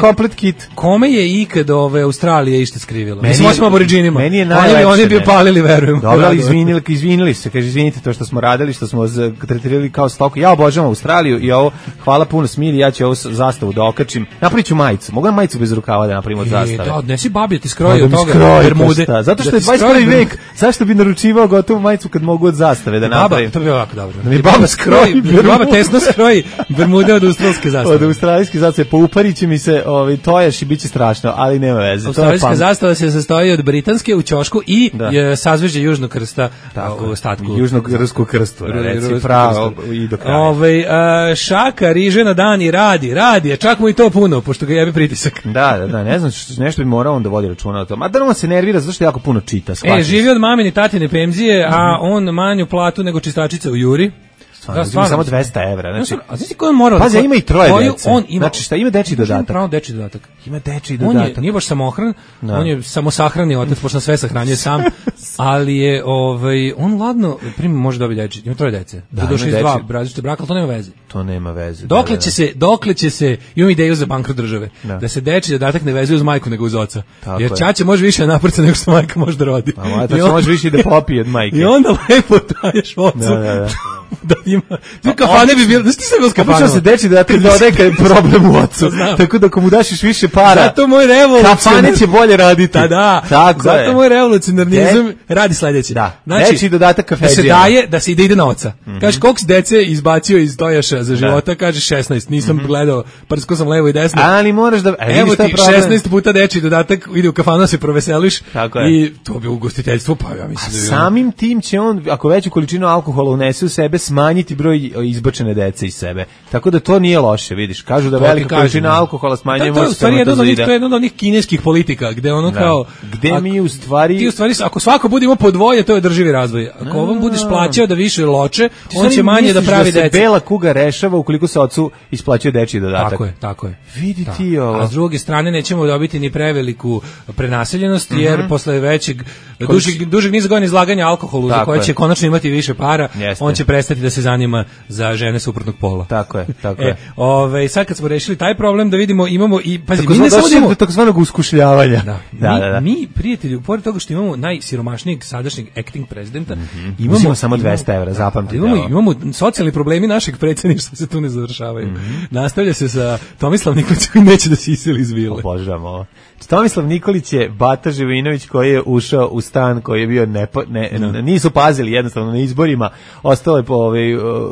komplet kit. Kome je ikad Australija isto skrivilo? Mislim, osim aboriđinima. Meni je najlepše. Oni bi palili, verujem. Dobro, ali izvinili se, kaže, izvinite to što smo radili, što smo tretirali kao stoku. Ja obožavam Australiju i ovo, hvala puno Smilji, ja ću ovu zastavu da okačim. Napravit ću majicu. Mogu na majicu bez rukava da napravim od zastave? Da, odnesi babi, ti skroji od toga bermude. Zato što je 21. vek, zašto bi naručivao gotovu majicu kad mogu od zastave da napravim? To bi ovako dobro. Da mi baba skroji, baba tesno skroji bermude od australske zastave. Od australijske zastave, pouparit će mi se tojaš i bit će strašno, ali nema veze. Australijska zastava se sastoji od britanske u ćošku i sazvežđe Južnog krsta u ostatku. Južnog krstu, reci pravo i do kraja. Šaka riže na dan i radi, čak mu i to puno, pošto ga jebi pritisak. Da, ne znam, nešto bi morao on da vodi računa o tom. A da on se nervira zato što jako puno čita. Živi od mamine tatine penzije, a on manju platu nego čistačica u Juri. Da, samo 200 evra. Znači, a znaš ti ko je morao? Pazi, ima i troje dece. On ima, znači, šta ima dečiji dodatak? Pravo dečiji dodatak. Ima dečiji dodatak. Nije baš samohran, on je samosahrani otac, pošto sve sahranjuje sam, ali je, on ladno, prima može dobiti dečiji, ima troje dece. Da, došli iz dva različite braka, ali to nema veze. To nema veze. Dokle će se, imam ideju za bankrot države, da se dečiji dodatak ne vezuje uz majku nego uz oca. Jer ćaća može više naprca nego što majka može da rodi. A ćaća može više da popije od majke. I onda lepo daješ ocu. Da ima. Kafane bi bilo, znaš ti sve bilo s kafanom? Obično se deči da ti dodaje kad je problem u ocu. Tako da ako mu daš više para, zato moj revolucionar... Kafane će bolje raditi. Da, zato moj revolucionarnizam radi sledeće. Da, deči dodatak kafeđija. Da se ide na oca. Kažeš, koliko si dece izbacio iz tojaša za života? Kažeš 16, nisam gledao, prsko sam levo i desno. Ali moraš da... Evo ti 16 puta deči dodatak, ide u kafanu da se proveseliš i to bi ugostiteljstvo, pa ja mislim da bi... Samim tim će on, ako veću količinu alkohola unese u sebe, smanjiti broj izbačene dece iz sebe. Tako da to nije loše, vidiš. Kažu da velika količina alkohola smanjuje moć spermatozida. To je jedan od onih kineskih politika, gde ono kao... Gde mi u stvari... Ti u stvari, ako svako bude imao po dvoje, to je održivi razvoj. Ako ovom budeš plaćao da više loče, on će manje da pravi dece. Da se bela kuga rešava ukoliko se ocu isplaćuje dečiji dodatak. Tako je. Vidi ti ovo. A s druge strane nećemo dobiti ni preveliku prenaseljenost, jer posle većeg, dužeg niza godina izlaganja alkoholu, za koje će konačno imati više para, on će prestati da se zanima za žene suprotnog pola. Tako je. Sad kad smo rešili taj problem, da vidimo, imamo i pazi, mi ne samo do takozvanog uskušljavanja. Mi prijatelji, pored toga što imamo najsiromašnijeg sadašnjeg acting prezidenta, imamo samo 200 evra, zapamtite. Imamo socijalni problemi našeg predsjedništva se tu ne završavaju. Nastavlja se sa Tomislav Nikolić koji neće da se iseli iz vile. Obožavam ovo. Tomislav Nikolić je Bata Živinović koji je ušao u stan koji je bio nisu pazili jednostavno na izborima, ostalo je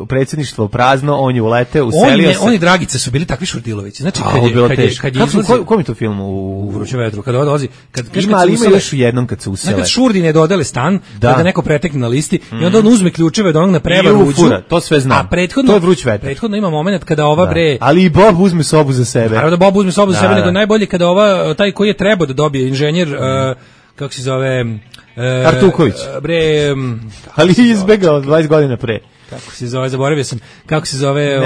predsjedništvo prazno, on je uleteo, uselio se. Oni Dragice su bili takvi Šurdilovići. Znači kad je kom je to film u Vruće vetru, kad dolazi, ima još jednom kad se usele. Kad Šurdine dodele stan, kada neko pretekne na listi i onda on uzme ključeve da onog na prevaru uđu. To sve znam. A prethodno, to je Vruć vetar. Prethodno ima moment kada ova bre... Ali i Bob uzme sobu za sebe. Naravno da Bob uzme sobu za sebe, nego najbolje kada ova, taj koji je trebao da dobije inženjer, kako se zove... Artuković. Ali izbegao 20 godina pre. Kako se zove, zaboravio sam, kako se zove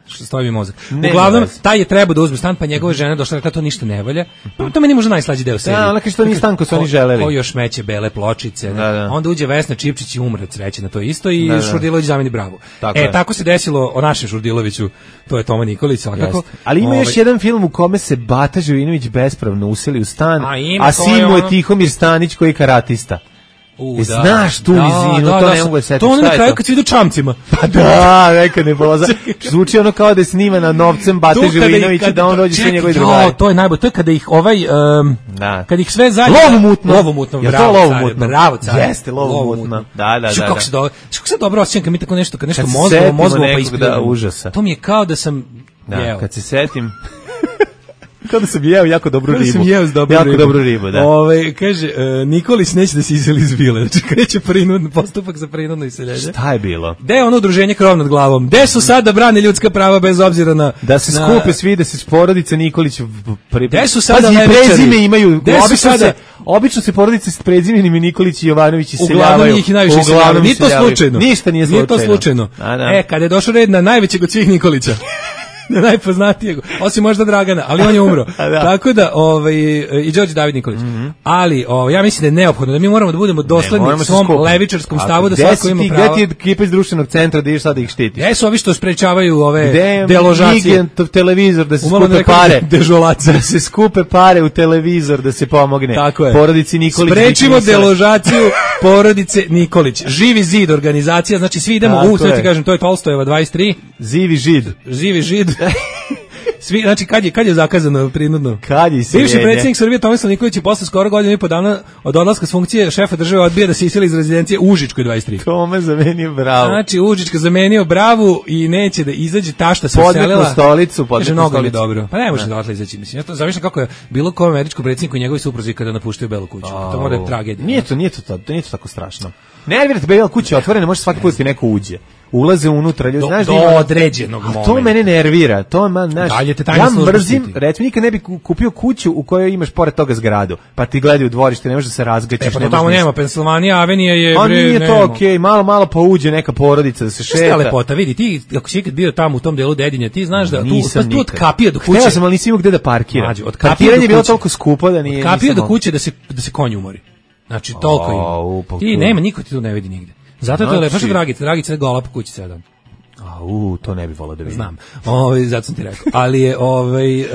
što stoji mi mozak. Uglavnom, taj je trebao da uzme stan, pa njegova žena došla, rekla to ništa ne valja. To meni možda najslađi deo serije. Da, ona kaže to nije stan ko su oni želeli. Ko još meće bele pločice. Onda uđe Vesna Čipčić i umre od sreće na to isto i Šurdilović zameni bravu. Tako se desilo o našem Šurdiloviću, to je Toma Nikolić, svakako. Ali ima još jedan film u kome se Bata Živinović bespravno useli u stan, a sin mu je Tihomir Stanić koji je karatista. Znaš tu nizinu, to ne mogu setiti. To ono na kraju kad se idu čamcima. Pa da, neka nebuloza. Zvuči ono kao da je snimana novcem Bate Živinovića da on dođe sve njegovi drugari. To je najbolje, to je kada ih kad ih sve zajedno... Lovomutno, bravo car. Jeste, lovomutno. Da. Kako se dobro osjećam kad mi tako nešto, kad nešto mozgovo pa ispljeno. To mi je kao da sam... Kad se setim... Kao da sam jeo jako dobru ribu. Dobru ribu, da. Kaže, Nikolić neće da se iseli iz vile. Znači, kreće postupak za prinudno iseljenje. Šta je bilo? Gde je ono udruženje Krov nad glavom? Gde su sad da brane ljudska prava bez obzira na... Da se skupe svi, da se porodica Nikolić... Gde su sada levičari? Prezime imaju... Obično se porodice s prezimenim i Nikolić i Jovanović iseljavaju. Uglavnom njih i najviše iseljavaju. Nije to slučajno. Ništa nije slučajno. Kada je došao red na najvećeg od svih Nikolića. najpoznatijeg, osim možda Dragana, ali on je umro. Tako da, i Đorđe David Nikolić. Ali, ja mislim da je neophodno, da mi moramo da budemo dosledni svom levičarskom stavu, da svako ima pravo. Gde ti je ekipa iz društvenog centra da ideš sad da ih štitiš? Gde su ovi što sprečavaju ove deložacije? Gde televizor da se skupe pare? Da se skupe pare u televizor da se pomogne porodici Nikolić. Sprečimo deložaciju porodice Nikolić. Živi zid organizacija, znači svi idemo sad ti kažem, to je Tolstojeva 23. Živi žid. Svi, znači kad je zakazano prinudno? Kad je iseljenje? Bivši predsjednik Srbije Tomislav Nikolić je posle skoro godinu i po dana od odlaska s funkcije šefa države odbija da se iseli iz rezidencije u Užičkoj 23. Tome zamenio bravu. Znači Užička zamenio bravu i neće da izađe, tašta se uselila. Stolicu. Mnogo mi dobro. Pa ne može da odatle izaći, mislim. Ja to zamišljam kako je bilo kom američkom predsjedniku i njegovi supruzi kada napuštaju Belu kuću. To mora da tragedija. Nije to tako strašno. Nervirate, Bela kuća je otvorena, može svaki put ti neko uđe. Ulaze unutra, ljudi, znaš, do određenog momenta. To mene nervira, to znaš. Ja mrzim, recimo nikad ne bi kupio kuću u kojoj imaš pored toga zgradu, pa ti gledaju u dvorište, ne možeš da se razgaćiš. Pa to tamo nema, Pensilvanija Avenija je bre. Nije to okej, malo pa uđe neka porodica da se šeta. Šta lepota, vidi, ti ako si ikad bio tamo u tom delu Dedinja, ti znaš da tu od kapije do kuće. Hteo sam, ali nisi imao gde da parkiram. Parkiranje je bilo toliko skupo da nije. Od kapije do kuće da se konj umori. Znači toliko ima. Ti nema, niko ti tu ne vidi nigde. Zato je to lepo, što Dragica je gola po kući 7. To ne bi volao da vidim. Znam. Zato sam ti rekao. Ali je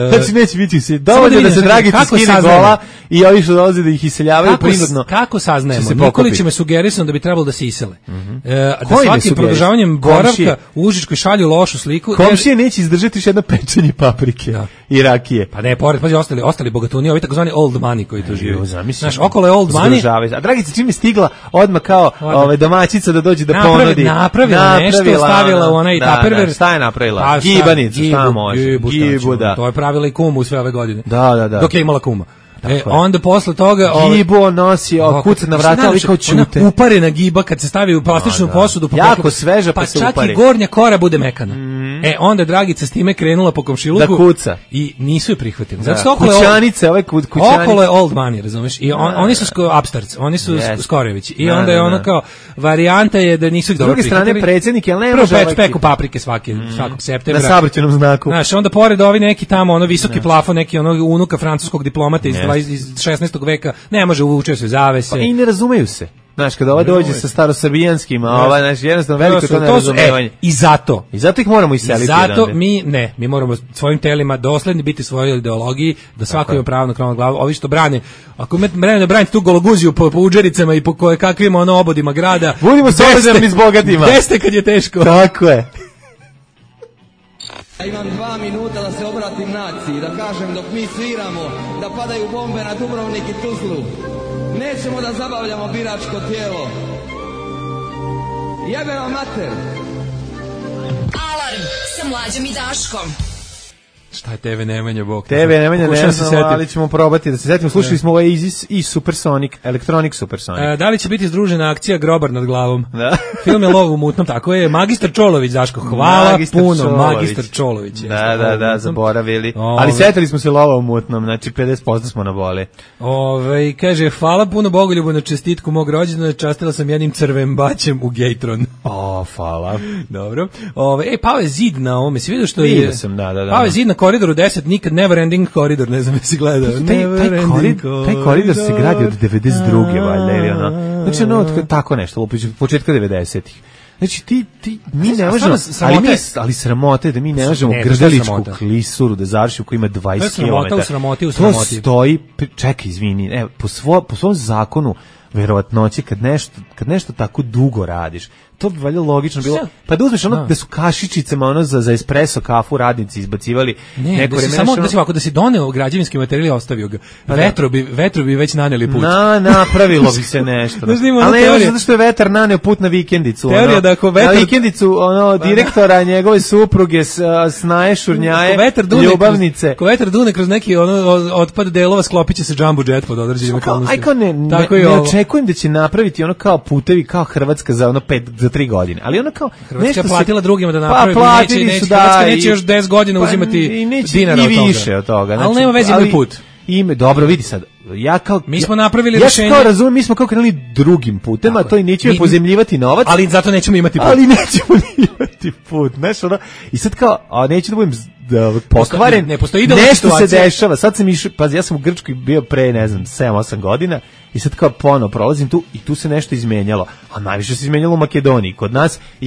znači neće biti se. Dovoljno da se Dragica skine gola i ovi što dolaze da ih iseljavaju prinudno. Kako saznajemo? Nikolić me sugerisao da bi trebalo da se isele. Da svakim produžavanjem boravka u Užičkoj šalju lošu sliku. Komšije neće izdržati još jedno pečenje paprike i rakije. Pa ne, pored, pazi, ostali bogatuni, ovi takozvani old money koji tu žive. Znaš, okolo je old money. A Dragica čim je stigla odmah kao domaćica da dođe da ponudi. Napravila nešto, stavila u onaj taperver. Šta je napravila? Gibanicu, šta može? Gibu, da. To je pravila i kumu sve ove godine. Da. Dok je imala kuma. Onda posle toga Gibo nosi kuca na vrata, ali kao ćute. Uparena giba kad se stavi u plastičnu posudu, jako sveža pa se upari. Pa čak i gornja kora bude mekana. Onda Dragica s time krenula po komšiluku da kuca i nisu je prihvatili. Zato što kućanice, ove kućanice. Okolo je old money, razumeš? I oni su upstarts, oni su Skorevići. I onda je ono kao varijanta je da nisu ih dobro prihvatili. S druge strane predsjednik, jel ne može prvo peku paprike svakog septembra. Na saobraćajnom znaku. Znaš, onda pored ovi neki tamo visoki plafon, neki unuka francuskog diplomata iz 16. veka, ne može uvuče se zavese. Pa i ne razumeju se. Znaš, kada ova dođe sa starosrbijanskim, znači jednostavno veliko to nerazumevanje. I zato ih moramo iseliti. Zato mi moramo svojim telima dosledni biti svojoj ideologiji, da svako ima pravo na kronu glavu. Ovi što brane, ako da branite tu gologuziju po udžericama i po kakvim obodima grada, budimo solidarni s bogatima. Deste kad je teško. Tako je. Ja imam 2 minuta da se obratim naciji, da kažem dok mi sviramo, da padaju bombe na Dubrovnik i Tuzlu. Nećemo da zabavljamo biračko tijelo. Jebe vam mater. Alarm sa Mlađom i Daškom. Šta je TV Nemanja, Bog? TV Nemanja ne znamo, ali ćemo probati da se setimo. Slušali smo ovaj Isis i Supersonic, Electronic Supersonic. Da li će biti združena akcija Grobar nad glavom? Da. Film je Lov u mutnom, tako je. Magistar Čolović, Daško, hvala puno. Magistar Čolović. Da, zaboravili. Ali setili smo se Lova u mutnom, znači 50% smo na vole. Kaže, hvala puno Bogoljubu na čestitku mog rođendana, častila sam jednim crvem baćem u Gejtron. Hvala. Dobro. Pao je zid na ovome, si vidio što je? Vidio sam, da. Pao je zid na Koridoru 10, nikad never ending koridor, ne znam jesi gledao. Taj koridor se gradi od 92. valjda, ili ono. Znači tako nešto, početka 90-ih. Znači mi ne možemo, ali sramote da mi ne možemo Grdeličku klisuru da završimo koja ima 20 km. To stoji, čekaj, izvini, po svom zakonu verovatnoće kad nešto tako dugo radiš, to bi valjda logično bilo. Pa da uzmeš da su kašičicama za espresso kafu radnici izbacivali neko vreme. Samo da si doneo građevinski materijal i ostavio ga. Vetru bi već naneli put. Napravilo bi se nešto. Ali ne, zato što je vetar naneo put na vikendicu. Teorija da ako vetar... Na vikendicu direktora njegove supruge snaje, šurnjaje, ljubavnice. Ako vetar dune kroz neki otpad delova, sklopit će se jumbo jet pod određenim okolnostima. Ne očekujem da će napraviti kao putevi kao Hrvatska za 3 godine, ali ona kao Hrvatska platila drugima da napravi, Hrvatska neće još 10 godina uzimati dinara od toga. I više od toga. Ali nema veze moj put. Dobro, vidi sad, mi smo napravili rešenje. Ja kao razumijem, mi smo kao krenuli drugim putem, a to i nećemo pozemljivati novac. Ali zato nećemo imati put. I sad kao, neću da budem pokvaren. Ne postoji nešto se dešava. Sad sam išao, pa ja sam u Grčkoj bio pre, ne znam, 7-8 godina i sad kao ponovo prolazim tu i tu se nešto izmenjalo. A najviše se izmenjalo u Makedoniji.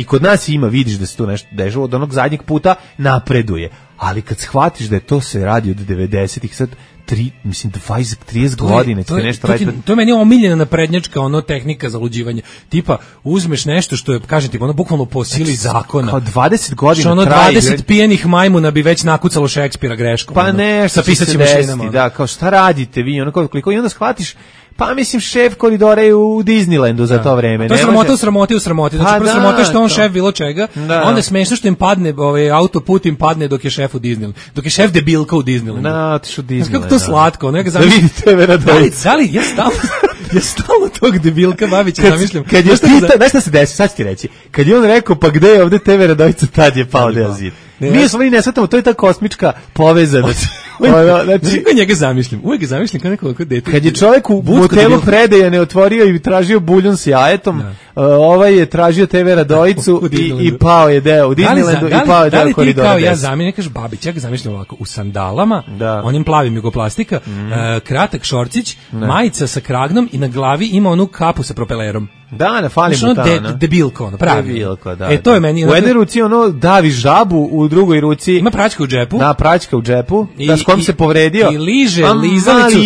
Kod nas ima, vidiš da se tu nešto dešava, od onog zadnjeg puta napreduje. Ali kad shvatiš da je to se radi od 90-ih, sad 20-30 godina će nešto raditi. To je meni omiljena naprednjačka tehnika za luđivanje. Tipa, uzmeš nešto što je, kažem ti, bukvalno po sili zakona. Kao 20 godina što 20 pijenih majmuna bi već nakucalo Šekspira greškom. Pa nešto će se desiti, da, kao šta radite vi, koliko i onda shvatiš. Pa mislim, šef koridora je u Disneylandu za to vreme. To je sramota u sramoti. Znači, prvo sramota što on šef bilo čega, onda je smešno što im padne, autoput im padne dok je šef u Disneylandu. Dok je šef debilka u Disneylandu. Otiš u Disneyland. Kako to slatko. Da vidite Veradović. Da li, ja stalno tog debilka Babića zamišljam. Znaš šta se desi, sad ću ti reći. Kad je on rekao, pa gde je ovde TV Radovica, tad je pao deo zid. Mi smo ne shvatamo, to je ta kosmička povezanost. Znači, njega zamišljam. Uvek ga zamišljam kao neko dete. Kad je čovjek u hotelu Predeja ne otvorio i tražio buljun s jajetom, ovaj je tražio TV Radovicu i pao je deo u Disneylandu i pao je deo koridora. Da li ti kao ja zamišljam, kažeš Babić, ja ga zamišljam ovako, u sandalama, onim plavim jugoplastika, kratak šorcić, majica sa kragnom i na glavi ima onu kapu sa propelerom. Da, ne fali mu ta. Debilko, pravi. Debilko, da. To je meni. U jednoj ruci davi žabu, u drugoj ruci ima praćka u džepu. Da, praćka u džepu. Da, s kom se povredio. I liže lizalicu.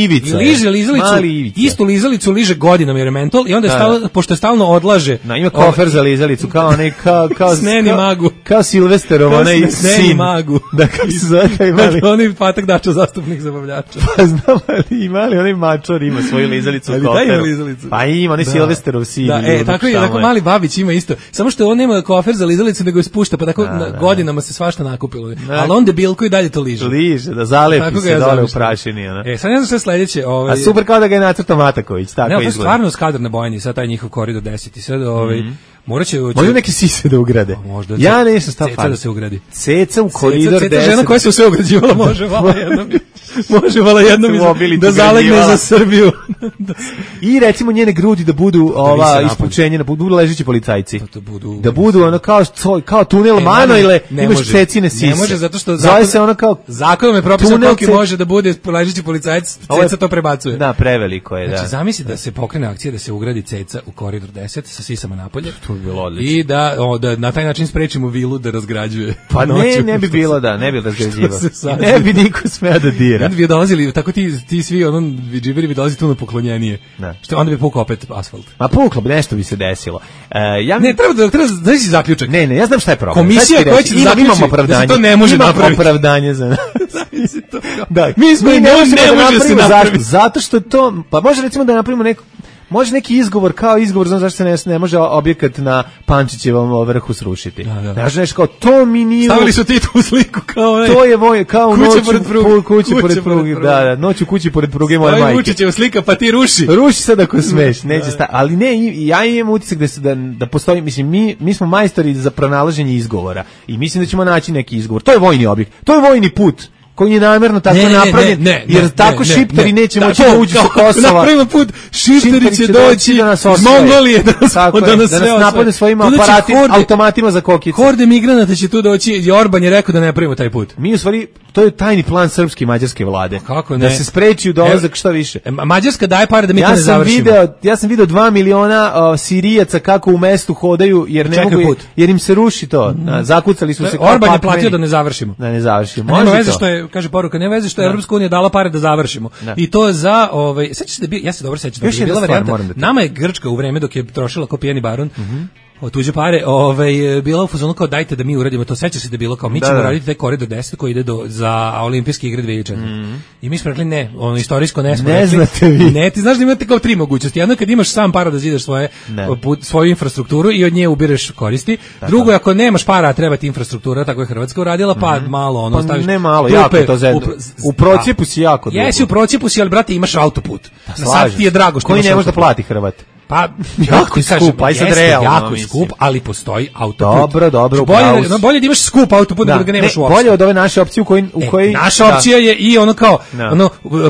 Istu lizalicu liže godinama jer je mentol i onda je pošto je stalno odlaže. Ima kofer za lizalicu kao onaj kao Sneni magu. Kao Silvesterov onaj sin. Magu. Da, kako se zove imali. Onaj Patak Dačo, zastupnik zabavljača. Pa znam ali imali onaj mačor ima svoju lizalicu u koferu. Pa ima onaj Silvesterov sin. Tako mali Babić ima isto. Samo što on nema kofer za lizalicu nego je spušta, pa tako godinama se svašta nakupilo. Ali on debilko i dalje to liže. Liže, da zalepi se dole u prašini. Sad ne znam što je sledeće. A super kao da ga je nacrtao Mataković, tako izgleda. Ne, stvarno skadar na bojani, sad taj njihov koridor 10 i sad Možda neke sise da ugrade. Ja nešto stav ceca da se ugradi. Ceca u koridor 10. Ceca žena koja se sve ugrađivala može vala jednom da zalegne za Srbiju. I recimo njene grudi da budu ispučenje, da budu ležeći policajci. Da budu ono kao tunel Manojle, imaš cecine sise. Ne može zato što zove se ono kao zakonom je propisano koliki može da bude ležeći policajac, ceca to prebacuje. Da, preveliko je, da. Znači zamisli da se pokrene akcija da se ugradi ceca u koridor 10 sa sisama napolje. Bilo odlično. I da na taj način sprečimo vilu da razgrađuje. Pa ne bi bilo ne bi razgrađivao. Ne bi niko smeo da dira. Onda bi dolazili, tako ti svi džiberi bi dolazili tu na poklonjenije. Što onda bi pukao opet asfalt. Ma puklo bi, nešto bi se desilo. Ne, treba da si zaključak. Ne, ja znam šta je problem. Komisija koja će zaključiti da se to ne može napraviti. Ima opravdanje za da, mi smo ne može se napraviti. Zato što to, pa može recimo da napravimo može neki izgovor, kao izgovor, znam zašto se ne može objekat na Pančićevom vrhu srušiti. Znači nešto kao, to mi nije... Stavili su ti tu sliku kao... To je kao kuće pored pruge. Da, noć u kući pored pruge moje majke. Vučićeva slika, pa ti ruši. Ruši sad ako smeš, neće staviti. Ali ne, ja imam utisak da postoji, mislim, mi smo majstori za pronalaženje izgovora i mislim da ćemo naći neki izgovor. To je vojni objekt, to je vojni put koji je namjerno tako napravljen, jer tako šipteri neće moći da uđu sa Kosova. Napravimo put, šipteri će doći iz Mongolije da nas napadne svojim aparatima, automatima za kokice. Horde migranata će tu doći i Orban je rekao da ne pravimo taj put. Mi u stvari, to je tajni plan srpske i mađarske vlade. Kako ne? Da se spreči dolazak šta više. Mađarska daje pare da mi to ne završimo. Ja sam video 2 miliona Sirijaca kako u mestu hodaju, jer im se ruši to. Zakucali su se. Orban je platio da ne završimo. Da ne završimo. Nema veze što je, kaže poruka, nema veze što je Evropska unija dala pare da završimo. I to za sećaš se da ja se dobro sećam da je bila varijanta. Nama je Grčka u vreme dok je trošila kao pijeni baron. Tuđe pare, bila u fazonu kao dajte da mi uradimo to, sećaš se da je bilo kao mi ćemo raditi taj koridor 10 koji ide za olimpijske igre 2004. I mi smo rekli ne, istorijsko ne smo. Ne znate vi. Ne, ti znaš da imate kao 3 mogućnosti. Jedno kad imaš sam para da zidaš svoju infrastrukturu i od nje ubireš koristi. Drugo, ako nemaš para, treba ti infrastruktura, tako je Hrvatska uradila, pa malo staviš. Ne malo, jako to zedno. U procijepu si jako dugo. Jesi u procijepu si, ali brate imaš autoput. Sad ti je drago što koji ne može da plati Hrvat. Pa jako skup, aj sad realno. Jako skup, ali postoji autoput. Dobro. Bolje da imaš skup autoput nego da ga nemaš uopšte. Bolje od ove naše opcije u kojoj naša opcija je i ono kao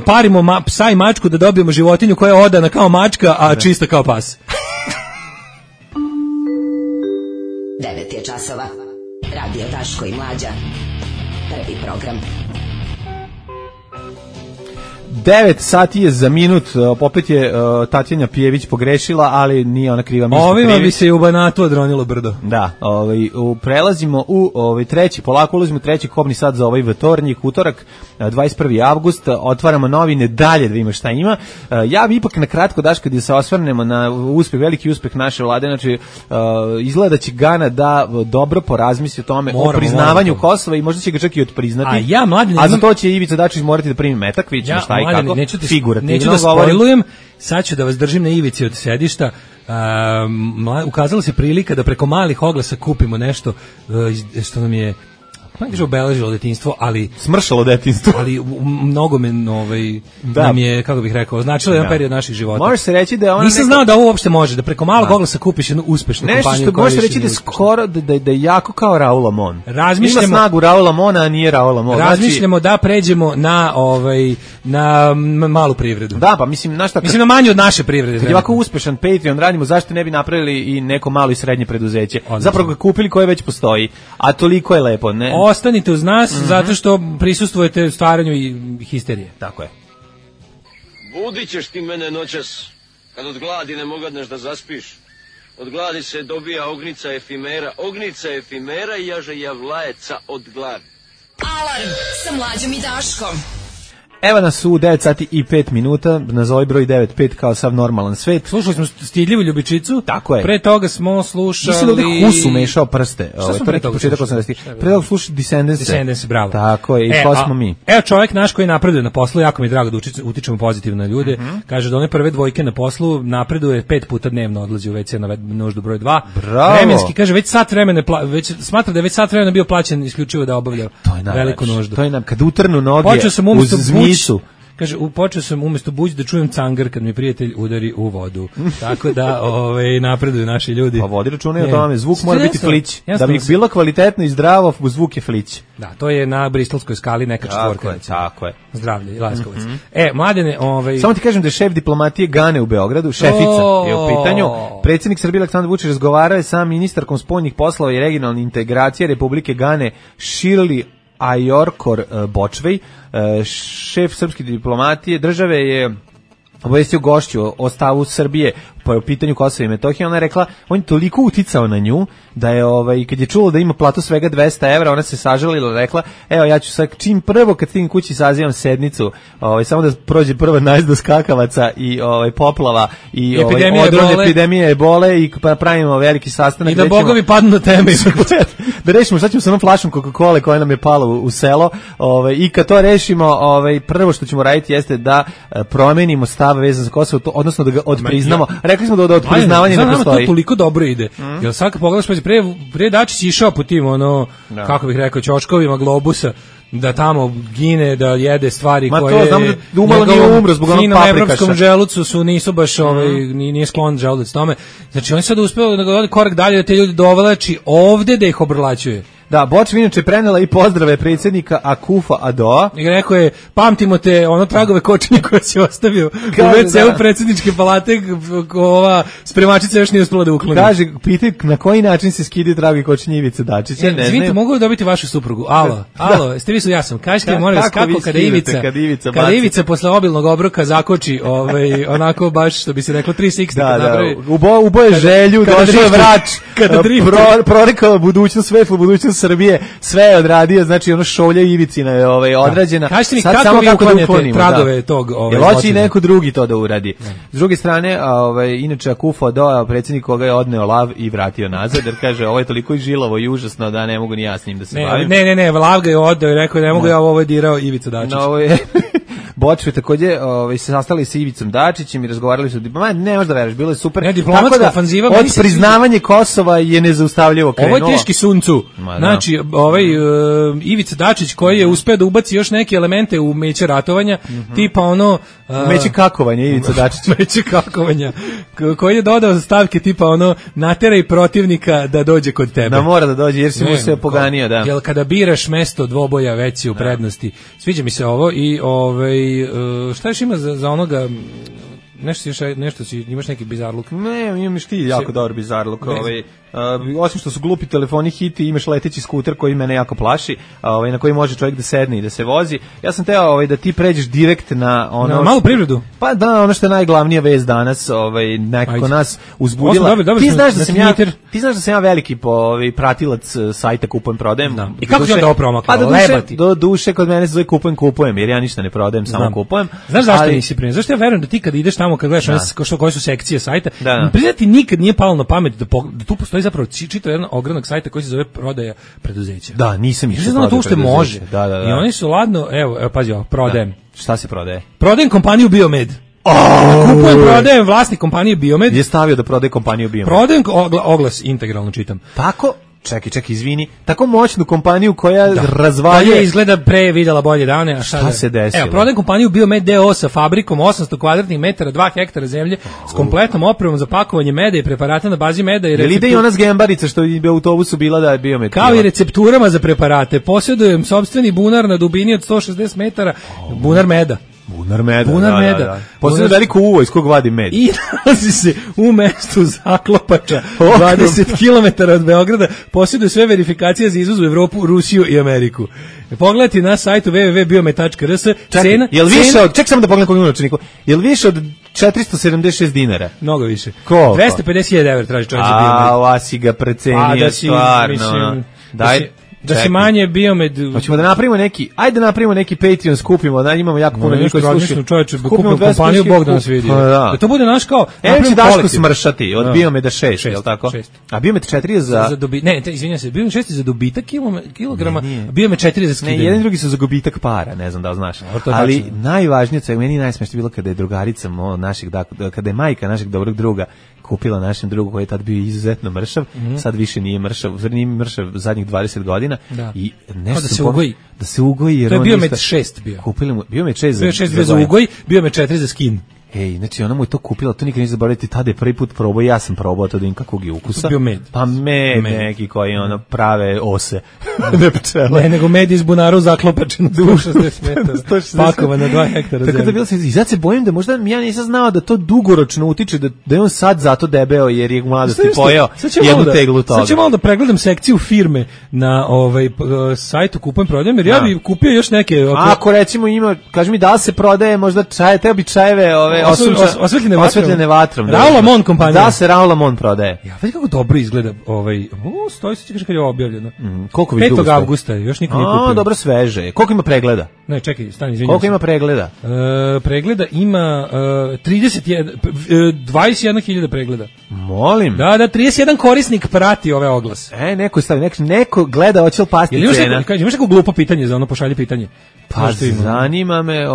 parimo psa i mačku da dobijemo životinju koja je odana kao mačka, a čista kao pas. 9 je časova. Radio Daško i Mlađa. Prvi program. 9 sati je za minut, opet je Tatjana Pijević pogrešila, ali nije ona kriva. Ovima bi se i u Banatu odronilo brdo. Da, prelazimo u treći, polako ulazimo u treći kobni sat za ovaj vtornik, utorak, 21. avgust, otvaramo novine, dalje da ima šta ima. Ja bi ipak na kratko, Daško, da se osvrnemo na veliki uspeh naše vlade, znači izgleda da će Gana da dobro porazmisli o tome, o priznavanju Kosova i možda će ga čak i odpriznati. A za to će Ivica Dačić morati da primi metak, vidjet ćemo šta i kako, figurativno. Neću da spojlujem, sad ću da vas držim na ivici od sedišta. Ukazala se prilika da preko malih oglasa kupimo nešto što nam je obeležilo detinjstvo, ali smršalo detinjstvo, ali mnogo nam je, kako bih rekao, značilo jedan period naših života. Može se reći da je ona nisam znao da ovo uopšte može, da preko malog oglasa kupiš jednu uspešnu kompaniju. Nešto može reći da skoro da je jako kao Raul Amon. Ima snagu Raul Amona, a nije Raul Amon. Razmišljamo da pređemo na malu privredu. Da, pa mislim na manju od naše privrede. Kad je ovako uspešan Patreon radimo, zašto ne bi napravili i neko malo i srednje preduzeće? Zapravo ga kupili koje već postoji, a toliko je lepo, ne? Ostanite uz nas, zato što prisustvujete stvaranju i histerije. Tako je. Budit ćeš ti mene noćas, kad od gladi ne mogadneš da zaspiš. Od gladi se dobija ognica efimera i jaže javlajeca od gladi. Alarm sa Mlađom i Daškom. Evo nas u 9 sati i 5 minuta, nazovi broj 95 kao sav normalan svet. Slušali smo Stidljivu ljubičicu. Tako je. Pre toga smo slušali... Mislim da ovdje Husu mešao prste. Šta smo pre toga slušali? Pre toga slušali Descendants, bravo. Tako je, i ko smo mi. Evo čovjek naš koji napreduje na poslu, jako mi je drago da utičemo pozitivno na ljude. Kaže da one prve dvojke na poslu napreduje 5 puta dnevno, odlazi u WC na nuždu broj 2. Bravo. Vremenski, kaže, već sat vremena, smatra da je već sat vremena bio plaćen isključivo da obavlja veliku nuždu. To je kad utrnu noge uz zmicu. Kaže, počeo sam umjesto buđ da čujem cangar kad mi prijatelj udari u vodu. Tako da napreduju naši ljudi. Pa vodi računaj o tome, zvuk mora biti flić. Da bi bilo kvalitetno i zdravo, zvuk je flić. Da, to je na bristolskoj skali neka četvorka. Tako je. Zdravlje i laskovac. Mladene, samo ti kažem da je šef diplomatije Gane u Beogradu, šefica je u pitanju. Predsjednik Srbije Aleksandar Vučić razgovarao je sa ministarkom spoljnih poslova i regionalne integracije Republike Gane Shirley Ayorkor Bočvej. Šef srpske diplomatije države je obavestio gošću o stavu Srbije po pitanju Kosova i Metohije. Ona je rekla, on je toliko uticao na nju da je kad je čulo da ima platu svega 200 evra, ona se sažalila, rekla, evo ja ću sad čim prvo kad stignem kući sazivam sednicu, samo da prođe prva najezda skakavaca i poplava i epidemije ebole i pravimo veliki sastanak. I da bogovi padnu na teme. Da rešimo šta ćemo sa onom flašom Coca-Cola koja nam je pala u selo, i kad to rešimo, prvo što ćemo raditi jeste da promenimo stav vezan za Kosovo, odnosno da ga odpriznamo. Rekli smo da od priznavanja ne postoji. To toliko dobro ide. Jel sad kad pogledaš, pre Dačić išao po tim, kako bih rekao, ćoškovima Globusa, da tamo gine, da jede stvari koje... Ma to, znamo da umalo nije umro zbog onog paprikaša. Finom evropskom želucu nisu baš, nije sklon želudac tome. Znači, on sad uspeo da ga ode korak dalje, da te ljudi dovlači ovde da ih obrlaćuje. Da, Bočva inače prenela i pozdrave predsjednika Akufa Adoa. I rekao je, pamtimo te tragove kočenja koje si ostavio u WC-u predsjedničke palate, ova spremačica još nije uspela da ukloni. Kaže, pitaj na koji način se skidi tragovi kočenja Ivice Dačića. Izvinite, mogu li dobiti vašu suprugu? Alo, jeste vi su ja sam. Kažete, molim vas, kako kada Ivica posle obilnog obroka zakoči, onako baš, što bi se reklo, 360 napravi. Uboje želju, došao je vrač, prorekao budućnost, svetlu budućnost Srbije, sve je odradio, znači šolja Ivicina je odrađena. Kažete mi, kako vi uklanjate tragove tog jel hoće i neko drugi to da uradi. S druge strane, inače Akufo Adoa, predsjednik koga je odneo lav i vratio nazad, jer kaže, ovo je toliko i žilavo i užasno da ne mogu ni ja s njim da se bavim. Ne, lav ga je odneo i rekao, ne mogu ja, ovo je dirao Ivica Dačić. Bočve takođe se sastali sa Ivicom Dačićem i razgovarali su, ne možda veruješ, bilo je super. Ne, diplomatska ofanziva, od priznavanje Kosova je nezaustavljivo krenulo. Ovo je teški suncu. Znači, Ivica Dačić koji je uspeo da ubaci još neke elemente u meće ratovanja, tipa meće kakovanja Ivica Dačić. Meće kakovanja. Koji je dodao stavke tipa nateraj protivnika da dođe kod tebe. Da mora da dođe jer si mu se poganio, da. Jel kada biraš mesto dvoboja već si u prednosti. Sviđa mi se ovo i šta još ima za onoga nešto si, imaš neki bizarluk? Ne, imaš ti jako dobar bizarluk. osim što su glupi telefoni hiti, imaš leteći skuter koji mene jako plaši, na koji može čovjek da sedne i da se vozi. Ja sam teo da ti pređeš direkt na ono... Na malu privredu? Pa da, ono što je najglavnija vest danas, nekako nas uzbudila. Ti znaš da sam ja veliki pratilac sajta Kupujem prodajem. I kako ti onda ovo promakla? Do duše kod mene se zove Kupujem, jer ja ništa ne prodajem, samo kupujem. Znaš zašto nisi primjer? Zašto ja verujem da ti kad ideš tamo, kad gledaš koje su sekcije sajta, priznati nikad nije palo na pamet da tu postoji zapravo čitav jedan ogranak sajta koji se zove prodaja preduzeća. Da, nisam išao. Znamo to ušte može. I oni su ladno, evo pazi ovo, prodajem. Šta se prodaje? Prodajem kompaniju Biomed. Kupujem, prodajem, vlasnik kompanije Biomed. Je stavio da prodaje kompaniju Biomed. Prodajem, oglas integralno čitam. Tako? Čekaj, izvini. Tako moćnu kompaniju koja razvalje... Koja izgleda pre videla bolje dane. A šta se desilo? Evo, prodajem kompaniju Biomed DO sa fabrikom 800 kvadratnih metara, 2 hektara zemlje, s kompletnom opremom za pakovanje meda i preparata na bazi meda. Jel ide i ona zgembarica što je u autobusu bila da je Biomed? Kao i recepturama za preparate. Posjedujem sopstveni bunar na dubini od 160 metara, bunar meda. Bunar meda. Posledno veliko uvo iz kog vadi med. I nalazi se u mestu Zaklopača, 20 km od Beograda, posjeduje sve verifikacije za izvoz u Evropu, Rusiju i Ameriku. Pogledajte na sajtu www.biomed.rs. Ček samo da pogledam kog ima novčaniku. Jel više od 476 dinara? Mnogo više. Koliko? 250.000 evra traži čovjek za Biomed. Ova si ga precenio stvarno. Da se manje Biomed... Hoćemo da napravimo neki Patreon, skupimo, da imamo jako puno ljudi koji slušaju. Čovječe, kupimo kompaniju, Bog da nas vidi. Da to bude naš kao... Evo će Daško smršati od Biomeda 6, je li tako? A Biomed 4 je za... Ne, izvinjam se, Biomed 6 je za dobitak kilograma, a Biomed 4 je za skidanje. Ne, jedan drugi su za gubitak para, ne znam da li znaš. Ali najvažnije, meni najsmešnije bilo kada je drugarica našeg, kada je majka našeg dobrog druga kupila našem drugu koji je tad bio izuzetno mršav, sad više nije mršav, nije mršav zadnjih 20 godina i nešto da se ugoji jer to je Biomed 6 bio. Kupili mu Biomed 6 za ugoj, Biomed 4 za skin. Znači ona mu je to kupila, to nikad neće zaboraviti, tada je prvi put probao, ja sam probao to da im kakvog je ukusa. Bio med. Pa med neki koji prave ose. Ne pčela. Ne, nego med iz bunara u Zaklopačenu 160 metara. Pakovan na 2 hektara zemlje. Tako da bilo se, i sad se bojim da možda ja nisam znao da to dugoročno utiče, da je on sad zato debeo jer je mladosti pojeo jednu teglu toga. Sad ću malo da pregledam sekciju firme na sajtu Kupujem prodajem, jer ja bi kupio još neke... Ako recimo ima, kaži mi da se prodaje možda čaje, teo bi čajeve osvetljene vatrom. Raoul Lamont kompanija. Da se Raoul Lamont prodaje. Ja, vidi kako dobro izgleda stoji se kad je objavljeno. Koliko vi dugo 5. avgusta, još niko nije kupio. Dobro sveže. Koliko ima pregleda? Ne, čekaj, stani, izvinjam se. Koliko ima pregleda? Pregleda ima 21.000 pregleda. Molim. Da, 31 korisnik prati ove oglase. Neko gleda hoće li pasti cena. Imaš neko glupo pitanje za ono, pošalji pitanje. Pa zanima me,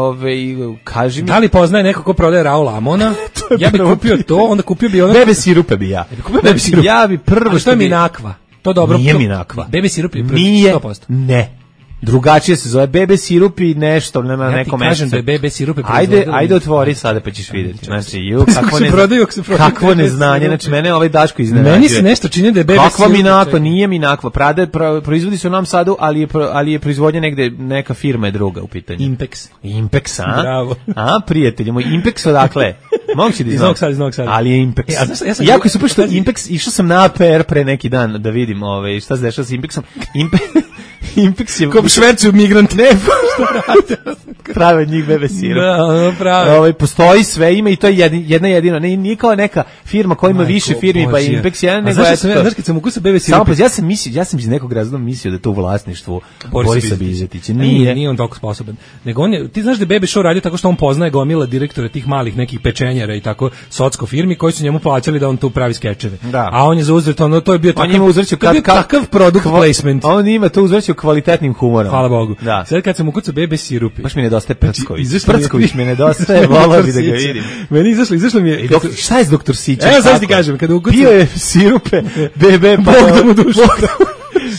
kaži mi. Da li poznaje neko ko prodaje Raoul Lamona? Ja bih kupio to, onda kupio bi ono... Bebe sirupe bi ja. Ja bi prvo što je Minakva. To dobro. Nije Minakva. Bebe sirup je 100%. Ne. Drugačije se zove bebe sirup i nešto, nema neko mesto. Ja ti kažem da je bebe sirup je Ajde otvori sada pa ćeš vidjeti. Znači, kakvo neznanje, znači mene ovaj Daško iznenađuje. Meni se nešto čini da je bebe sirup. Kakva Minakva, nije Minakva. Proizvodi se u Novom Sadu, ali je proizvodnja negde, neka firma je druga u pitanju. Impex, a? Bravo. A, prijatelji moj, Impex odakle? Moguće da iz Novog Sada. Ali je Impex. Jako je super što Impex, išao sam na APR pre neki dan da vidim šta se dešava s Impexom. Impex je... Ko švercuju migrant. Ne, što rade? Prave od njih bebe sirup. Da, prave. Postoji sve, ima i to je jedna jedina. Nije kao neka firma koja ima više firmi, pa Impex jedan, nego je to. Znaš kad sam ukusao bebe sirup? Samo ja sam iz nekog razloga mislio da je to u vlasništvu Borisa Bizetića. Nije on toliko sposoban. Nego ti znaš da je Bebe Show radio tako što on poznaje gomila direktora tih malih nekih pečenjara i tako socko firmi koji su njemu plaćali da on tu pravi skečeve. A on je za uzvrat, to je bio takav product placement. On ima to uzvraćao kvalitetnim humorom. Hvala Bogu. Sad kad sam ukucao Bebe sirupi. Baš mi nedostaje Prcković mi nedostaje, volao bi da ga vidim. Meni izašlo mi je... Šta je s doktor Sića? Sad ti kažem, kada ukucao... Pio je sirupe, Bebe, Bog da mu dušu.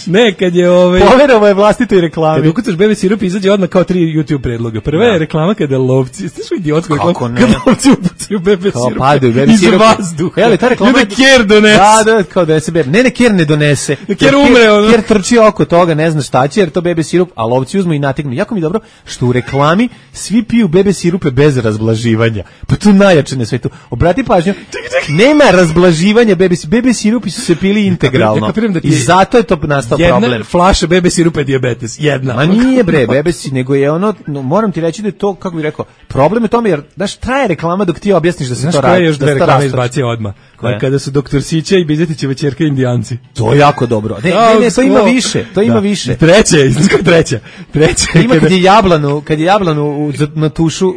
Ne, kad je poverovo je vlastitoj reklami. Kad ukucaš bebe sirup izađe odmah kao 3 YouTube predloga. Prva je reklama kada lovci, znaš što idiotsko reklama, kada lovci upucaju bebe sirup. Kao padaju bebe sirup. Iz vazduha. Jel, ta reklama da Ker donese. Da, kao da se bebe. Ne, Ker ne donese. Ker umre. Ker trči oko toga, ne zna šta će, jer to bebe sirup, a lovci uzmu i nategnu. Jako mi dobro što u reklami svi piju bebe sirupe bez razblaživanja. Pa to najjače na svetu. Obrati pažnju, nema razblaživanja bebe sirupi su se pili integralno. I zato je to nastao problem. Jedna flaša bebe sirupa je dijabetes, jedna. Ma nije bebe si, nego je ono, moram ti reći da je to, kako bih rekao, problem je tome jer, znaš, traje reklama dok ti objasniš da se to radi. Znaš koja je još dve reklame izbacio odmah? Kada su doktor Sića i Bizetićeva ćerka Indijanci. To je jako dobro. Ne, to ima više, to ima više. Treća. Ima kad je jablanu na tušu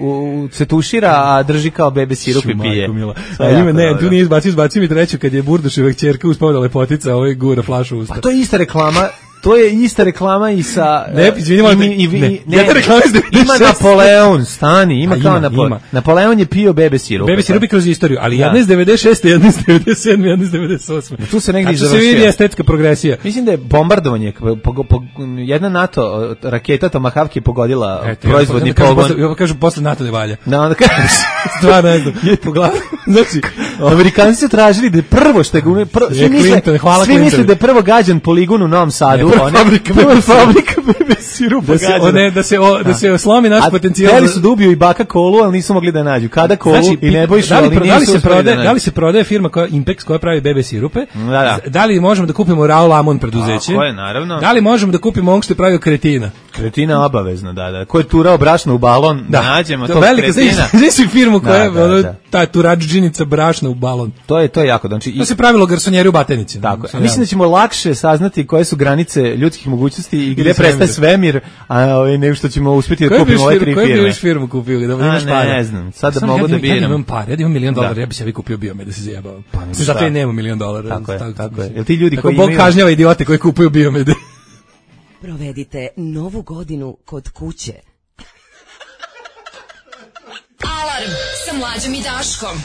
se tušira, a drži kao bebe sirup i pije. Ne, tu nije izbacio mi treću kad je Burduševa ćerka uspavila lepotica, gura flašu u usta. Pa to je ista reklama. To je ista reklama i sa... Ne, izvinimo, ima Napoleon, stani, ima kao Napoleon. Napoleon je pio bebe sirup. Bebe sirup kroz istoriju, ali jedna iz 96. jedna iz 97. jedna iz 98. Tu se negdje završio. Tu se vidi estetska progresija. Mislim da je bombardovanje, jedna NATO raketa Tomahawk je pogodila proizvodni pogon. Ja kažu, posle NATO ne valja. Da, onda kažu. Stvarno ne znam. Znači, Amerikanci su tražili da je prvo što je... Svi misle da je prvo gađan poligon u Novom Sadu. Fabrika bebe sirupa da se slomi naš potencijal. Hteli su da ubiju i baka Kolu, ali nisu mogli da nađu. Kada Kolu i Nebojšu, ali nisu uspeli da nađu. Da li se prodaje firma Impex koja pravi bebe sirupe? Da li možemo da kupimo Raoul Amon preduzeće? Tako je, naravno. Da li možemo da kupimo onog što je pravio Kretina? Kretina obavezno, da. Ko je turao brašno u balon, da nađemo to Kretina. Znači firmu koja je ta turadžinica brašna u balon. To je jako. To se pravilo garsonjeri u Batenici. Tako. Mislim da ćemo lakše saznati koje su granice ljudskih mogućnosti i gdje prestaje svemir, a nego što ćemo uspjeti da kupimo ove 3 firme. Koji bi još firmu kupio? Ne znam, sad da mogu da bijem. Ja imam pare, ja imam $1 milion, ja bi se kupio Biomed da se zajebavam. Zato i nema $1 milion. Tako je. Jel ti ljudi koji imaju... Bog kažnjava idiote koji kupuju Biomede. Provedite novu godinu kod kuće. Alarm sa Mlađom i Daškom.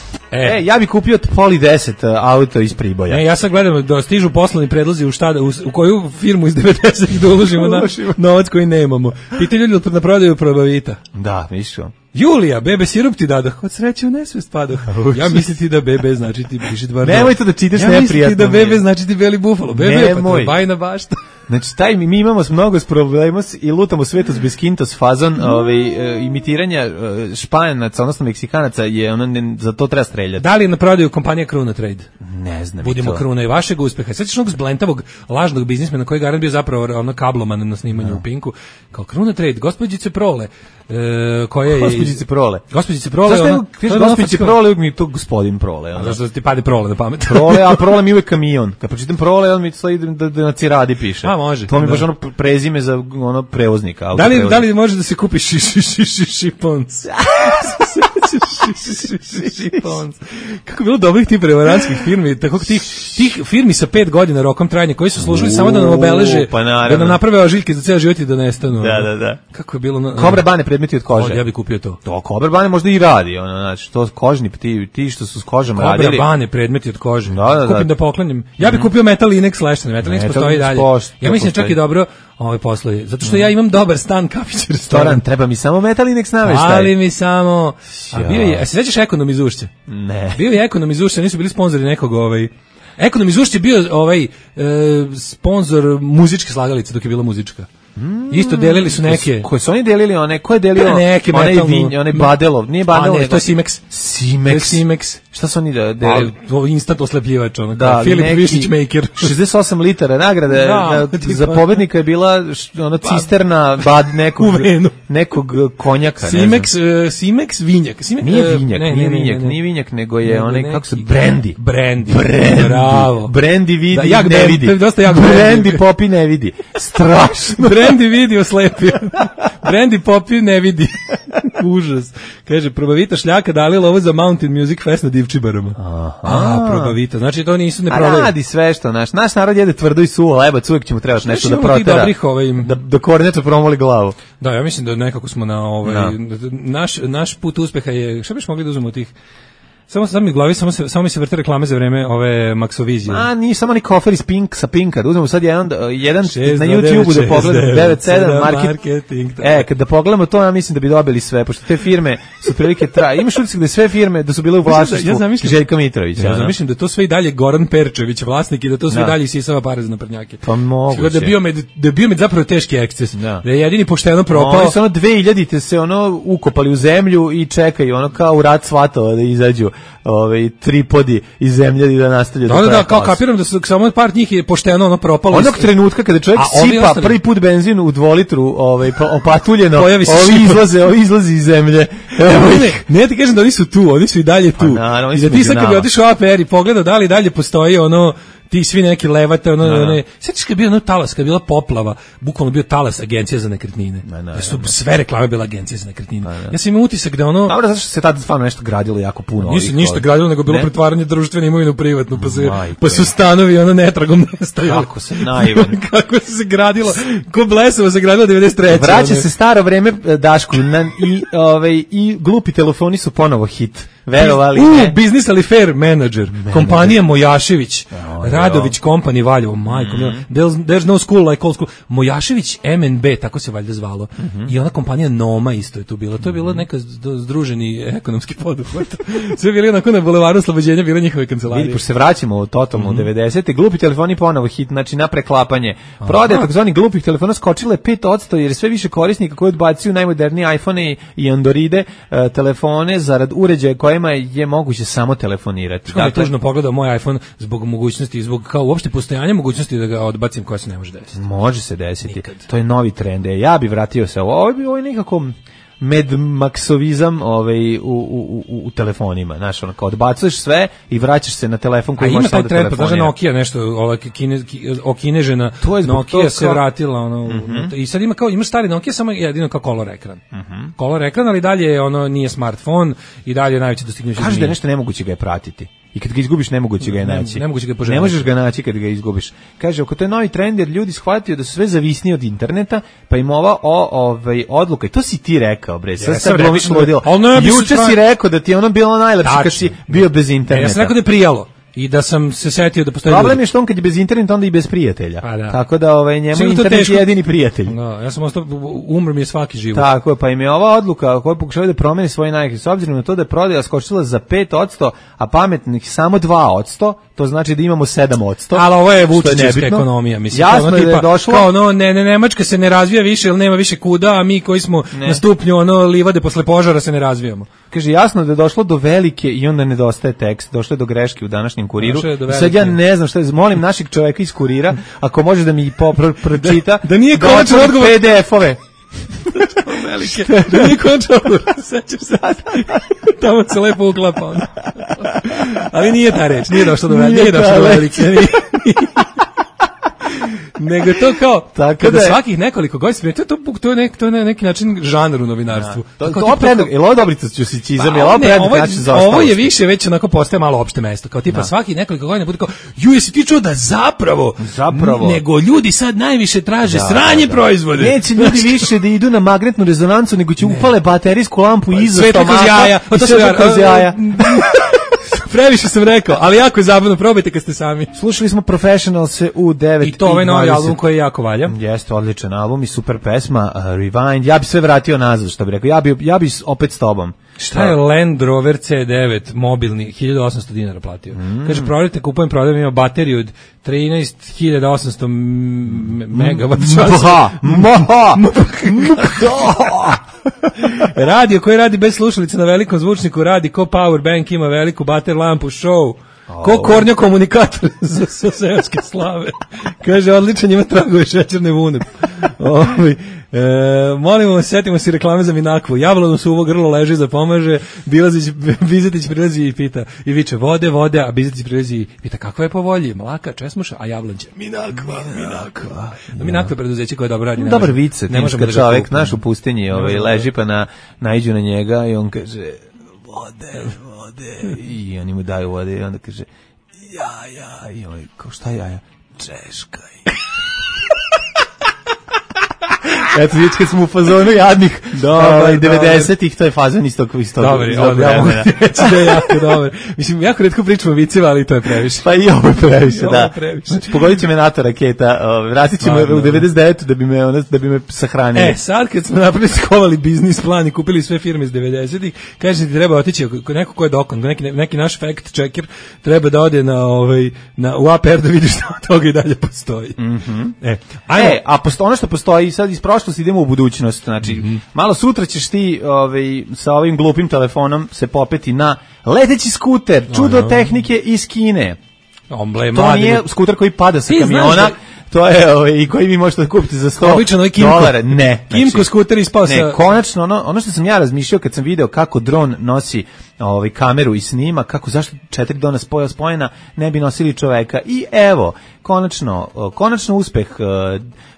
Ja bih kupio Poli 10 auto iz Priboja. Ja sad gledam da stižu poslovni predlozi u koju firmu iz 90-ih da uložimo novac koji nemamo. Pitaju ljudi na prodaju probavita. Da, višu. Julija, bebe sirup ti dadah, od sreće u nesvest padah. Ja misliti da bebe znači ti pišit varno. Nemoj to da čitaš neprijatno. Ja misliti da bebe znači ti beli bufalo. Bebe, pa to je bajna bašta. Znači, mi imamo mnogo problema i lutamo svetu s beskintos fazon imitiranja Španaca, odnosno Meksikanaca, je za to treba streljati. Da li je na prodaju kompanija Kruna Trade? Ne znam. Budimo Kruna i vašeg uspeha. Svećaš onog zblentavog lažnog biznismena koji garant bio zapravo kabloman na snimanju u Pinku. Kao Kruna Trade, gospođice Prole, koja je... Gospođice Prole. Gospođice Prole, gospođice Prole, uvijek mi je to gospodin Prole. Zašto ti pade Prole na pamet? Prole, a Prole mi je uvijek kamion. Kad pročitam Prole, on mi sledi da na Ciradi piše. A, može. To mi baš ono prezime za prevoznika. Da li može da se kupi šipons? Kako je bilo dobrih tih prevarantskih firmi, tako tih firmi sa 5 godina rokom trajanja, koji su služili samo da nam obeleže, da nam naprave ožiljke za ceo život i da nestanu. Da. Kako je bilo... Kobra Bane predmeti od kože. Ja bih kupio to. To Kobra Bane možda i radi, znači to kožni, ti što su s kožom radili. Kobra Bane predmeti od kože. Kupim da poklonim. Ja bih kupio Metal Linex leštane, Metal Linex postoji dalje. Ja mislim čak i dobro ovaj poslovi, zato što ja imam dobar stan, kafić, restoran. Treba mi samo Metal Linex naveštaj. Ali mi samo... A bio je, se sećaš Ekonom iz Ušća? Ne. Bio je Ekonom iz Ušća, nisu bili sponzori nekog Ekonom iz Ušća je bio sponzor muzičke slagalice dok je bila muzička. Isto delili su neke. Koje su oni delili one? Ko je delio? Neke onaj Badelov, nije Badelov. Ne, to je Simex. Simex. Šta su oni delili? To instant oslepljivač, Filip Višić Maker. 68 litara nagrade za pobednika je bila cisterna nekog konjaka. Simex vinjak. Nije vinjak, nego je onaj, kako se, Brandy. Bravo. Brandy vidi, ne vidi. Brandy Popi ne vidi. Strašno. Brandy vidi oslepio. Brandy Popi ne vidi. Užas. Kaže, probavita šljaka dali lovo za Mountain Music Fest na Divčibarama. Probavita. Znači to nisu ne prodaju. Radi sve što naš narod jede tvrdo i suvo, lebac, uvijek će mu trebaš nešto da protera. Da kornjača promoli glavu. Da, ja mislim da nekako smo na naš put uspeha je, šta biš mogli da uzmemo tih Samo mi u glavi, samo mi se vrte reklame za vreme ove Maxovizije. Nije samo ni kofer iz sa Pinka. Uzmemo sad jedan na YouTubeu da pogledamo 97 marketing. Kada pogledamo to, ja mislim da bi dobili sve, pošto te firme su prilike imaš utisak da sve firme da su bile u vlasništvu Željka Mitrovića. Ja zamišljam da to sve i dalje Goran Perčević vlasnik i da to sve dalje isisava pare za naprednjake. Pa moguće. Da je Biomed zapravo teški eksces. Da je jedini pošteno propao. Oni su 2000-te se ukopali u zemlju i čekaju kao u rat svatova da izađu tripodi iz zemlje i da nastavljaju. Da, kao kapiram da su samo par njih je pošteno propalo. Onog trenutka kada čovjek sipa prvi put benzin u 2 litru opatuljeno, ovi izlazi iz zemlje. Ne ti kažem da oni su tu, oni su i dalje tu. I da ti sad kad bi otišao APR i pogledao da li dalje postoji ti svi neki levate, sećaš kad je bio talas, kad je bila poplava, bukvalno bio talas agencija za nekretnine. Da su sve reklame bile agencije za nekretnine. Ja sam imao utisak da Dobro, zato što se tada stvarno nešto gradilo jako puno. Nisu ništa gradilo, nego bilo pretvaranje društvene imovine u privatnu, pa su stanovi netragom nestajali. Kako se naivan. Kako se gradilo, ko Blesovo se gradilo 93. Vraća se staro vreme, Daško, i glupi telefoni su ponovo hit. Verovali ne. Business ali fair manager. Kompanija Mojašević. Radović Company Valjevo. Majko, there's no school like old school. Mojašević MNB, tako se valjda zvalo. I ona kompanija Noma isto je tu bila. To je bilo neka združeni ekonomski poduhvat. Sve bili onako na bulevaru Oslobođenja, bile njihove kancelarije. Vidi, pošto se vraćamo u totalno u 90-te, glupi telefoni ponovo hit, znači na preklapanje. Prodaje takozvani glupih telefona skočile 5% jer je sve više korisnika koji odbacuju najmodernije iPhone i Androide telefone zarad uređaja kojima je moguće samo telefonirati. Kako je tužno pogledao moj iPhone zbog mogućnosti, zbog kao uopšte postojanja mogućnosti da ga odbacim, koja se ne može desiti. Može se desiti. Nikad. To je novi trend. Ja bih vratio se ovo je nekako medmaksovizam u telefonima, znaš, kao odbacuješ sve i vraćaš se na telefon koji možeš da telefonira. A ima taj trend, pa Nokia nešto, okinežena Nokia se vratila, i sad imaš stari Nokia, samo jedino kao color ekran. Color ekran, ali dalje nije smartphone i dalje je najveće dostignuće. Kaže da je nešto nemoguće ga je pratiti. I kad ga izgubiš, nemoguće ga je naći. Ne možeš ga naći kad ga izgubiš. Kaže, ako to je novi trend, jer ljudi shvatio da su sve zavisni od interneta, pa im ova odluka, i to si ti rekao, bre, sad sam glomiš ludilo. Juče si rekao da ti je bilo najlepše kad si bio bez interneta. Ja sam rekao da je prijalo. I da sam se setio da postoji problem je što on kad je bez interneta onda i bez prijatelja. Tako da njemu internet je jedini prijatelj. Ja sam ostao, umro mi je svaki život. Tako je, pa im je ova odluka koja pokušava da promeni svoje navike, s obzirom na to da je prodaja skočila za 5%, a pametnih samo 2%, to znači da imamo 7%. Ali ovo je vučićevska ekonomija, mislim. Jasno je da je došlo. Kao Nemačka se ne razvija više, jer nema više kuda, a mi koji smo na stupnju livade posle požara se ne razvijamo. Kaže, jasno da je došlo do velike i onda nedostaje tekst, došlo je do greške u današnjem Kuriru. Sad ja ne znam šta je, molim našeg čovjeka iz Kurira, ako može da mi pročita, da nije konačan odgovor PDF-ove. Da nije konačan odgovor, sećam se. Tamo se lepo uklapa. Ali nije ta reč, nije došlo do velike. Nego to kao kada svakih nekoliko godina, to je neki način žanr u novinarstvu. Ovo dobricoćizam, ovo je više već onako postaje malo opšte mesto, kao tipa svakih nekoliko godina bude kao, jesi ti čuo da zapravo nego ljudi sad najviše traže sranje proizvode. Neće ljudi više da idu na magnetnu rezonancu, nego će upale baterijsku lampu iza stomaka i sve kroz jaja. Previše sam rekao, ali jako je zabavno, probajte kad ste sami. Slušali smo Professionals u 9:20. I to ovaj novi album koji je jako valja. Jeste, odličan album i super pesma, Rewind. Ja bi sve vratio nazad, što bih rekao. Ja bi opet s tobom. Šta je Land Rover C9 mobilni, 1800 dinara platio. Kaže, prodajem, ima bateriju od 13.800 megawatt časa. Radio koji radi bez slušalice na velikom zvučniku radi ko power bank, ima veliku bater lampu, show. Ko kornjo komunikator sa seoske slave. Kaže, odličan, ima tragove šećerne vune. Molimo, setimo se reklame za Minakvu. Jablano suvo grlo leži za pomaže, Bizetić prilazi i pita i viče vode, a Bizetić prilazi i pita kakva je po volji, mlaka, česmuša, a Jablanđe Minakva. Minakva je preduzeće koje dobro radi. Dobar vice, kad čovjek naš u pustinji leži pa naiđu na njega i on kaže vode i oni mu daju vode i onda kaže jaja i on kao šta jaja? Češkaj. Eto, vidite kad smo u fazonu jadnih 90-ih, to je fazon istog dobar, ja mogu reći da je jako dobar. Mislim, jako retko pričamo viceva, ali to je previše. Pa i ovo je previše, da. Znači, pogodit će me NATO raketa, vratit ćemo u 99 da bi me sahranili. Sad kad smo napravili skovali biznis plan i kupili sve firme iz 90-ih, kaže ti treba otići, neko ko je dokon, neki naš fact checker, treba da ode u APR da vidi što od toga i dalje postoji. Ono što postoji, sad iz prošlosti idemo u budućnost, znači, malo sutra ćeš ti sa ovim glupim telefonom se popeti na leteći skuter, čudo tehnike iz Kine. To nije skuter koji pada sa kamiona, to je i koji vi možete kupiti za $100. Ne. Kimco skuter ispao sa... Ne, konačno, ono što sam ja razmišljao kad sam video kako dron nosi kameru i snima, zašto 4 drona spojena ne bi nosili čoveka. I evo, konačno uspeh.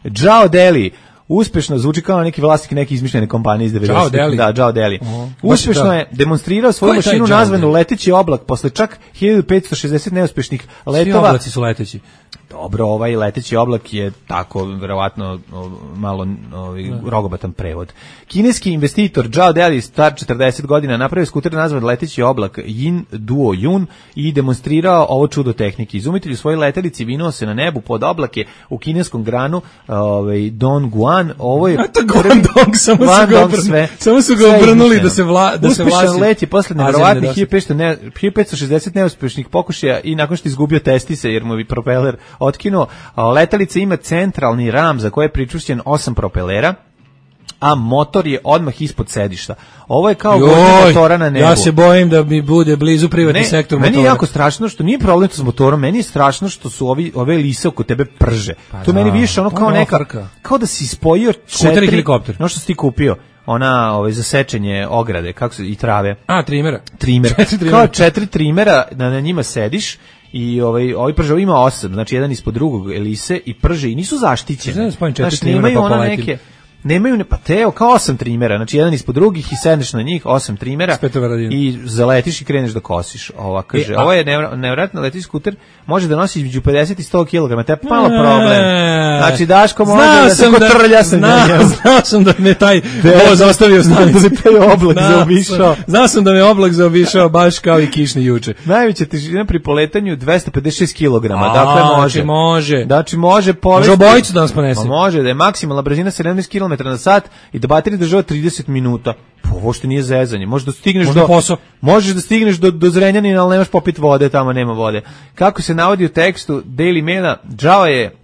Zhao Deli, uspešno zvuči kao neki vlasnik neke izmišljene kompanije iz 90-ih. Da, Zhao Deli. Uspešno je demonstrirao svoju mašinu nazvanu leteći oblak posle čak 1560 neuspešnih letova. Svi oblaci su leteći. Dobro, ovaj leteći oblak je tako, verovatno, malo rogobatan prevod. Kineski investitor Zhao Deli, star 40 godina, napravio skuter nazvan leteći oblak Yin Duo Yun i demonstrirao ovo čudo tehnike. Izumitelj u svojoj letelici vinuo se na nebu pod oblake u kineskom granu Dongguan. Ovo je Guangdong, samo su ga obrnuli da se vlasi. Uspešan let je posle nevjerovatnih 1560 neuspešnih pokušaja i nakon što izgubio testise jer mu bi propeler otkinuo. Letelica ima centralni ram za koje je pričvršćen 8 propelera, a motor je odmah ispod sedišta. Ovo je kao vožnja motora na nebu. Ja se bojim da mi bude blizu privatni sektor motora. Meni je jako strašno što nije problem to s motorom, meni je strašno što su ove lise oko tebe prže. To meni više ono kao da si spojio skuter i helikopter. No što si ti kupio? Ona za sečenje ograde, i trave. Trimera. Kao 4 trimera, na njima sediš. I ovaj prže ima 8, znači jedan ispod drugog elise i prže i nisu zaštićeni. Znači nemaju ona neke, nemaju kao 8 trimera, znači jedan ispod drugih i sedneš na njih 8 trimera i zaletiš i kreneš da kosiš. Ovo je nevjerojatno leteći skuter, može da nosi između 50 i 100 kg, to je malo problem. Znači Daško može da se kotrlja sa njim. Znao sam da me taj voz ostavio stanicu. Znao sam da me oblak zaobišao baš kao i kišni juče. Najveća težina pri poletanju 256 kg, dakle može. Znači može povesti. Može obojicu da nas ponese. Može, da je maksimalna brzina 17 km na sat i da baterija država 30 minuta. Ovo što nije zezanje. Možeš da stigneš do Zrenjanina, ali nemaš popit vode, tamo nema vode. Kako se navodi u tekstu Daily Maila, Zhao je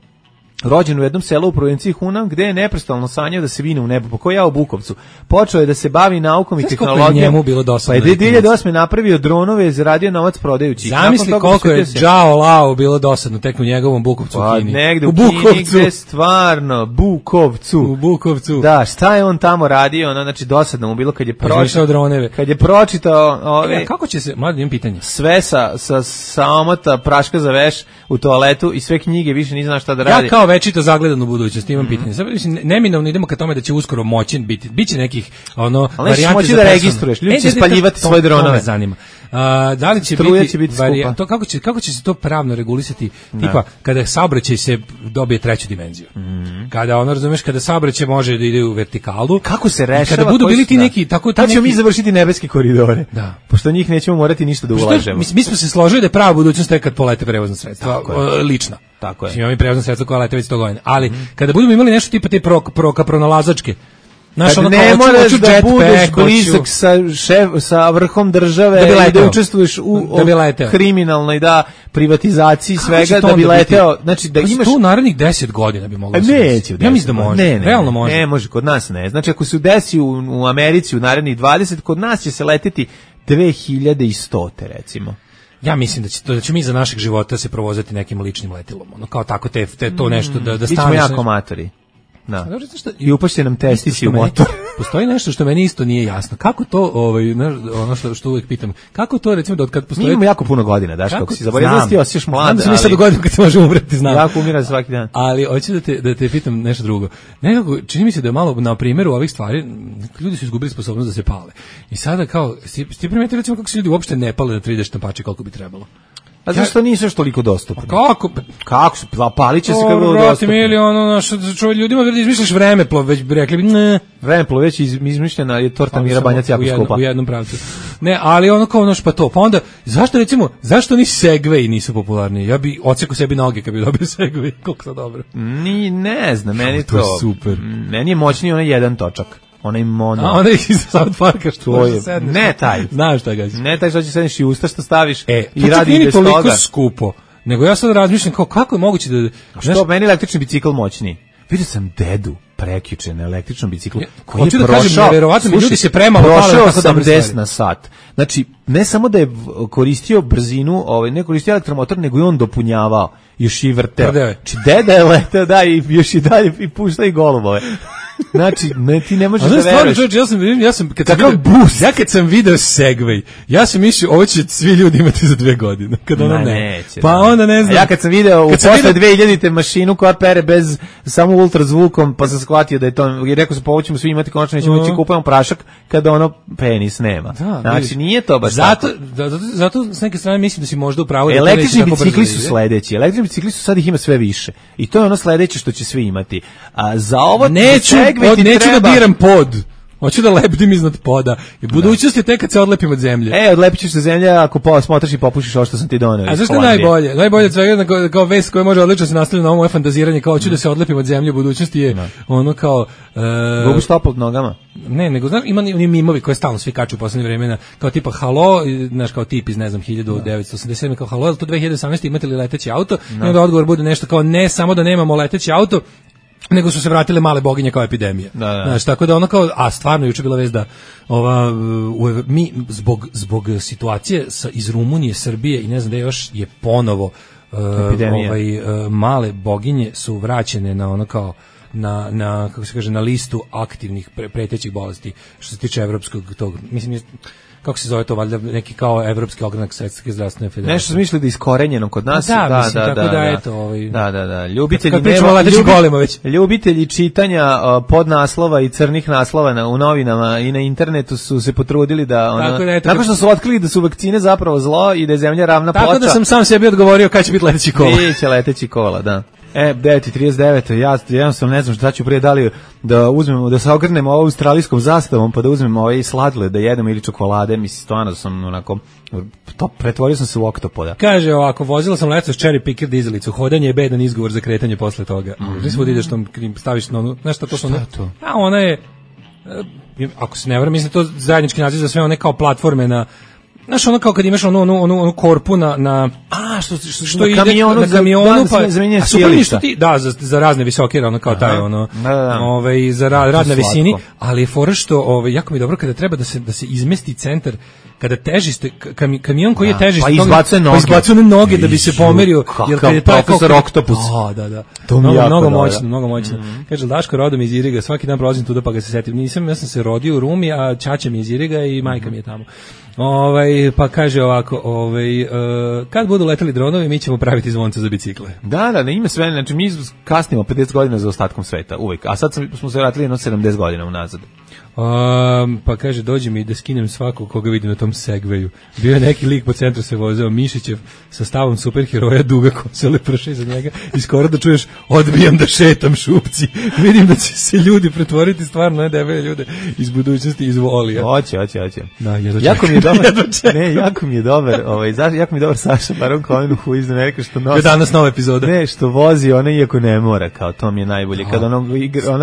rođen u jednom selu u provinciji Hunan, gde je neprestano sanjao da se vine u nebo, po ja u Bukovcu. Počeo je da se bavi naukom i tehnologijom. Njemu bilo dosadno. Pa je 2008. napravio dronove, zaradio novac prodajući. Zamisli koliko je Zhao Lao bilo dosadno tek u njegovom Bukovcu u Kini. Negde u Kini, gde stvarno, U Bukovcu. Da, šta je on tamo radio, znači dosadno mu bilo kad je pročitao ove... Kako će se, mladim imam pitanje. Sve sa omota praška za veš u toaletu i sve knjige, više nije znao šta da radi. Ja kao večito zagledan u budućnosti imam pitanje. Sad neminovno idemo ka tome da će uskoro moći biće nekih varijante moći da registruješ, ljudi će spaljivati svoje dronove. To me zanima. Da li će biti to kako će se to pravno regulisati, tipa kada saobraćaj se dobije treću dimenziju. Kada razumeš, kada saobraćaj može da ide u vertikalu, kako se rešava, kada budu bili ti neki tako tad ćemo mi završiti nebeske koridore. Da. Pošto njih nećemo morati ništa da ulažemo. Mi smo se složili da je prava budućnost kad polete prevozna sredstva, lična. Tako je. Imamo i prevozna sredstva koja lete već 100 godina. Ali kada budemo imali nešto tipa te pronalazačke, ne moraš da budeš blizak sa vrhom države da učestvuješ u kriminalnoj privatizaciji svega da bi leteo. Znači da imaš tu narednih 10 godina bi moglo se. Ja mislim da može. Realno može. Ne može, kod nas ne. Znači ako se desi u Americi u narednih 20, kod nas će se leteti 2100 recimo. Ja mislim da će mi za našeg života se provozati nekim ličnim letilom. Kao tako to nešto da staneš. Bićemo jako amatori. Da. I upašće nam testisi u motor. Postoji nešto što meni isto nije jasno. Kako to, ono što uvijek pitam, kako to recimo da od kad postoji... Mi imamo jako puno godina, daš, kako si zaboravio da ti osjećaš mlad. Znam da mi sad godinu kad se može umreti, znam. Jako umira svaki dan. Ali hoću da te pitam nešto drugo. Nekako, čini mi se da je malo na primjeru ovih stvari, ljudi su izgubili sposobnost da se pale. I sada kao, ti primetili recimo kako se ljudi uopšte ne pale na 3D štampače koliko bi trebalo. A zašto nisu još toliko dostupni? Kako se, palit će se kako bilo dostupno? Ljudima da izmišljaš vremeplov, već bi rekli, ne. Vremeplov već izmišljena je torta Mira Banjac jako skupa. U jednom pravcu. Ne, ali ono kao pa to. Pa onda, zašto ni Segway nisu popularni? Ja bi odsekao sebi noge kad bi dobio Segway, koliko to dobro. Ne znam, meni to super. Meni je moćniji onaj jedan točak. Onaj mono. A onaj iz South Parka što je. Ne taj. Znaš šta gađe. Ne taj što će sedneš i usta što staviš i radi bez toga. Toliko skupo. Nego ja sad razmišljam kako je moguće da... Što meni električni bicikl moćniji? Vidio sam dedu prekjuče na električnom biciklu koji je prošao, verovatno ljudi se premalo prošao 80 na sat. Znači, ne samo da je koristio brzinu, ne koristio elektromotor, nego i on dopunjavao, još i vrteo. Znači, deda je letao, da, i još i dalje i pušta i golubove. Znači, ti ne možeš da veruješ. Kad sam video Segway, ja sam mislio, ovo će svi ljudi imati za 2 godine. Kad ono neće. Pa onda ne znam. Ja kad sam video posle 2000-te mašinu koja pere bez samo ultrazvukom, pa sam shvatio da je to, i rekao sam, pa ovo ćemo svi imati, konačno nećemo moći kupujemo prašak kada ono penis nema. Znači, nije to baš zato s neke strane mislim da si možda u pravu. Električni bicikli su sledeći. Električni bicikli su sad ih ima sve više. I to je ono sledeće što će svi imati. A za ovo neću da diram pod. Hoću da lebdim iznad poda. I budućnost je tek kad se odlepim od zemlje. Odlepit ćeš se zemlje ako smotaš i popušiš ovo što sam ti doneo. A zašto je najbolje? Najbolje od svega kao vest koja može odlično se nastaviti na ovo moje fantaziranje, kao hoću da se odlepim od zemlje, budućnosti je ono kao... Gubiš stopu od nogama? Ne, nego znam, ima mimovi koje stalno svi kaču u poslednje vremena, kao tipa halo, znaš, kao tip iz, ne znam, 1987, kao halo, to 2018 imate li leteći auto? I onda odgovor bude nešto kao ne, samo da nemamo leteći auto, nego su se vratile male boginje kao epidemija. Znači, tako da ono kao, a stvarno juče bila vest da mi zbog situacije iz Rumunije, Srbije i ne znam da još je ponovo male boginje su vraćene na ono kao na kako se kaže, na listu aktivnih pretećih bolesti što se tiče evropskog tog, mislim, kako se zove to, valjda neki kao evropski ogranak Svetske zdravstvene federacije. Nešto smisli da iskorenjeno kod nas. Da. Ljubitelji čitanja podnaslova i crnih naslova u novinama i na internetu su se potrudili da nakon što su otkrili da su vakcine zapravo zlo i da je zemlja ravna ploča. Tako da sam sam sebi odgovorio kad će biti leteći kola. Biće leteći kola, da. 9:39, ja jednostavno ne znam šta ću prije, da li da uzmemo, da se ogrnemo ovo australijskom zastavom, pa da uzmemo ovaj sladoled da jedemo ili čokolade, mislim, stvarno sam onako, pretvorio sam se u oktopoda. Kaže ovako, vozila sam letos cherry picker dizelicu, hodanje je bedan izgovor za kretanje posle toga. Gdje svod ideš tom, staviš na onu, znaš šta to što ono? A ona je, ako se ne varam, mislim to zajednički naziv za sve one kao platforme na, znaš, ono kao kad imaš onu korpu na što ide na kamionu, pa a super ništa ti, da, za razne visoke, ono kao taj, ono, za rad na visini, ali je fora što, jako mi je dobro kada treba da se izmesti centar, kada težište, kamion koji je težište, pa izbacuje noge da bi se pomerio, jer kad je taj profesor Oktopus. Da. Mnogo moćno. Kaže, Daško, rodom iz Iriga, svaki dan prolazim tuda pa ga se setim. Ja sam se rodio u Rumi, a ćaća mi je iz Iriga i majka mi je tamo. Pa kaže ovako, kad budu leteli dronovi, mi ćemo praviti zvonce za bicikle. Da, ima sve, znači mi kasnimo 50 godina za ostatkom sveta, uvijek, a sad smo se vratili 70 godina unazad. Pa kaže, dođi mi da skinem svakog koga vidim na tom Segwayu. Bio je neki lik po centru se vozeo, Mišićev sa stavom superheroja, duga kosa, leprša iza njega i skoro da čuješ, odbijam da šetam šupci. Vidim da će se ljudi pretvoriti stvarno na debele ljude iz budućnosti, iz volija. Hoće. Da, jako mi je dobar, jako mi je dobar Saša Baron Cohen u iz Amerike što nosi. Danas nova epizoda. Ne, što vozi ona iako ne mora, kao to mi je najbolje. Kad onog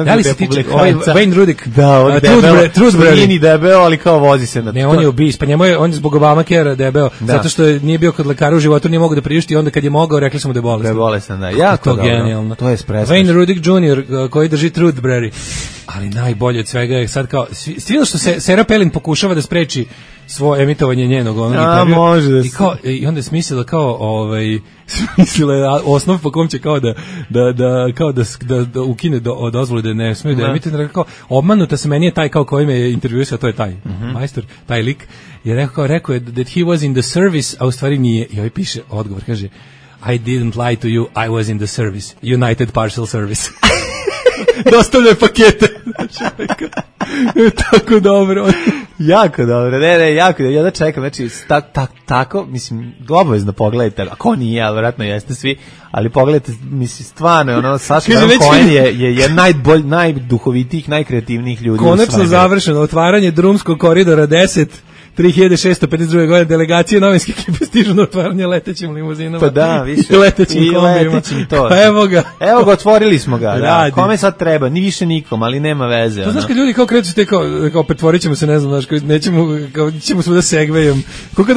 da li se tiče Wayne Rudik? Da, on Truthberry debeo, ali kao vozi se na to. Ne, on je ubis, pa on je zbog Obamacare debeo, zato što nije bio kod lekara u životu, nije mogao da priušti i onda kad je mogao, rekli smo da je bolestan. Da je bolestan, da. Jako to genijalno. To je espresso. Wayne Rudik Jr. koji drži Truthberry. Ali najbolje od svega je sad kao, svi što se Sarah Palin pokušava da spreči svoje emitovanje njenog onog intervjua. Može da i onda je smislila kao, smislila je osnov po kom će kao da ukine dozvolu da ne smije da emituje, kao obmanuta se, meni je taj kao koji me je intervjuisao, to je taj majstor, taj lik, je rekao je that he was in the service, a u stvari nije, i ovaj piše odgovor, kaže, I didn't lie to you, I was in the service, United Parcel Service. Dostavljaju pakete. Tako dobro. Jako dobro, ne, jako, ja da čekam, znači, tako, mislim, obavezno pogledajte, ako nije, ali vjerojatno jeste svi, ali pogledajte, mislim, stvarno, ono, Saša Baron Cohen je najduhovitijih, najkreativnijih ljudi. Konačno završeno otvaranje drumskog koridora 10, 3652. godine delegacije novinske ekipe stižu na otvaranje letećim limuzinama. Pa da, više. I letećim kombijima. Pa evo ga. Evo ga, otvorili smo ga. Da. Kome sad treba? Ni više nikom, ali nema veze. To znaš kad ljudi kao kreću te kao pretvorit ćemo se, ne znam, znaš, ćemo svuda segvejom. Kako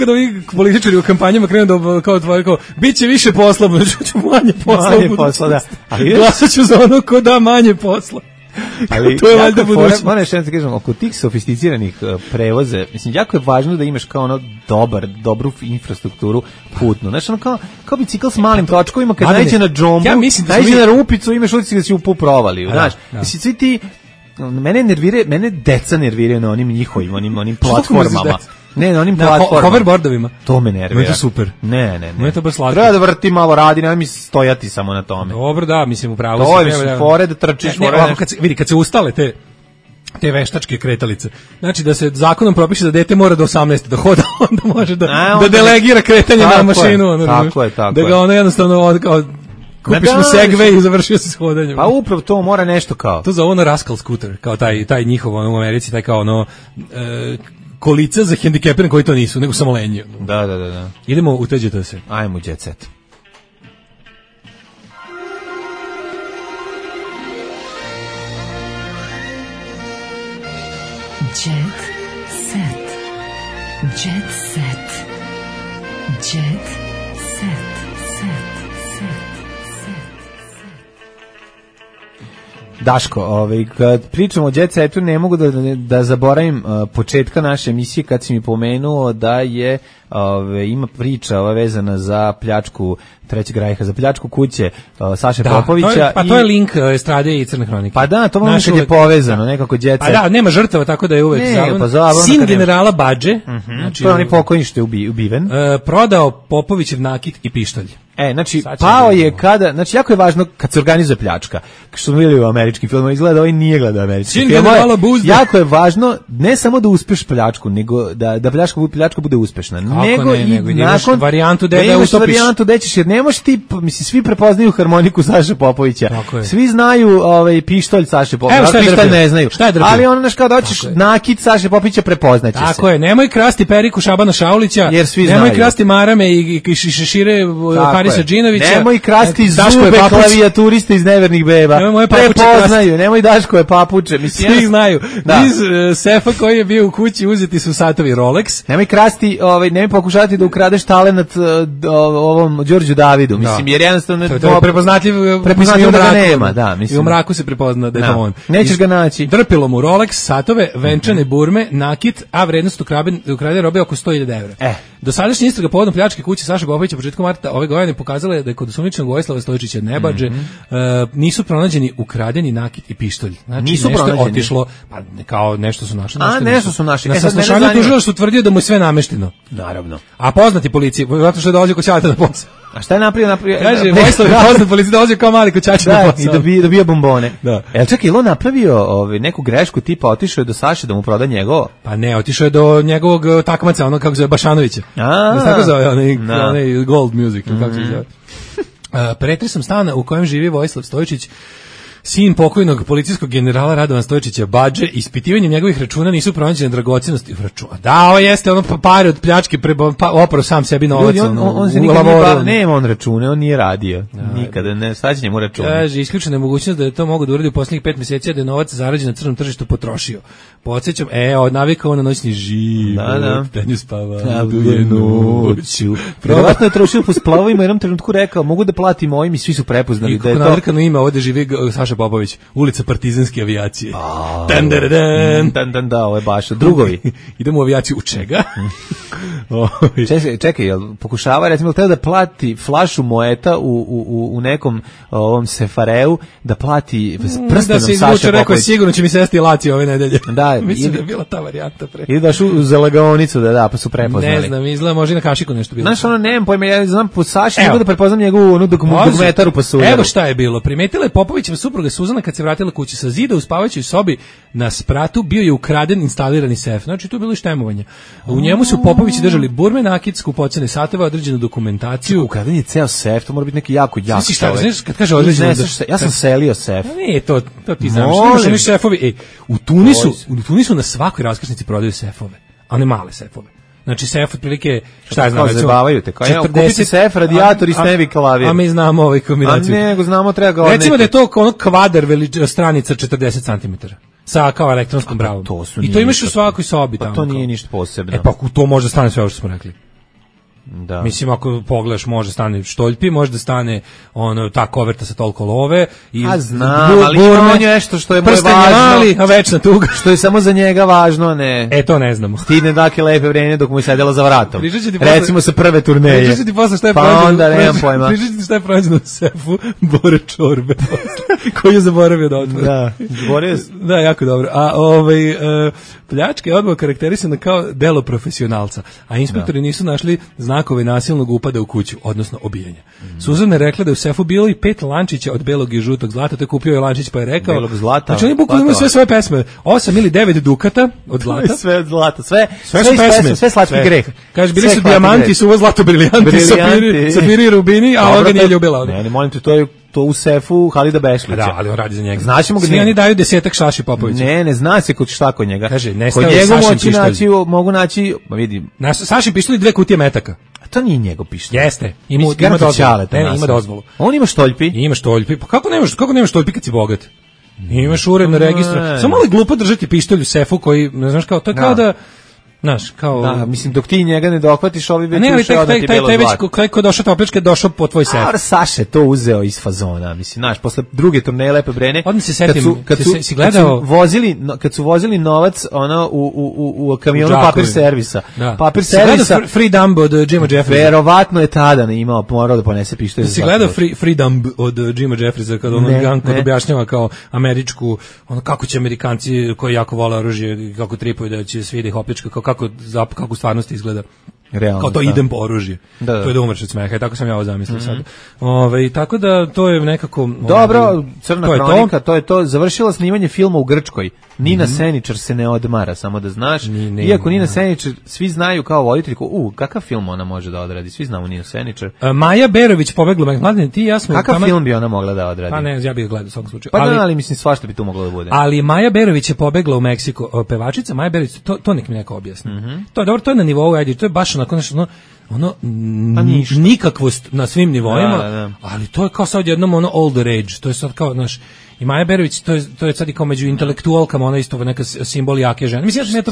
da ovi političari u kampanjama krenu da kao otvori, kao, bit će više posla, ću manje posla. Manje posla, da. Glasat ću za ono ko da manje posla. Ali to je valjda budućnost. Moram još jednom kažem, oko tih sofisticiranih prevoze, mislim, jako je važno da imaš kao ono dobru infrastrukturu putnu. Znači, ono kao bicikl s malim točkovima, kad najde na džombu, najde na rupicu, imaš utisak da si u provaliju, znaš. Mislim, svi ti, mene deca nerviraju na onim njihovim, onim platformama. Ne, na onim platformama. Hoverboardovima. To me nervira. To je super. Ne. To je to baš slatko. Treba da vrti malo, radi, nema mi stojati samo na tome. Dobro, da, mislim, upravo to je, mislim, fore da trčiš. Kad se ustale te veštačke kretalice. Znači da se zakonom propiše da dete mora do 18 da hoda, onda može da delegira kretanje na mašinu. Tako je. Da ga ono jednostavno kupiš mu Segway i završio se s hodanjem. Pa upravo to mora nešto kao. To zove ono Rascal Scooter, kao taj njihov ono u Americi, taj kao ono kolica za hendikepirane koji to nisu, nego samo lenji. Da. Idemo u teđete se. Ajmo jet set. Jet set. Jet set. Jet set. Daško, kad pričamo o jet setu, ne mogu da zaboravim početka naše emisije kad si mi pomenuo da je ima priča vezana za pljačku Trećeg rajha, za pljačku kuće Saše Popovića. To je link Estrade i Crne hronike. Pa da, to vam je povezano, nekako jet set. Pa da, nema žrtava, tako da je uvek sin generala Badže, znači to je onaj pokojni što je ubiven, prodao Popovićev nakit i pištolj. Znači, pao je kada, znači, jako je važno kad se organizuje pljačka. Što smo vidjeli u američkim filmima, izgleda, ovaj nije gledao američki film. Jako je važno, ne samo da uspeš pljačku, nego da pljačka bude uspešna. Nego nakon varijantu da utopiš. Varijantu da ćeš, jer ne možeš ti, mislim, svi prepoznaju harmoniku Saše Popovića. Svi znaju pištolj Saše Popovića. Pištolj ne znaju. Ali ono, znaš, kao da hoćeš nakit Saše Popovića, prepoznaće se. Tako je, nemoj krasti periku Šabana Šaulića, nemoj krasti marame i šešire Harisa Džinovića. Nemoj krasti zube klavijaturiste iz Nevernih beba. Prepoznaju, nemoj Daškove papuče. Svi znaju. Iz sefa koji je bio u kući uzeti su satovi Rolex. Nemoj krasti, nemoj pokušati da ukradeš talenat ovom Đorđu Davidu. Mislim, jer jednostavno to je prepoznatljiv da ga nema. Da, mislim. I u mraku se prepozna da je to on. Nećeš ga naći. Drpilo mu Rolex, satove, venčane burme, nakit, a vrednost ukradene robe oko 100.000 evra. Dosadašnja istraga povodom pljačke kuće Saše Popovića početkom marta ove godine pokazala je da je kod osumnjičenog Vojislava Stojičića Nebadže nisu pronađeni ukradeni nakit i pištolj. Znači nisu nešto je otišlo, pa kao nešto su našli. Nešto su našli. Na saslušanju tužilaštvo tvrdio da mu je sve namešteno. Naravno. A poznati policiji, zato što je dolazio kod ćaleta na posao. A šta je napravio? Kaže, Vojislav je poznat policiji, dolazio kao mali koćač na posao. I dobio bombone. Jel čekaj, je on napravio neku grešku tipa otišao je do Saše da mu proda njegovo? Pa ne, otišao je do njegovog takmaca, ono kako zove Bašanovića. Da se tako zove, onaj Gold Music, kako se zove. Pretresom stana u kojem živi Vojislav Stojičić, sin pokojnog policijskog generala Radovan Stojičića Badže, ispitivanjem njegovih računa nisu pronađene dragocenosti u računu. Da, ovo jeste ono pare od pljačke, opravo sam sebi novac. On se nikad nema on račune, on nije radio. Nikada, ne, sad će njemu račune. Kaže, isključena je mogućnost da je to mogu da uradi u posljednjih 5 mjeseci, da je novac zarađen na crnom tržištu potrošio. Podsjećam, navikao na noćni život, tenju spava, duje noću. Vjerovatno je trošio po splavovima, jednom trenutku rekao, mogu da platim ovim i svi su prepoznali da je to. I kako navrkano ima, ovdje živi Saša Popović, ulica Partizanske avijacije. Da, ovo je baš drugovi. Idemo u avijaciju u čega? Čekaj, jel pokušava, recimo, treba da plati flašu moeta u nekom ovom sefareu, da plati prstenom Saša Popović. Da se izvuče, rekao je, sigurno će mi sesti Laci ove nedelje. Da, mislim da je bila ta varijanta pre. I daš u zalagaonicu, pa su prepoznali. Ne znam, izgleda može na kašiku nešto bilo. Znaš, ono, nemam pojma, ja znam po Saši, nego da prepoznam njegovu dugmetaru pasuje. Evo šta je bilo. Primetila je Popovićeva supruga supruga Suzana kad se vratila kući sa zida u spavaćoj sobi na spratu bio je ukraden instalirani sef. Znači tu je bilo i štemovanje. U njemu su Popovići držali burme, nakit, skupocene satove, određenu dokumentaciju. Ukraden je ceo sef, to mora biti neki jako znaš, kad kaže određeno ja sam selio sef. Ne, to ti znaš. Imaš oni sefovi. U Tunisu na svakoj raskrsnici prodaju sefove, a ne male sefove. Znači sef otprilike šta je znam, zabavaju te kao kupiti sef, radijator i snevi klavir. A mi znamo ovaj kombinaciju. A nego znamo treba ga recimo da je to ono kvadar stranica 40 cm. Sa kao elektronskom bravom. I to imaš u svakoj sobi tamo. Pa to nije ništa posebno. Pa to može da stane sve ovo što smo rekli. Da. Mislim, ako pogledaš, može stane štoljpi, može da stane ta koverta sa toliko love. A znam, ali ima on nešto što je moje važno. Mali, a večna tuga. Što je samo za njega važno, ne. To ne znamo. Stidne dake lepe vreme dok mu je sedela za vratom. Recimo sa prve turneje. Pričat ti posle šta je šta je prođeno u sefu Bore Čorbe. Koji je zaboravio da otvori. Da, da, jako dobro. A pljačka je odmah karakterisana kao delo profesionalca, a inspektori nisu našli znakove nasilnog upada u kuću, odnosno obijanja. Suzana je rekla da je u sefu bilo i 5 lančića od belog i žutog zlata, to je kupio je lančić pa je rekao. Belog zlata. Znači oni bukvalno imaju sve svoje pesme, 8 ili 9 dukata od zlata. Sve od zlata, sve pesme, sve slatki greh. Kaže bili su dijamanti, su ovo zlato briljanti, safiri i rubini, a ona ga nije ljubila. Ne, molim te, to u sefu Halida Bešlića. Da, ali on radi za njega. Znaćemo ga. Svi oni daju 10 Saši Popovića. Ne zna se šta kod njega. Kaže, kod njega mogu naći, vidim. Saši pištolj 2 kutije metaka. A to nije njegov pištolj. Jeste. Ima dozvolu. Ima dozvolu. On ima štoljpi. Ima štoljpi. Pa kako nemaš štoljpi kad si bogat? Imaš uredno registru. Samo malo je glupo držati pištolj u sefu koji, ne znaš kao, to je kao da znaš, kao... Da, mislim, dok ti njega ne dohvatiš, ovi već ušao da ti bilo zlata. Taj ko došao topličke, došao po tvoj sef. A Saša je to uzeo iz fazona, mislim, znaš, posle druge turneje Lepe Brene, odmah se setim, kad su vozili novac u kamionu papir servisa. Papir servisa... Free Dumb od Jima Jeffriesa. Verovatno je tada morao da ponese pištolj. Si gledao Free Dumb od Jima Jeffriesa, kad on objašnjava kao američku, kako će Amerikanci koji jako vole oružje, kako tripaju da će svi da ih opljačka, kako u stvarnosti izgleda. Realno, kao to idem po oružje. Da. To je da umreš od smeha i tako sam ja ovo zamislio sad. Tako da to je nekako... Dobro, Crna hronika, to je to. Završila snimanje filma u Grčkoj. Nina Seničar se ne odmara, samo da znaš. Iako Nina Seničar, svi znaju kao voditelj, kakav film ona može da odradi? Svi znamo Ninu Seničar. Maja Berović pobegla, mladine, ti i ja smo... Kakav film bi ona mogla da odradi? Pa ne, ja bih gledao u svakom slučaju. Ali mislim, svašta bi tu moglo da bude. Ali Maja Berović je pobegla u Meksiko. Pevačica Maja Berović, to nek mi neko objasni. To je dobro, to je na nivou, ajde, to je baš onako nešto, nikakvost na svim nivoima, ali to je kao sad jednom old rage, to je sad kao, znaš, i Maja Berović, to je sad i kao među intelektualkama, ona isto neka simbol jake žene. Mislim,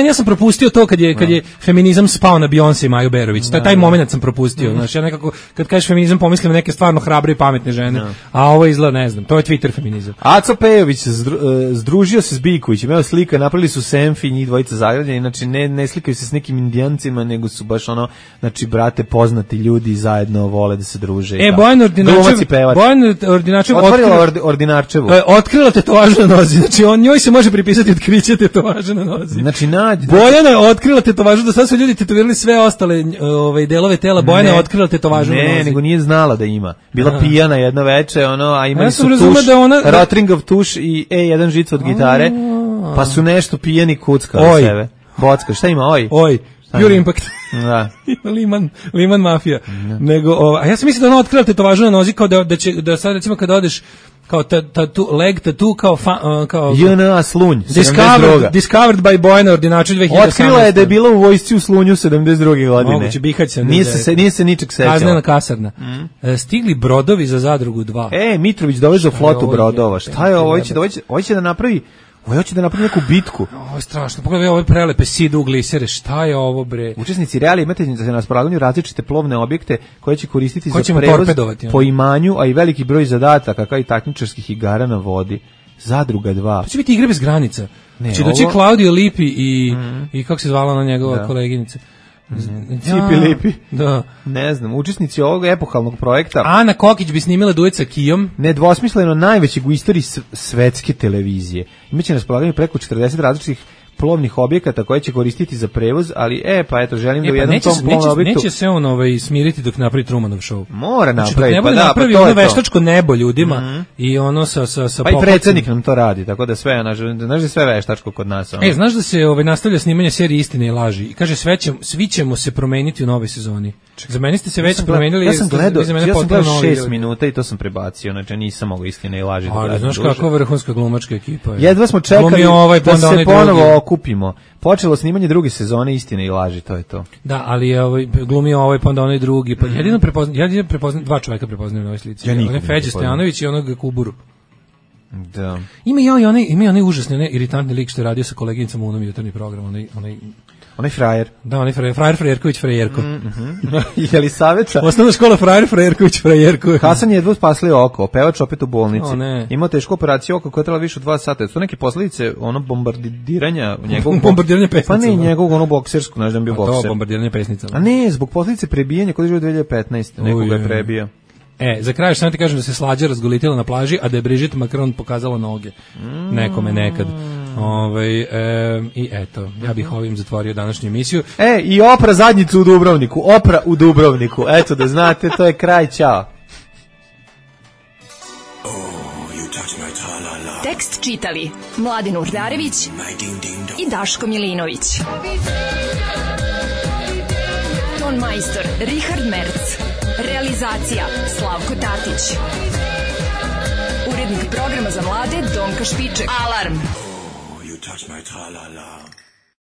ja sam propustio to kad je feminizam spao na Beyoncé i Maju Berović, taj moment sam propustio, znaš, ja nekako, kad kažeš feminizam, pomislim neke stvarno hrabre i pametne žene, a ovo izgleda, ne znam, to je Twitter feminizam. Aco Pejović združio se s Bikovićem, evo slika, napravili su selfie, njih dvojica zagrljeni, znači ne slikaju se s nekim Indijancima, nego su baš znači, brate, poznati ljudi zajedno vole da se druže. Bojan Ordinačev Ordinarčevu. Otkrila tetovažu na nozi. Znači njoj se može pripisati otkriće tetovaže na nozi. Znači Bojana je otkrila tetovažu, do sada su ljudi tetovirali sve ostale delove tela. Bojana je otkrila tetovažu na nozi. Ne, nego nije znala da ima. Bila pijana jedno veče, a imali su tuš, Rotringov tuš i E1 žica od gitare, pa su nešto pijani kuckali sebe. Bocka, šta ima? Oj. Pure Impact. Da. Liman Mafija. Nego, a ja sam mislio da ona otkrila tetovažu na nozi, kao da sad recimo kad odeš kao leg tattoo kao JNA Slunj, discovered by Bojana Ordinačev 2018. Otkrila je da je bila u vojsci u Slunju 72. godine. Moguće, Bihać se. Nije se ničeg sećala. Kaznena kasarna. Stigli brodovi za Zadrugu 2. Mitrović dovezao flotu brodova. Šta je ovo? Hoće da napravi hoće da napravi neku bitku. Ovo je strašno. Pogledaj ove prelepe sidu glisere. Šta je ovo, bre? Učesnici reali imate na raspolaganju različite plovne objekte koje će koristiti za prevoz po imanju, a i veliki broj zadataka kao i takmičarskih igara na vodi. Zadruga 2. To će biti igre bez granica. Će doći Claudio Lipi i kako se zvala ona njegova koleginica? Cipi Lipi. Da. Ne znam, učesnici ovog epohalnog projekta. Ana Kokić bi snimila duet sa Kijom. Nedvosmisleno najvećeg u istoriji svetske televizije. Imaće na raspolaganju preko 40 različitih plovnih objekata koje će koristiti za prevoz, ali pa eto, želim da u jednom tom plovnom objektu... Neće se on smiriti dok napravi Trumanov show. Mora napraviti, pa da, napravi ono veštačko nebo ljudima i ono sa pa i predsjednik nam to radi, tako da sve, znaš da sve veštačko kod nas. Znaš da se nastavlja snimanje serije Istine i laži i kaže svi ćemo se promeniti u novoj sezoni. Za meni ste se već promenili. Ja sam gledao 6 minuta i to sam prebacio, znači nisam mogao Istine i laži. Ali znaš kako vrhunska glumačka ekipa je. Jedva smo čekali da se ponovo okupimo. Počelo snimanje druge sezone Istine i laži, to je to. Da, ali je glumio pa onda onaj drugi. Pa jedino prepoznam dva čoveka prepoznajem na ovoj slici. Onaj Feđa Stojanović i onog Kuburu. Da. Ima i onaj užasni, iritantni lik što je radio sa koleginicom u onom jutarnji program, onaj frajer. Da, onaj frajer Frajerković Frajerko. Je li saveta? Osnovna škola frajer Frajerković Frajerko. Hasan je jedva spasli oko, pevač opet u bolnici. Imao tešku operaciju oko koja je trajala više od 2 sata. Su neke posljedice bombardiranja njegovog... bombardiranja pesnica. Pa ne, njegovog boksersku, znaš da bi bio bokser. To, bombardiranje pesnica. A ne, zbog posljedice prebijanja kod je 2015. Nekoga je prebio. Za kraj samo ti kažem da se Slađa razgolitila na plaži, a da je Brigitte Macron pokazala noge. Nekome nekad. I eto, ja bih ovim zatvorio današnju emisiju. I Opra zadnjicu u Dubrovniku. Opra u Dubrovniku. Eto da znate, to je kraj, ćao. Tekst čitali Mladin Urdarević i Daško Milinović. Ton majstor Richard Merc. Realizacija Slavko Tatić. Urednik programa za mlade Donka Špiček. Alarm! Oh, you touch my tra-la-la.